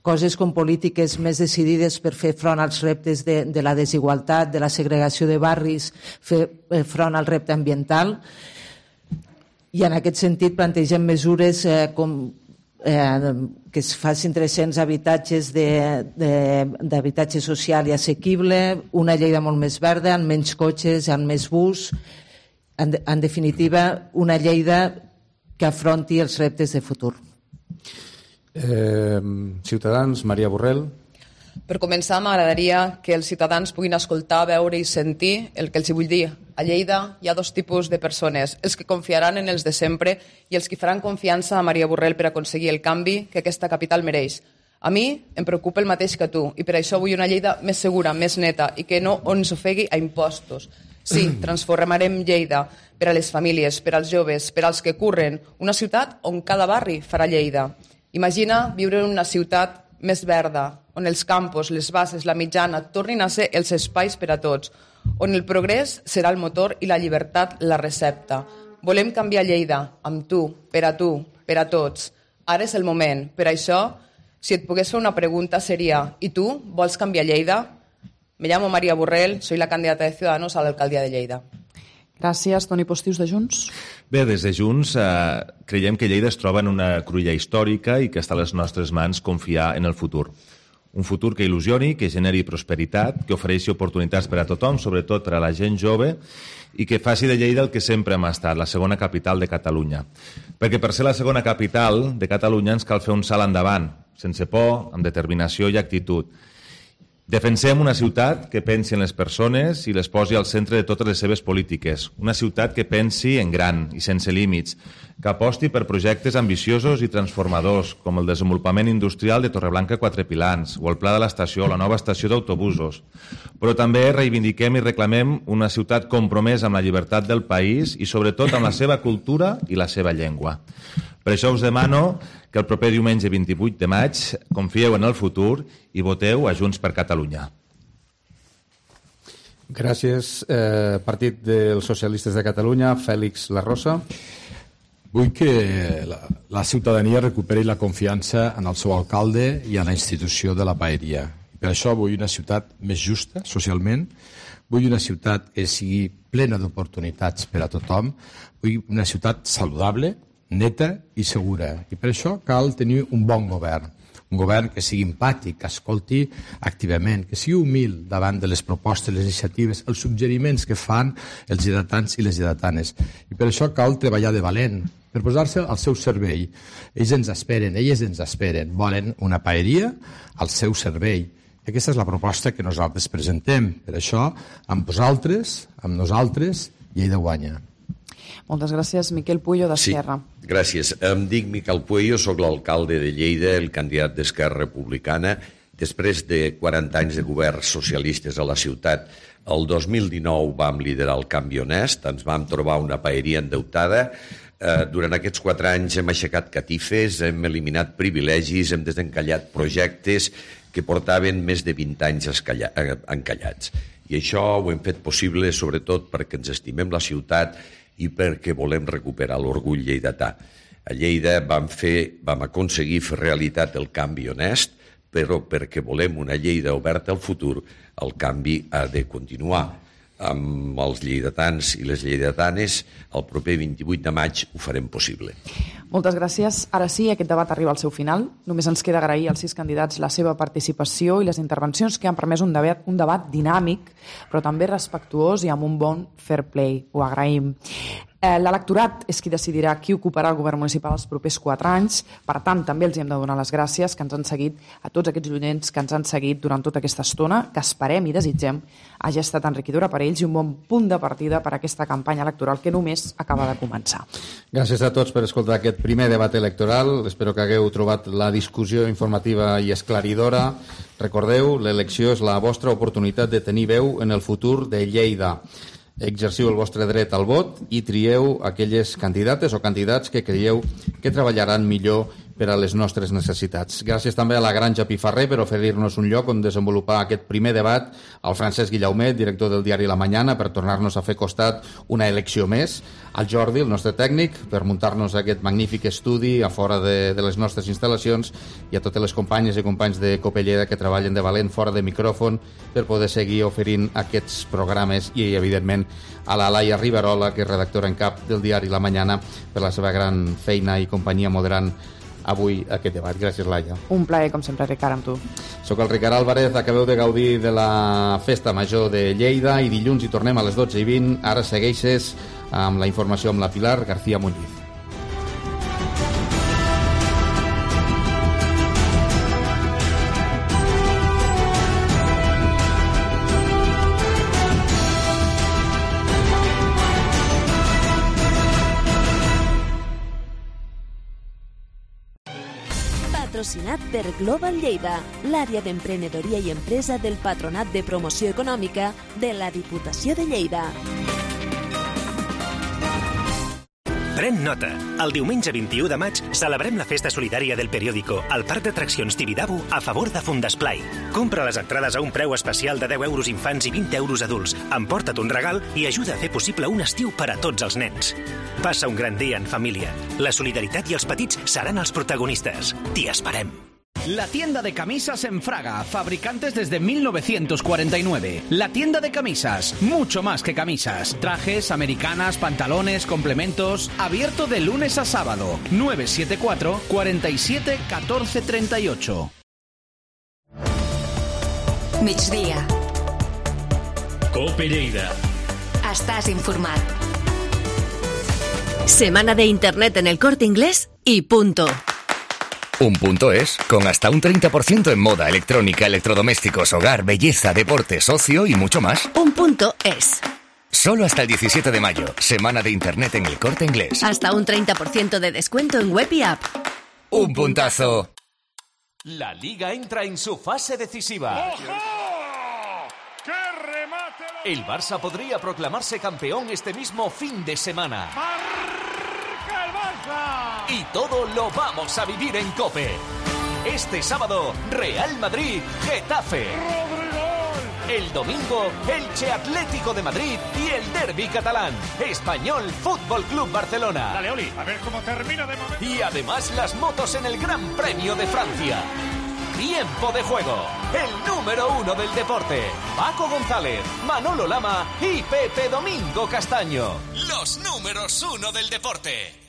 [SPEAKER 4] coses com polítiques més decidides per fer front als reptes de, de la desigualtat, de la segregació de barris, fer front al repte ambiental. I en aquest sentit plantegem mesures eh, com eh, que es facin tres-cents habitatges d'habitatge social i assequible, una Lleida molt més verda, amb menys cotxes, amb més bus, en, en definitiva, una Lleida que afronti els reptes de futur.
[SPEAKER 2] Eh, Ciutadans, Maria Borrell.
[SPEAKER 8] Per començar, m'agradaria que els ciutadans puguin escoltar, veure i sentir el que els vull dir. A Lleida hi ha dos tipus de persones, els que confiaran en els de sempre i els que faran confiança a Maria Borrell per aconseguir el canvi que aquesta capital mereix. A mi em preocupa el mateix que tu i per això vull una Lleida més segura, més neta i que no ens ofegui a impostos. Sí, transformarem Lleida per a les famílies, per als joves, per als que curren, una ciutat on cada barri farà Lleida. Imagina viure en una ciutat més verda, on els campos, les bases, la mitjana tornin a ser els espais per a tots, on el progrés serà el motor i la llibertat la recepta. Volem canviar Lleida, amb tu, per a tu, per a tots. Ara és el moment. Per això, si et pogués fer una pregunta seria: ¿y tú vols canviar Lleida? Me llamo María Borrell, soy la candidata de Ciudadanos a la alcaldía de Lleida.
[SPEAKER 3] Gràcies. Toni Postius, de Junts.
[SPEAKER 5] Bé, des de Junts eh, creiem que Lleida es troba en una cruïlla històrica i que està a les nostres mans confiar en el futur. Un futur que il·lusioni, que generi prosperitat, que ofereixi oportunitats per a tothom, sobretot per a la gent jove, i que faci de Lleida el que sempre hem estat, la segona capital de Catalunya. Perquè per ser la segona capital de Catalunya ens cal fer un salt endavant, sense por, amb determinació i actitud. Defensem una ciutat que pensi en les persones i les posi al centre de totes les seves polítiques. Una ciutat que pensi en gran i sense límits, que aposti per projectes ambiciosos i transformadors, com el desenvolupament industrial de Torreblanca Quatre Pilans, o el Pla de l'Estació, la nova estació d'autobusos. Però també reivindiquem i reclamem una ciutat compromesa amb la llibertat del país i sobretot amb la seva cultura i la seva llengua. Per això us demano que el proper diumenge vint-i-vuit de maig confieu en el futur i voteu a Junts per Catalunya.
[SPEAKER 2] Gràcies. Eh, Partit dels Socialistes de Catalunya, Fèlix Larrosa.
[SPEAKER 7] Vull que la, la ciutadania recuperi la confiança en el seu alcalde i en la institució de la paeria. Per això vull una ciutat més justa socialment, vull una ciutat que sigui plena d'oportunitats per a tothom, vull una ciutat saludable, neta i segura. I per això cal tenir un bon govern. Un govern que sigui empàtic, que escolti activament, que sigui humil davant de les propostes, les iniciatives, els suggeriments que fan els lleidatans i les lleidatanes. I per això cal treballar de valent, per posar-se al seu servei. Ells ens esperen, elles ens esperen. Volen una paeria al seu servei. I aquesta és la proposta que nosaltres presentem. Per això, amb vosaltres, amb nosaltres, Lleida guanya.
[SPEAKER 3] Moltes gràcies. Miquel Puello, d'Esquerra.
[SPEAKER 6] Sí, gràcies. Em dic Miquel Puello, soc l'alcalde de Lleida, el candidat d'Esquerra Republicana. Després de quaranta anys de governs socialistes a la ciutat, el dos mil dinou vam liderar el canvi honest, ens vam trobar una paeria endeutada. Eh, durant aquests quatre anys hem aixecat catifes, hem eliminat privilegis, hem desencallat projectes que portaven més de vint anys encallats. I això ho hem fet possible sobretot perquè ens estimem la ciutat i perquè volem recuperar l'orgull lleidatà. A Lleida vam, fer, vam aconseguir fer realitat el canvi honest, però perquè volem una Lleida oberta al futur, el canvi ha de continuar. Amb els lleidatans i les lleidatanes, el proper vint-i-vuit de maig ho farem possible.
[SPEAKER 3] Moltes gràcies. Ara sí, aquest debat arriba al seu final. Només ens queda agrair als sis candidats la seva participació i les intervencions que han permès un debat, un debat dinàmic, però també respectuós i amb un bon fair play. Ho agraïm. L'electorat és qui decidirà qui ocuparà el govern municipal els propers quatre anys. Per tant, també els hem de donar les gràcies que ens han seguit, a tots aquests llonyents que ens han seguit durant tota aquesta estona, que esperem i desitgem hagi estat enriquidora per ells i un bon punt de partida per a aquesta campanya electoral que només acaba de començar.
[SPEAKER 2] Gràcies a tots per escoltar aquest primer debat electoral. Espero que hagueu trobat la discussió informativa i esclaridora. Recordeu, l'elecció és la vostra oportunitat de tenir veu en el futur de Lleida. Exerciu el vostre dret al vot i trieu aquelles candidates o candidats que creieu que treballaran millor per a les nostres necessitats. Gràcies també a la Granja Pifarré per oferir-nos un lloc on desenvolupar aquest primer debat, al Francesc Guillaumet, director del diari La Mañana, per tornar-nos a fer costat una elecció més, al Jordi, el nostre tècnic, per muntar-nos aquest magnífic estudi a fora de, de les nostres instal·lacions, i a totes les companyes i companys de Copelleda que treballen de valent fora de micròfon per poder seguir oferint aquests programes, i evidentment a la Laia Riverola, que és redactora en cap del diari La Mañana, per la seva gran feina i companyia moderant avui aquest debat. Gràcies, Laia.
[SPEAKER 3] Un plaer, com sempre, Ricard, amb tu.
[SPEAKER 2] Soc el Ricard Álvarez, acabeu de gaudir de la Festa Major de Lleida i dilluns hi tornem a les dotze i vint. Ara segueixes amb la informació amb la Pilar García Muñiz.
[SPEAKER 17] Patrocinat per Global Lleida, l'àrea d'emprenedoria i empresa del Patronat de Promoció Econòmica de la Diputació de Lleida.
[SPEAKER 18] Pren nota. El diumenge vint-i-u de maig celebrem la festa solidària del periòdico al Parc d'Atraccions Tibidabo a favor de Fundesplai. Compra les entrades a un preu especial de deu euros infants i vint euros adults. Emporta't un regal i ajuda a fer possible un estiu per a tots els nens. Passa un gran dia en família. La solidaritat i els petits seran els protagonistes. T'hi esperem.
[SPEAKER 19] La tienda de camisas en Fraga, fabricantes desde mil novecientos cuarenta y nueve. La tienda de camisas, mucho más que camisas. Trajes, americanas, pantalones, complementos. Abierto de lunes a sábado. nueve siete cuatro, cuarenta y siete, catorce treinta y ocho.
[SPEAKER 1] Migdia.
[SPEAKER 11] Cope Lleida.
[SPEAKER 1] Estàs informat.
[SPEAKER 17] Semana de Internet en el Corte Inglés y punto.
[SPEAKER 20] Un punto es, con hasta un treinta por ciento en moda, electrónica, electrodomésticos, hogar, belleza, deportes, ocio y mucho más.
[SPEAKER 17] Un punto es.
[SPEAKER 20] Solo hasta el diecisiete de mayo, semana de Internet en el Corte Inglés.
[SPEAKER 17] Hasta un treinta por ciento de descuento en web y app.
[SPEAKER 20] Un puntazo.
[SPEAKER 21] La Liga entra en su fase decisiva.
[SPEAKER 22] ¡Qué remate!
[SPEAKER 21] El Barça podría proclamarse campeón este mismo fin de semana. Y todo lo vamos a vivir en COPE. Este sábado, Real Madrid-Getafe. El domingo, Elche Atlético de Madrid y el derbi catalán, Español Fútbol Club Barcelona.
[SPEAKER 22] Dale, Oli, a ver cómo termina de momento.
[SPEAKER 21] Y además las motos en el Gran Premio de Francia. Tiempo de juego, el número uno del deporte. Paco González, Manolo Lama y Pepe Domingo Castaño. Los números uno del deporte.